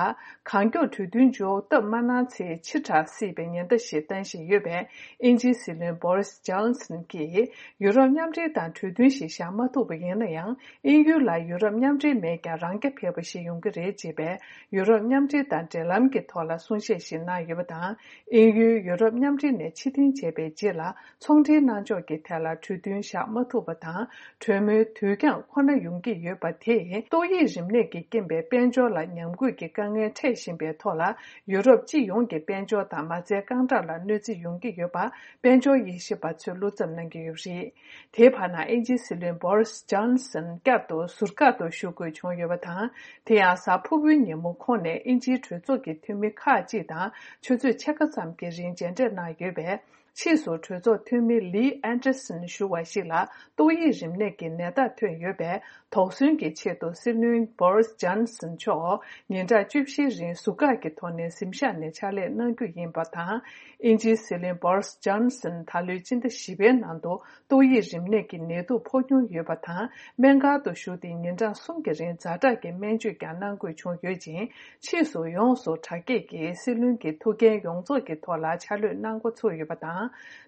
གང་མགྱོགས་གྲོས་མཐུན་འཇོག་ཐབས་མ་གནང་ཚེ་ཕྱི་དྲགས་སྲིད་པའི་ཉེན་བརྡ་ཞིག་བཏང་བཞིན་ཡོད་པས། དབྱིན་ཇིའི་སྲིད་བློན་Boris Johnson གྱིས་ཡུ་རོབ་མཉམ་འབྲེལ་དང་གྲོས་མཐུན་ཞིག་བཞག་མ་ཐུབ་པ་ཡིན་ན་ཡང་། དབྱིན་ཡུལ་ལ་ཡུ་རོབ་མཉམ་འབྲེལ་མེད་ཀྱང་རང་རྐྱ་འཕེར་བ་ཞིག་ཡོང་གི་རེད་ཅེས་པའི་ཡུ་རོབ་མཉམ་འབྲེལ་དང་འབྲེལ་ལམ་གྱི་ཐོག་ལ་གསུང་བཤད་ཞིག་གནང་ཡོད་པ་དང་། དབྱིན་ཡུལ་ཡུ་རོབ་མཉམ་འབྲེལ་ནས་ཕྱིར་འཐེན་བྱས་པའི་རྗེས་ལ། ཚོང་འབྲེལ་གནང་ཕྱོགས་ཀྱི་ཐད་ལ་གྲོས་མཐུན་བཞག་མ་ཐུབ་པ་དང་། གྲོས་མོལ་དུས་འགྱངས་ཁོ་ན་ཡོང་གི་ཡོད་པ་དེས། ཏོག་དབྱིབས་རིམས་ནད་ཀྱི་རྐྱེན་པས་དཔལ་འབྱོར་ལ་ཉམས་རྒུད་ཀྱི་དཀའ་ངལ་འཕྲད་བཞིན་པའི་ཐོག་ལ། ཡུ་རོབ་སྤྱི་ཡོངས་ཀྱི་དཔལ་འབྱོར་དང་མ་རྩའི་རྐང་གྲངས་ལ་གནོད་འཚེ་ཡོང་གི་ཡོད་པ། དཔལ་འབྱོར་དབྱེ་ཞིབ་པ་ཚོས་བློ་འཚབ་གནང་གི་ཡོད་པ་རེད། དེའི་བར་ན། དབྱིན་ཇིའི་སྲིད་བློན་Boris Johnson བསྐྱར་དུ་ཟུར་བཀག་ཏུ་བཞུགས་དགོས་བྱུང་ཡོད་པ་དང་། དེ་ཡང་གཟའ་ཕུར་བུའི་ཉིན་མོ་ཁོང་ནས་དབྱིན་ཇིའི་གྲོས་ཚོགས་ཀྱི་འཐུས་མི་ཁག་ཅིག་དང་ཆུ་ཚོད་ཕྱེད་ཀ་ཙམ་གྱི་རིང་མཇལ་འཕྲད་གནང་ཡོད་པས། ཕྱིས་སུ་གྲོས་ཚོགས་འཐུས་མི་Lee Anderson ཞུ་བ་ཞིག་ལ་ཏོག་དབྱིབས་རིམས་ནད་ཀྱི་ནད་རྟགས་ཐོན་ཡོད་པས། དོགས་ཟོན་གྱི་ཆེད་དུ་སྲིད་བློན་Boris Johnson མཆོག་ཉིན་གྲངས་བཅུ་བཞིའི་རིང་ཟུར་བཀག་གི་ཐོག་ནས་གཟིམ་ཤག་ནས་ཕྱག་ལས་གནང་རྒྱུ་ཡིན་པ་དང་། དབྱིན་ཇིའི་སྲིད་བློན་Boris Johnson ད་ལོའི་སྤྱི་ཟླ་བཞི་པའི་ནང་དུ་ཏོག་དབྱིབས་རིམས་ནད་ཀྱི་ནད་དུག་ཕོག་མྱོང་ཡོད་པ་དང་། སྨན་ཁང་དུ་བཞུགས་ཏེ་ཉིན་གྲངས་གསུམ་གྱི་རིང་ཛ་དྲག་གི་སྨན་བཅོས་ཀྱང་གནང་དགོས་བྱུང་ཡོད་ཅིང་། ཕྱིས་སུ་ཡོངས་སུ་དྲག་སྐྱེད་ཀྱིས་སྲིད་བློན་གྱི་ཐུགས་འགན་ཡོངས་རྫོགས་ཀྱི་ཐོག་ལ་ཕྱག་ལས་གནང་འགོ་ཚུགས་ཡོད་པ་དང་།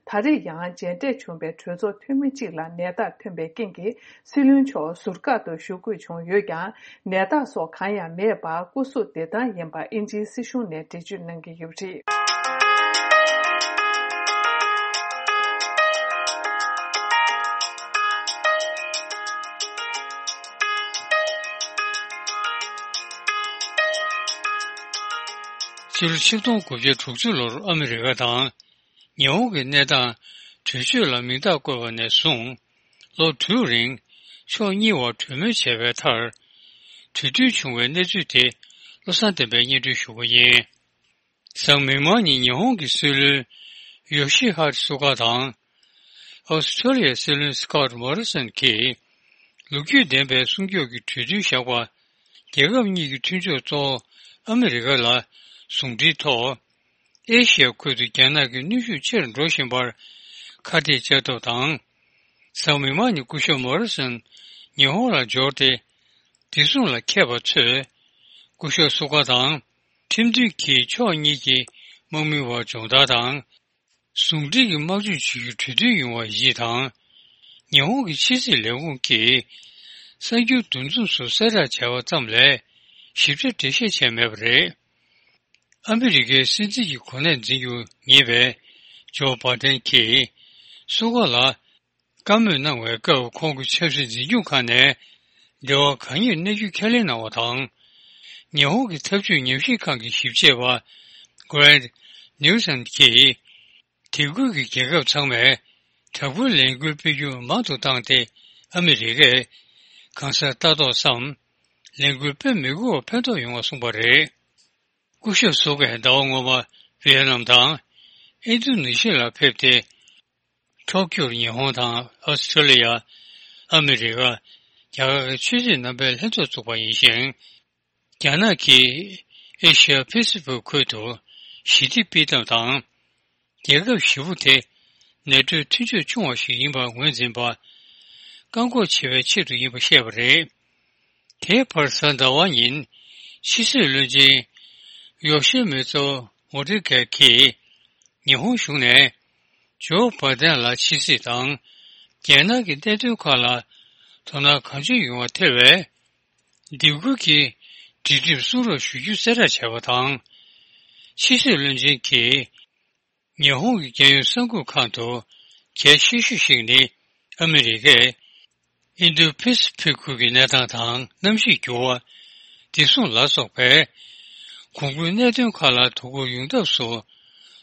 ད་རེས་ཡང་མཇལ་འཕྲད་བྱུང་བའི་གྲོས་ཚོགས་འཐུས་མི་གཅིག་ལ་ནད་རྟགས་ཐོན་པའི་རྐྱེན་གྱིས། སྲིད་བློན་མཆོག་ཟུར་བཀག་ཏུ་བཞུགས་དགོས་བྱུང་ཡོད་ཀྱང་། ནད་རྟགས་སོགས་གང་ཡང་མེད་པར་སྐུ་གཟུགས་བདེ་ཐང་ཡིན་པ་དབྱིན་ཇིའི་སྲིད་གཞུང་ནས་འགྲེལ་བརྗོད་གནང་གི་ཡོད་པ་རེད། ཕྱི་ལོ་ཆིག་སྟོང་དགུ་བརྒྱ་དྲུག་ཅུ་ལོར་ཨ་མི་རི་ཀ་དང་། ཉི་ཧོང་གི་གནས་སྟངས་གྲོས་ཆོད་ལ་མིང་རྟགས་བཀོད་པ་ནས་བཟུང་། ལོ་དྲུག་རིང་ཕྱོགས་གཉིས་བར་གྲོས་མོལ་བྱས་པའི་མཐར། གྲོས་མཐུན་བྱུང་བའི་གནས་ཚུལ་དེ་བློ་བཟང་བསྟན་པས་སྙན་སྒྲོན་ཞུ་གི་ཡིན། གཟའ་མིག་དམར་ཉིན་ཉི་ཧོང་གི་སྲིད་བློན་ཡོ་ཤི་ཧ་རི་སུ་ག་དང་། ཨོ་སི་ཁྲོ་ལི་ཡའི་སྲིད་བློན་སི་ཀོ་ཊི་མོ་རི་སོན་གྱིས། ལོ་རྒྱུས་ལྡན་པའི་སྲུང་སྐྱོབ་ཀྱི་གྲོས་མཐུན་བཞག་པ། རྒྱལ་ཁབ་གཉིས་ཀྱི་མཐུན་ཕྱོགས་གཙོ་བོ་ཨ་མི་རི་ཀ་ལ་ཟུང་འབྲེལ་ཐོག་ཨེ་ཤི་ཡ་ཁུལ་དུ་རྒྱ་ནག་གི་གནོན་ཤུགས་ཆེར་འགྲོ་བཞིན་པར་ཁ་གཏད་གཅོག་ཐབས་དང་། གཟའ་མིག་དམར་ཉིན་སྐུ་ཞབས་མོ་རི་སོན་ཉི་ཧོང་ལ་འབྱོར་ཏེ། བདེ་སྲུང་ལ་མཁས་པ་ཚོས་སྐུ་ཞབས་སུ་ག་དང་ཁྲིམས་མཐུན་གྱིས་ཕྱོགས་གཉིས་ཀྱི་དམག་མིའི་བར་སྦྱོང་བརྡར་དང་། ཟུང་འབྲེལ་གྱི་དམག་སྤྱོད་བྱེད་རྒྱུ་གྲོས་མཐུན་ཡོང་བ་བཞི་དང་། ཉི་ཧོང་གི་ཕྱི་སྲིད་ལས་ཁུངས་ཀྱིས་གསར་འགྱུར་འདུ་འཛོམས་སུ་གསལ་བསྒྲགས་བྱས་པ་ཙམ་ལས་ཞིབ་ཆ་འགྲེལ་བཤད་བྱས་མེད་པ་རེད། ཨ་མི་རི་ཀའི་སྲིད་འཛིན་གྱི་གོ་གནས་འཛིན་རྒྱུ་ངེས་པའི་ཇོ་བྷ་དན་གྱིས་སུ་ག་ལ་བཀའ་མོལ་གནང་བའི་སྐབས། ཁོང་གི་ཆབ་སྲིད་འཛིན་སྐྱོང་ཁང་ནས་འབྲེལ་བ་གང་ཡོད་གནས་ཚུལ་ཁས་ལེན་གནང་བ་དང་། ཉི་ཧོང་གི་འཐབ་ཇུས་ཉམས་ཞིབ་ཁང་གི་ཞིབ་དཔྱད་པ་Grant Newsom གྱིས། དེ་ཁུལ་གྱི་རྒྱལ་ཁབ་ཚང་མས་དྲག་པོའི་ལས་འགུལ་སྤེལ་རྒྱུ་མང་དུ་བཏང་སྟེ། ཨ་མི་རི་ཀས་གང་སར་ལྟ་རྟོག་སམ། ལས་འགུལ་སྤེལ་མི་དགོས་པར་ཕན་ཐོགས་ཡོང་བ་གསུངས་པ་རེད། སྐུ་ཞབས་སུ་གས་ཟླ་བ་སྔོན་མ་ཝི་ཡེ་ནམ་དང་ཨིན་རྡུ་ནི་ཤི་ལ་ཕེབས་ཏེ། ཐོག་ཁུལ་ཉི་ཧོང་དང་ཨོ་སི་ཁྲོ་ལི་ཡ། ཨ་མི་རི་ཀ། རྒྱ་གར་གྱི་ཆོས་སྲིད་རྣམ་པའི་ལྷན་ཚོགས་བཙུགས་པ་ཡིན་ཞིང་། རྒྱ་ནག་གིས་ཨེ་ཤི་ཡ་པེ་སི་ཕིག་ཁུལ་དུ་ཞི་བདེ་སྤེལ་ཐབས་དང་། རྒྱལ་ཁབ་བཞི་པོ་དེ་ནེ་ཊོའི་མཐུན་ཕྱོགས་ཆུང་བ་ཞིག་ཡིན་པར་ངོས་འཛིན་པ། བཀག་འགོག་བྱེད་པའི་ཆེད་དུ་ཡིན་པ་བཤད་པ་རེད། དེའི་བར་གཟའ་ཟླ་བ་ཉིན་ཕྱི་སྲིད་བློན་ཆེན་ཡོ་ཤི་མི་ཙོ་མོ་ཏི་གྷེ་གིས་ཉི་ཧོང་གཞུང་ནས་ཇོ་བྷ་དན་ལ་ཕྱི་སྲིད་དང་རྒྱལ་ནང་གི་གནད་དོན་ཁག་ལ་དོ་སྣང་གང་ཆེ་ཡོང་བ་ཐེ་བའི་སྡེ་ཁུལ་གྱི་སྒྲིག་ཁྲིམས་སྲུང་རོགས་ཞུ་རྒྱུ་གསལ་བསྒྲགས་བྱས་པ་དང་། ཕྱི་སྲིད་བློན་ཆེན་གྱིས་ཉི་ཧོང་གི་རྒྱལ་ཡོངས་གསར་འགོད་ཁང་དུ་གལ་ཆེ་ཤོས་ཤིག་ནི་ཨ་མི་རི་ཀས་ ཨིན་ཌོ་པེ་སི་ཕིག་ཁུལ་གྱི་གནས་སྟངས་དང་གནམ་གཤིས་འགྱུར་བ། བདེ་སྲུང་ལ་སོགས་པའི་གོང་བཀུར་གནད་དོན་ཁག་ལ་དོ་ཁུར་ཡོང་ཐབས་སུ་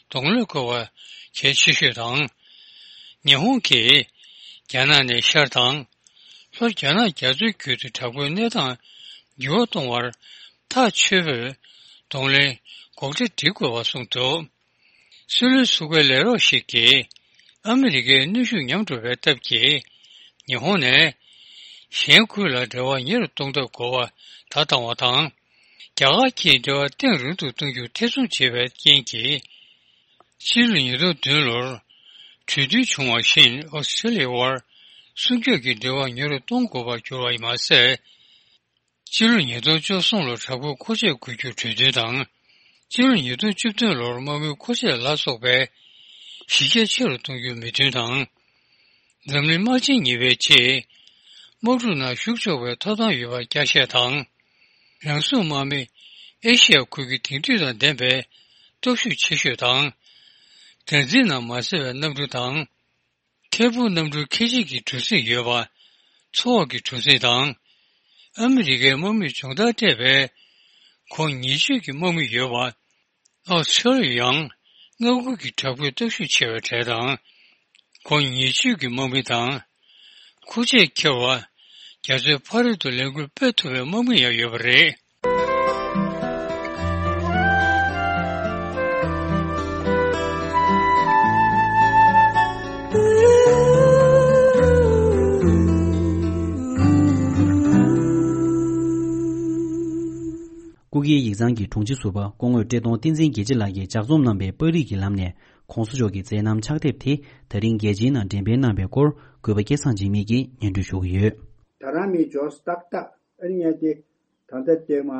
གདོང་ལེན་དགོས་པ་གལ་ཆེ་ཤོས་དང་། ཉི་ཧོང་གིས་རྒྱ་ནག་ནས་ཤར་དང་། ལྷོ་རྒྱ་ནག་རྒྱ་མཚོའི་ཁུལ་དུ་དྲག་པོའི་གནས་སྟངས་འགྱུར་བ་གཏོང་བར་ཐག་ཆོད་པོས་གདོང་ལེན་སྒོ་འབྱེད་སྒྲིག་དགོས་པ་གསུངས་འདུག། སྲིད་བློན་ཟུར་པའི་ལས་རོགས་ཤིག་གིས་ཨ་མི་རི་ཀའི་གནོན་ཤུགས་ཉམས་འགྲོ་བའི་སྟབས་ཀྱིས་ཉི་ཧོང་ནས་གཞན་ཁུལ་ལ་འབྲེལ་བ་ཉེ་རུ་གཏོང་ཐབས་དགོས་པ་ད་བཏང་བ་དང་། རྒྱ་གར་གྱིས་འབྲེལ་བ་ཐག་རིང་དུ་གཏོང་རྒྱུ་ཐེ་ཚོམ་བྱེད་པའི་རྐྱེན་གྱིས། ཕྱི་ལོ་ཉིས་སྟོང་བདུན་ལོར་གྲོས་མཐུན་བྱུང་བ་བཞིན་ཨོ་སི་ཀྲི་ལི་ཡའི་དབར་སྲུང་སྐྱོབ་ཀྱི་འབྲེལ་བ་ཉེ་རུ་གཏོང་དགོས་པར་གྱུར་བ་ཡིན་མ་ཟད། ཕྱི་ལོ་ཉིས་སྟོང་བཅུ་གསུམ་ལོར་དྲག་པོའི་མཁོ་ཆས་དགོས་རྒྱུ་གྲོས་མཐུན་དང་། ཕྱི་ལོ་ཉིས་སྟོང་བཅུ་བདུན་ལོར་དམག་མིའི་མཁོ་ཆས་ལ་སོགས་པའི་གཞི་རྒྱ་ཆེ་རུ་གཏོང་རྒྱུའི་མོས་མཐུན་དང་། འཛམ་གླིང་དམག་ཆེན་གཉིས་པའི་རྗེས། དམག་འཁྲུག་ནང་ཞུགས་ཆོག་པའི་ཐོབ་ཐང་ཡོད་པར་བསྐྱར་བཤད་དང་། རང་སྲུང་དམག་མི་ཨེ་ཤི་ཡ་ཁུལ་གྱི་དེང་དུས་དང་ལྡན་པའི་སྟོབས་ཤུགས་ཆེ་ཤོས་དང་། དྭངས་འཛིན་ནང་མ་གསལ་བའི་གནམ་གྲུ་དང་། ཁེ་ཕུག་གནམ་གྲུ་ཁེ་ཆེ་གི་གྲུ་གཟིངས་ཡོད་པ། མཚོ་འོག་གི་གྲུ་གཟིངས་དང་། ཨ་མི་རི་ཀའི་དམག་མིས་སྦྱོང་བརྡར་སྤྲད་པའི་གོ་ཉེས་སྤྱོད་ཀྱི་དམག་མི་ཡོད་པ། ཨོ་སི་ཀྲི་ལི་ཡ་ཡང་མངའ་ཁུལ་གྱི་དྲག་པོའི་སྟོབས་ཤུགས་ཆེ་བའི་གྲས་དང་། གོ་ཉེས་སྤྱོད་ཀྱི་དམག་མི་དང་། མཁོ་ཆས་འཁྱེར་བ། རྒྱ་མཚོའི་ཕ་རོལ་ཏུ་ལས་འགུལ་སྤེལ་ཐུབ་པའི་དམག་མི་ཡང་ཡོད་པ་རེད། སྐུ་སྒེར་ཡིག་ཚང་གི་དྲུང་ཆེ་ཟུར་པ་སྐུ་ངོ་བཀྲས་མཐོང་བསྟན་འཛིན་རྒྱལ་གཅེས་ལགས་ཀྱིས་ལྗགས་རྩོམ་གནང་བའི་པར་རིས་ཀྱི་ལམ་ནས་༸གོང་ས་མཆོག་གི་མཛད་རྣམ་ཕྱག་དེབ་དེ་ད་རིང་རྒྱལ་སྤྱིའི་ནང་འགྲེམས་སྤེལ་གནང་བའི་སྐོར་གུས་པ་སྐལ་བཟང་འཇིགས་མེད་ཀྱིས་སྙན་སྒྲོན་ཞུ་གི་ཡོད། ད་རང་མི་འབྱོར་ཏག་ཏག་ཨ་ནི་ཡ་དེ་ད་ལྟ་བལྟས་མ་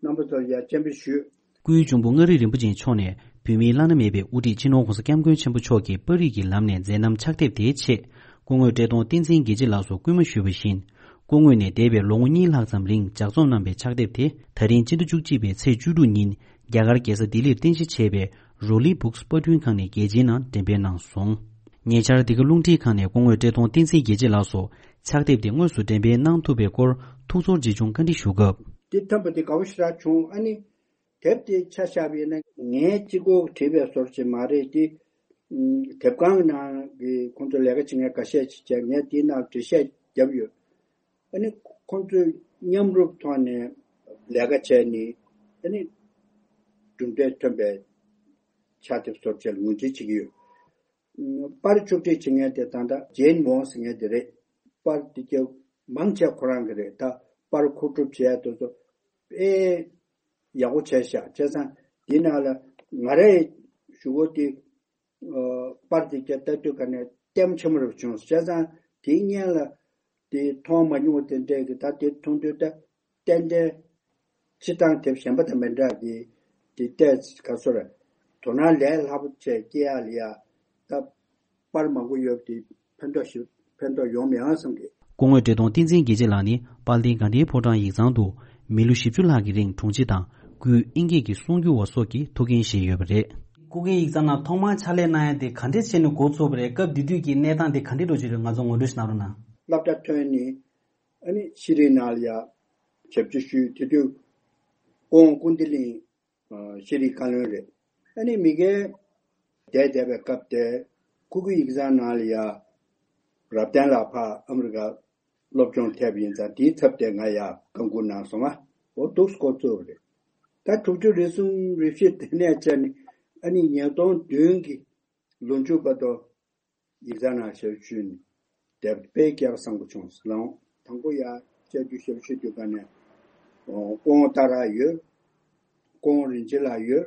རྣམ་པ་ཚོར་ཡ་སྤྱན་འབུལ་ཞུས། སྐུའི་གཅུང་པོ་མངའ་རིས་རིན་པོ་ཆེ་མཆོག་ནས་བོད་མིའི་བླ་ན་མེད་པའི་དབུ་ཁྲིད་སྤྱི་ནོར་༸གོང་ས་༸སྐྱབས་མགོན་ཆེན་པོ་མཆོག་གི་པར་རིས་ཀྱི་ལམ་ནས་མཛད་རྣམ་ཕྱག་དེབ་དེའི་ཆེད་སྐུ་ངོ་བཀྲས་མཐོང་བསྟན་འཛིན་རྒྱལ་གཅེས་ལགས་སུ་སྐུལ་མ་ཞུས་པ་བཞིན། སྐུ་ངོས་ནས་འདས་པའི་ལོ་ངོ་གཉིས་ལྷག་ཙམ་རིང་ལྗགས་རྩོམ་གནང་བའི་ཕྱག་དེབ་དེ་ད་རིང་སྤྱི་ཟླ་བཅུ་གཅིག་པའི་ཚེས་བཅུ་དྲུག་ཉིན་རྒྱ་གར་རྒྱལ་ས་ལྡི་ལིར་རྟེན་གཞི་བྱས་པའི་རོ་ལི་བུག་སི་པར་སྐྲུན་ཁང་ནས་རྒྱལ་སྤྱིའི་ནང་འགྲེམས་སྤེལ་གནང་སོང་། ཉེ་ཆར་འདི་ག་རླུང་འཕྲིན་ཁང་ནས་སྐུ་ངོ་བཀྲས་མཐོང་བསྟན་འཛིན་རྒྱལ་གཅེས་ལགས་སུ་ཕྱག་དེབ་དེ་དངོས་སུ་འགྲེམས་སྤེལ་གནང་ཐུབ་པའི་སྐོར་ཐུགས་ཚོར་ཆེ་ཆུང་བཀའ་འདྲི་ཞུ་སྐབས། དེ་ཐོན་པ་དེ་དགའ་བོ་ཞེ་དྲག་བྱུང་། ཨ་ནི་དེབ་དེ་ཆ་བཞག་པ་ཡིན་ན་ངའི་གཅིག་པོ་བྲིས་པའི་བཟོ་འདྲ་ཅིག་མ་རེད་དེ། ཨུམ། དེབ་ཁང་གི་ནང་གི་ཁོང་ཚོ་ལས་ཀ་བྱེད་མཁན་འགའ་ཤས་ཅིག་བྱས། ངས་དེའི་ནང་འགྲེལ་བཤད་བརྒྱབ་ཡོད། ཨ་ནི་ཁོང་ཚོས་མཉམ་རུབ་ཐོག་ནས་ལས་ཀ་བྱས་ནས་ཨ་ནི་གྲུབ་འབྲས་ཐོན་པའི་ཕྱག་དེབ་བཟོ་འདྲ་ཅིག་ལ་ངོས་འཛིན་བྱེད་ཀྱི་ཡོད། པར་ཕྱོགས་སྒྲིག་བྱེད་མཁན་དེ་ད་ལྟ་ཇེན་ཝོང་ཟེར་མཁན་དེ་རེད། པར་དེ་གྱ་མང་ཆེ་ཁོ་རང་གི་རེད། ད་པར་མཁོ་སྒྲུབ་བྱས་དེ་ཚོ་དཔེ་ཡག་པོ་བྱས་ཤག་བྱས་ཙང་དེའི་ནང་ལ་ང་རའི་ཞུ་སྒོ་དེ་པར་དེ་གྱ་ལྟ་དུས་ག་ནས་ལྟད་མོ་ཆེན་པོ་རེ་བྱུང་། བྱས་ཙང་དེའི་སྔོན་ལ་དེ་མཐོང་མ་མྱོང་བ་དེ་འདྲས་ཀྱི་ད་དེ་མཐོང་དུས་ད་ཏན་ཏན་སྤྱིར་བཏང་དེབ་གཞན་པ་དང་མི་འདྲ་གི་དེ་ལྟས་ག་སོ་རེད། དོ་སྣང་ལས་སླ་པོ་བྱས་སྐྱེ་ཡག་ལ་ཡ་ད་པར་མང་པོ་ཡོད་དེ་ཕན་ཐོགས་ཤིག་ཕན་ཐོགས་ཡོང་མི་ཡོང་བསམ་གི། སྐུ་ངོ་བཀྲས་མཐོང་བསྟན་འཛིན་རྒྱལ་གཅེས་ལགས་ནི་དཔལ་ལྡན་དགའ་ལྡན་ཕོ་བྲང་ཡིག་ཚང་དུ་མི་ལོ་བཞི་བཅུ་ལྷག་གི་རིང་དྲུང་ཆེ་དང་སྐུའི་ཨིན་སྐད་ཀྱི་གསུང་སྒྱུར་བ་སོགས་ཀྱི་ཐུགས་འགན་བཞེས་ཡོད་པ་རེད། སྐུ་སྒེར་ཡིག་ཚང་ནང་ཐོག་མར་ཕྱག་ལས་གནང་ཡ་དེ་ག་འདྲས་བྱས་ནས་འགོ་ཚུགས་པ་རེད། སྐབས་དེ་དུས་ཀྱི་གནས་སྟངས་དེ་ག་འདྲས་འགྲོ་བཞིན་རེད། ང་ཚོ་ངོ་སྤྲོད་ཞིག་གནང་རོགས་གནང་། སློབ་གྲྭ་ཐོན་ནས་ཨ་ནི་ཤེས་རིག་ནང་ལ་ཡ་ཞབས་ཕྱི་ཞུས། དེ་དུས་སྐུ་ངོ་ཀུན་བདེ་གླིང་ཤེས་རིག་བཀའ་བློན་རེད། ཨ་ནི་མི་སྒེར་བསྡད་བསྡད་པའི་སྐབས་དེ་སྐུ་སྒེར་ཡིག་ཚང་ནང་ལ་ཡ་རབ་བརྟན་ལགས་ཕར་ཨ་མི་རི་ཀ་སློབ་སྦྱོང་ཐེབས་ཡིན་ཙང་དེའི་ཚབ་དེ་ང་ཡ་བཀའ་འགུག་གནང་སོང་ང་། འོ་འདུག་སེ་འགོ་བཙུགས་པ་རེད། ད་དྲུག་ཅུ་རེ་གསུམ་རེ་བཞི་དེ་ནས་བྱས་ནས་ཨ་ནི་ཉིས་སྟོང་བདུན་གྱི་ལོ་མཇུག་བར་དུ་ཡིག་ཚང་ནང་ཞབས་ཞུ་ནས་དེབ་དཔེ་སྐལ་བ་བཟང་པོ་བྱུང་སོང་། དང་པོ་ཡ་བཅར་རྒྱུ་ཞབས་ཞུ་དུས་ག་ནས་སྐུ་ངོ་ཏཱ་ར་ཡོད། སྐུ་ངོ་རིན་ཆེན་ལགས་ཡོད།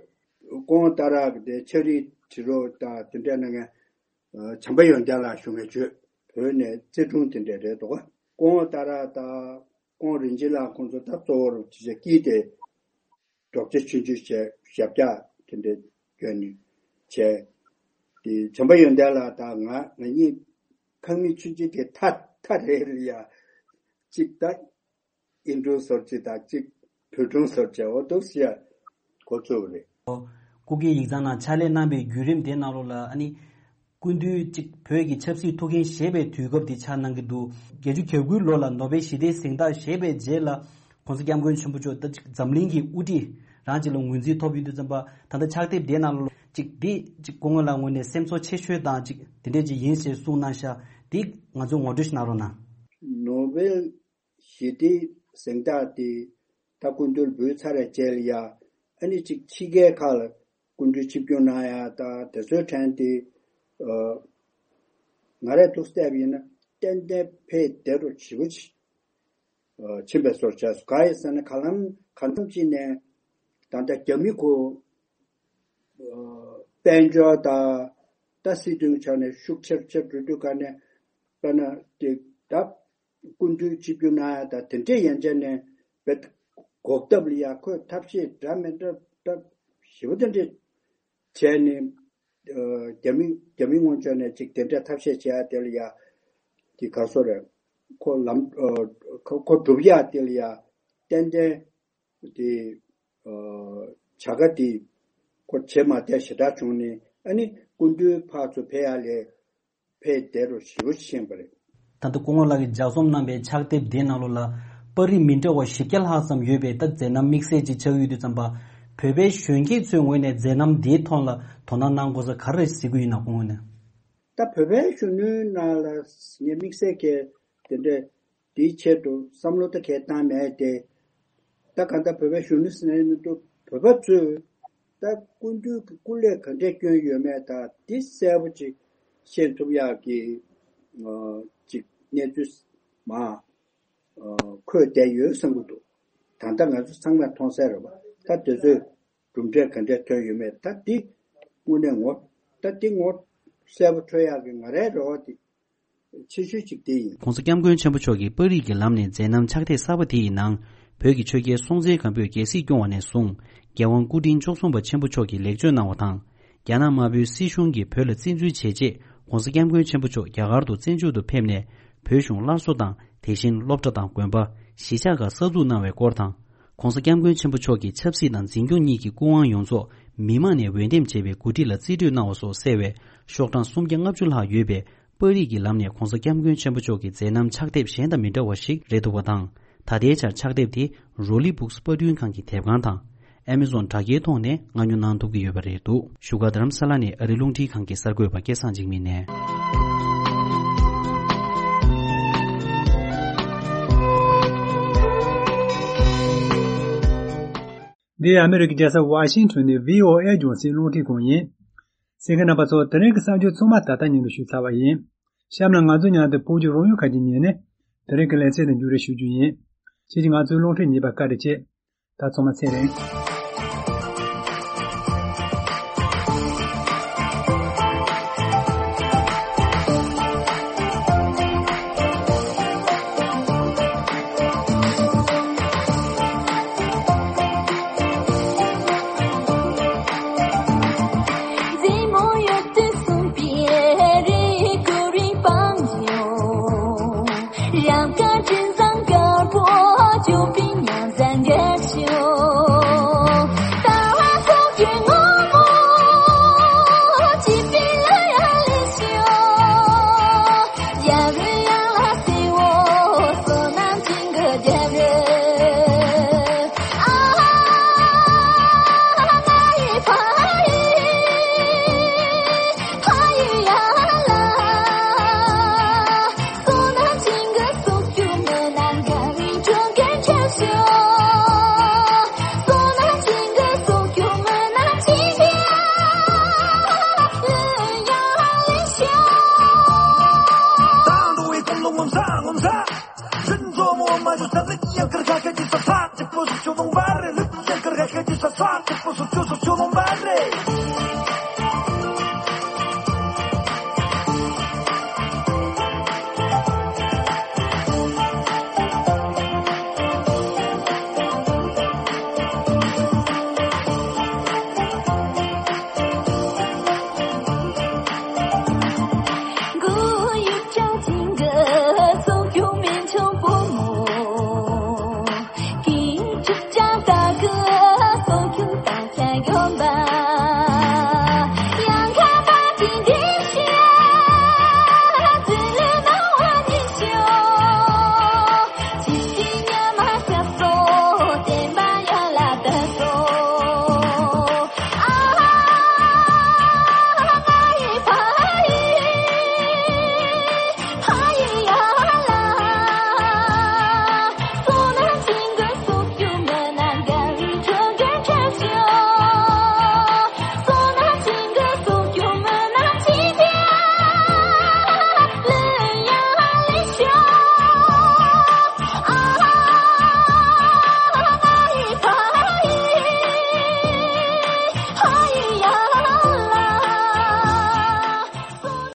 སྐུ་ངོ་ཏཱ་ར་གི་དེ་ཕྱག་བྲིས་བྲིས་རོགས་དང་དེ་འདྲ་གནང་མཁན་བྱམས་པ་ཡོན་ཏན་ལགས་ཞུ་མཁན་བྱོས། བོད་ནས་རྩེ་དྲུང་དེ་འདྲ་རེད་འདུག་ག་སྐུ་ངོ་ཏཱ་ར་དང་སྐུ་ངོ་རིན་ཆེན་ལགས་ཁོང་ཚོ་ད་གཙོ་བོར་ཅི་བྱ་སྐྱིད་དེ། རྡོག་རྩ་ཆུང་ཆུང་བྱས་ཞབས་བཀྱག་དེ་འདྲ་བརྒྱབ་ནས་བྱས། དེ་བྱམས་པ་ཡོན་ཏན་ལགས་དང་ང་ང་གཉིས་ཁང་མིག་ཆུང་ཆུང་དེ་མཐའ་མཐའ་རེ་རེ་ཡ་གཅིག་ད་ཨིན་སྒྲུང་བཟོ་རྩིས་དང་གཅིག་བོད་སྒྲུང་བཟོ་རྩིས། འོ་འདུག་སེ་ཡ་འགོ་བཙུགས་པ་རེད། སྐུ་སྒེར་ཡིག་ཚང་ནང་ཕྱག་ལས་གནང་པའི་བརྒྱུད་རིམ་དེ་ནང་ལོགས་ལ་ཨ་ནི། སྐུ་མདུན་གཅིག་བོད་ཀྱི་ཆབ་སྲིད་ཐུགས་འགན་བཞེས་པའི་དུས་སྐབས་དེ་ཆགས་གནང་གི་འདུག་བརྒྱད་ཅུ་གྱ་དགུའི་ལོ་ལ་ནོ་བེལ་ཞི་བདེའི་གཟེངས་རྟགས་བཞེས་པའི་རྗེས་ལ་༸གོང་ས་༸སྐྱབས་མགོན་ཆེན་པོ་མཆོག་ད་གཅིག་འཛམ་གླིང་གི་དབུ་ཁྲིད་རང་གཅིག་ལ་ངོས་འཛིན་ཐོབ་ཡོང་དུས་ཙམ་པ་ད་ལྟ་ཕྱག་དེབ་དེའི་ནང་ལ་གཅིག་འདི་གཅིག་སྐུ་ངོ་ལགས་ངོས་ནས་སེམས་ཚོར་ཆེ་ཤོས་དང་གཅིག་དེ་འདྲས་ཅིག་ཡིན་ཞེས་གསུངས་གནང་ཤག་འདི་ང་ཚོ་ངོ་སྤྲོད་ཞིག་གནང་རོགས་གནང་། ནོ་བེལ་ཞི་བདེའི་གཟེངས་རྟགས་དེ་ད་སྐུ་མདུན་འབུལ་ཚར་བའི་རྗེས་ལ་ཡ་ཨ་ནི་གཅིག་ཕྱི་རྒྱལ་ཁག་ལ་སྐུ་མདུན་ཆིབས་བསྒྱུར་གནང་ཡ་ད་དེ་ཚོའི་གྲས་དེ་ཨ་ང་རས་ཐུགས་བལྟས་པ་ཡིན་ན་ཏན་ཏན་ཕེ་བདེ་རུ་ཞེ་པོ་ཅིག་ཨ་ཕྱིན་པའི་བཟོ་འདྲ་ཆགས་སོང་། གང་ཡིན་ཟེར་ན་ག་ལམ་གང་འཚམ་ཅིག་ནས་ད་ལྟ་རྒྱ་མི་ཁོ་ཨ་དཔལ་འབྱོར་དང་ད་སྲིད་དོན་ཆ་ནས་ཤུགས་ཆེར་ཆེར་འགྲོ་དུས་ག་ནས་དཔེར་ན་དེ་ད། སྐུ་མདུན་ཆིབས་བསྒྱུར་གནང་ཡ་ད་དེ་འདྲས་ཡན་ཆད་ནས་བེད་གོག་ཐབས་ལ་ཡ་ཁོས་ཐབས་ཤེས་འདྲ་མི་འདྲ་ཐབས་ཞེ་པོ་དེ་འདྲས་བྱས་ནས་ཨ་རྒྱ་མི་རྒྱ་མི་ངོས་ཕྱོགས་ནས་ཅིག་དེ་འདྲས་ཐབས་ཤེས་བྱེད་ཡ་དེ་ལ་ཡ་དེ་ག་སོ་རེད། ཁོ་ལམ་ཨ་ཁོ་ཁོ་སྒྲུབ་ཡ་དེ་ལ་ཡ་ཏན་ཏན་དེ་ཨ་བྱ་དགའ་དེ་ཁོ་བྱེད་མ་བསྡད་ཞེ་དྲག་བྱུང་ནས་ཨ་ནི་སྐུ་མདུན་ཕར་ཚུར་ཕེབས་ཡ་ལས། ཕེ་དེ་རུ་ཞེ་པོ་ཕྱིན་པ་རེད། ད་ལྟ་སྐུ་ངོ་ལགས་ཀྱིས་ལྗགས་རྩོམ་གནང་པའི་ཕྱག་དེབ་འདིའི་ནང་ལོགས་ལ་པར་རིས་མི་འདྲ་བ་བཞི་བརྒྱ་ལྷག་ཙམ་ཡོད་པའི་ད་མཛད་རྣམ་དམིགས་བསལ་ཅིག་ཆགས་ཡོད་དུས་ཙམ་པ། བོད་པའི་གཞོན་སྐྱེས་ཚོའི་ངོས་ནས་མཛད་རྣམ་འདིའི་ཐོག་ལ་དོ་སྣང་གནང་དགོས་ས་ག་རེ་གཟིགས་ཀྱི་ཡོད་ན་སྐུ་ངོ་ནས། ད་བོད་པའི་གཞོན་ནུའི་ནང་ལ་ངས་དམིགས་བསལ་གྱི་དེ་འདྲའི། དེའི་ཆེད་དུ་བསམ་བློ་ད་གས་བཏང་མེད་དེ། ད་གང་ལྟར་བོད་པའི་གཞོན་ནུ་ཟེར་ནས་མི་འདུག་བོད་པ་ཚོས་ད་སྐུ་མདུན་གྱི་སྐུ་ལས་ག་འདྲས་བསྐྱོན་ཡོད་མེད་ད་འདི་གསལ་པོ་ཅིག་ཤེས་ཐུབ་ཡག་གི་ཅིག་གནས་ཚུལ་མ་འཁོད་བསྡད་ཡོད་བསམ་གྱི་འདུག་ད་ལྟ་ང་ཚོ་ཚང་མས་མཐོང་གསལ་རེད་པ། ད་དེ་ཚོས་གྲུབ་འབྲས་ག་འདྲས་ཐོན་ཡོད་མེད་ད་འདི་དངོས་གནས་ངོ་ད་འདི་ངོ་གསལ་པོ་འཕྲོད་ཡག་གི་ང་རའི་རེ་བ་འདི། ཆེ་ཤོས་གཅིག་དེ་ཡིན། ༸གོང་ས་༸སྐྱབས་མགོན་ཆེན་པོ་མཆོག་གིས་པར་རིས་ཀྱི་ལམ་ནས་མཛད་རྣམ་ཕྱག་དེབ་གསར་པ་དེ་ཡི་ནང་། བོད་ཀྱི་ཆོས་རྒྱལ་སྲོང་བཙན་སྒམ་པོས་རྒྱལ་སྲིད་སྐྱོང་བ་ནས་བཟུང་། རྒྱལ་དབང་སྐུ་ཕྲེང་བཅུ་གསུམ་པ་ཆེན་པོ་མཆོག་གིས་ལེགས་བཅོས་གནང་བ་དང་། རྒྱ་ནག་དམར་པོའི་སྲིད་གཞུང་གིས་བོད་ལ་བཙན་འཛུལ་བྱས་རྗེས། ༸གོང་ས་༸སྐྱབས་མགོན་ཆེན་པོ་མཆོག་རྒྱ་གར་དུ་བཙན་བྱོལ་དུ་ཕེབས་ནས། བོད་གཞུང་སླར་གསོ་དང་། དེ་བཞིན་སློབ་གྲྭ་དང་དགོན་པ། གཞིས་ཆགས་ཁག་གསར་འཛུགས་གནང་བའི་སྐོར་དང་། ༸གོང་ས་༸སྐྱབས་མགོན་ཆེན་པོ་མཆོག་གིས་ཆབ་སྲིད་དང་འཛིན་སྐྱོང་གཉིས་ཀྱི་སྐུ་དབང་ཡོངས་རྫོགས་མི་མང་ནས་འོས་འདེམས་བྱས་པའི་འགོ་ཁྲིད་ལ་རྩིས་སྤྲོད་གནང་བ་སོགས་གསལ་བའི་ཤོག་གྲངས་སུམ་བརྒྱ་ལྔ་བཅུ་ལྷག་ཡོད་པའི་པར་རིས་ཀྱི་ལམ་ནས་༸གོང་ས་༸སྐྱབས་མགོན་ཆེན་པོ་མཆོག་གི་མཛད་རྣམ་ཕྱག་དེབ་གཞན་དང་མི་འདྲ་བ་ཞིག་རེད་འདུག་པ་དང་། ད་ལྟའི་ཆར་ཕྱག་དེབ་དེ་རོ་ལི་བུག་སི་པར་སྐྲུན་ཁང་གི་དེབ་ཁང་དང་། ཨེ་མེ་ཛོན་དྲ་རྒྱའི་ཐོག་ནས་མངགས་ཉོ་གནང་ཐུབ་ཀྱི་ཡོད་པ་རེད་འདུག་བཞུགས་སྒར་རྡ་རམ་ས་ལ་ནས་ཨ་རི་རླུང་འཕྲིན་ཁང་གི་གསར་འགོད་པ་སྐལ་བཟང་འཇིགས་མེད་ནས། འདི་ཨ་མེ་རི་ཀའི་རྒྱལ་ས་ཝ་ཤིང་ཊོན་ནས་བྷི་ཨོ་ཨེ་རྒྱང་སྲིང་རླུང་འཕྲིན་ཁང་ཡིན། གསན་མཁན་རྣམ་པ་ཚོ། དེ་རིང་གི་གསར་འགྱུར་ཚང་མ་ད་ལྟ་སྙན་སྒྲོན་ཞུས་ཚར་བ་ཡིན། གཤམ་ལ་ང་ཚོ་མཉམ་དུ་ཕུགས་རྒྱང་རང་ཡུལ་ཁག་ཅིག་ཉན་ནས། དེ་རིང་གི་ལེ་ཚན་དེ་མཇུག་སྒྲིལ་ཞུ་རྒྱུ་ཡིན། ཁྱེད་ཀྱིས་ང་ཚོའི་རླུང་འཕྲིན་ཉན་པར་བཀའ་དྲིན་ཆེ། ད་ཚང་མ་ཚེ་རིང་།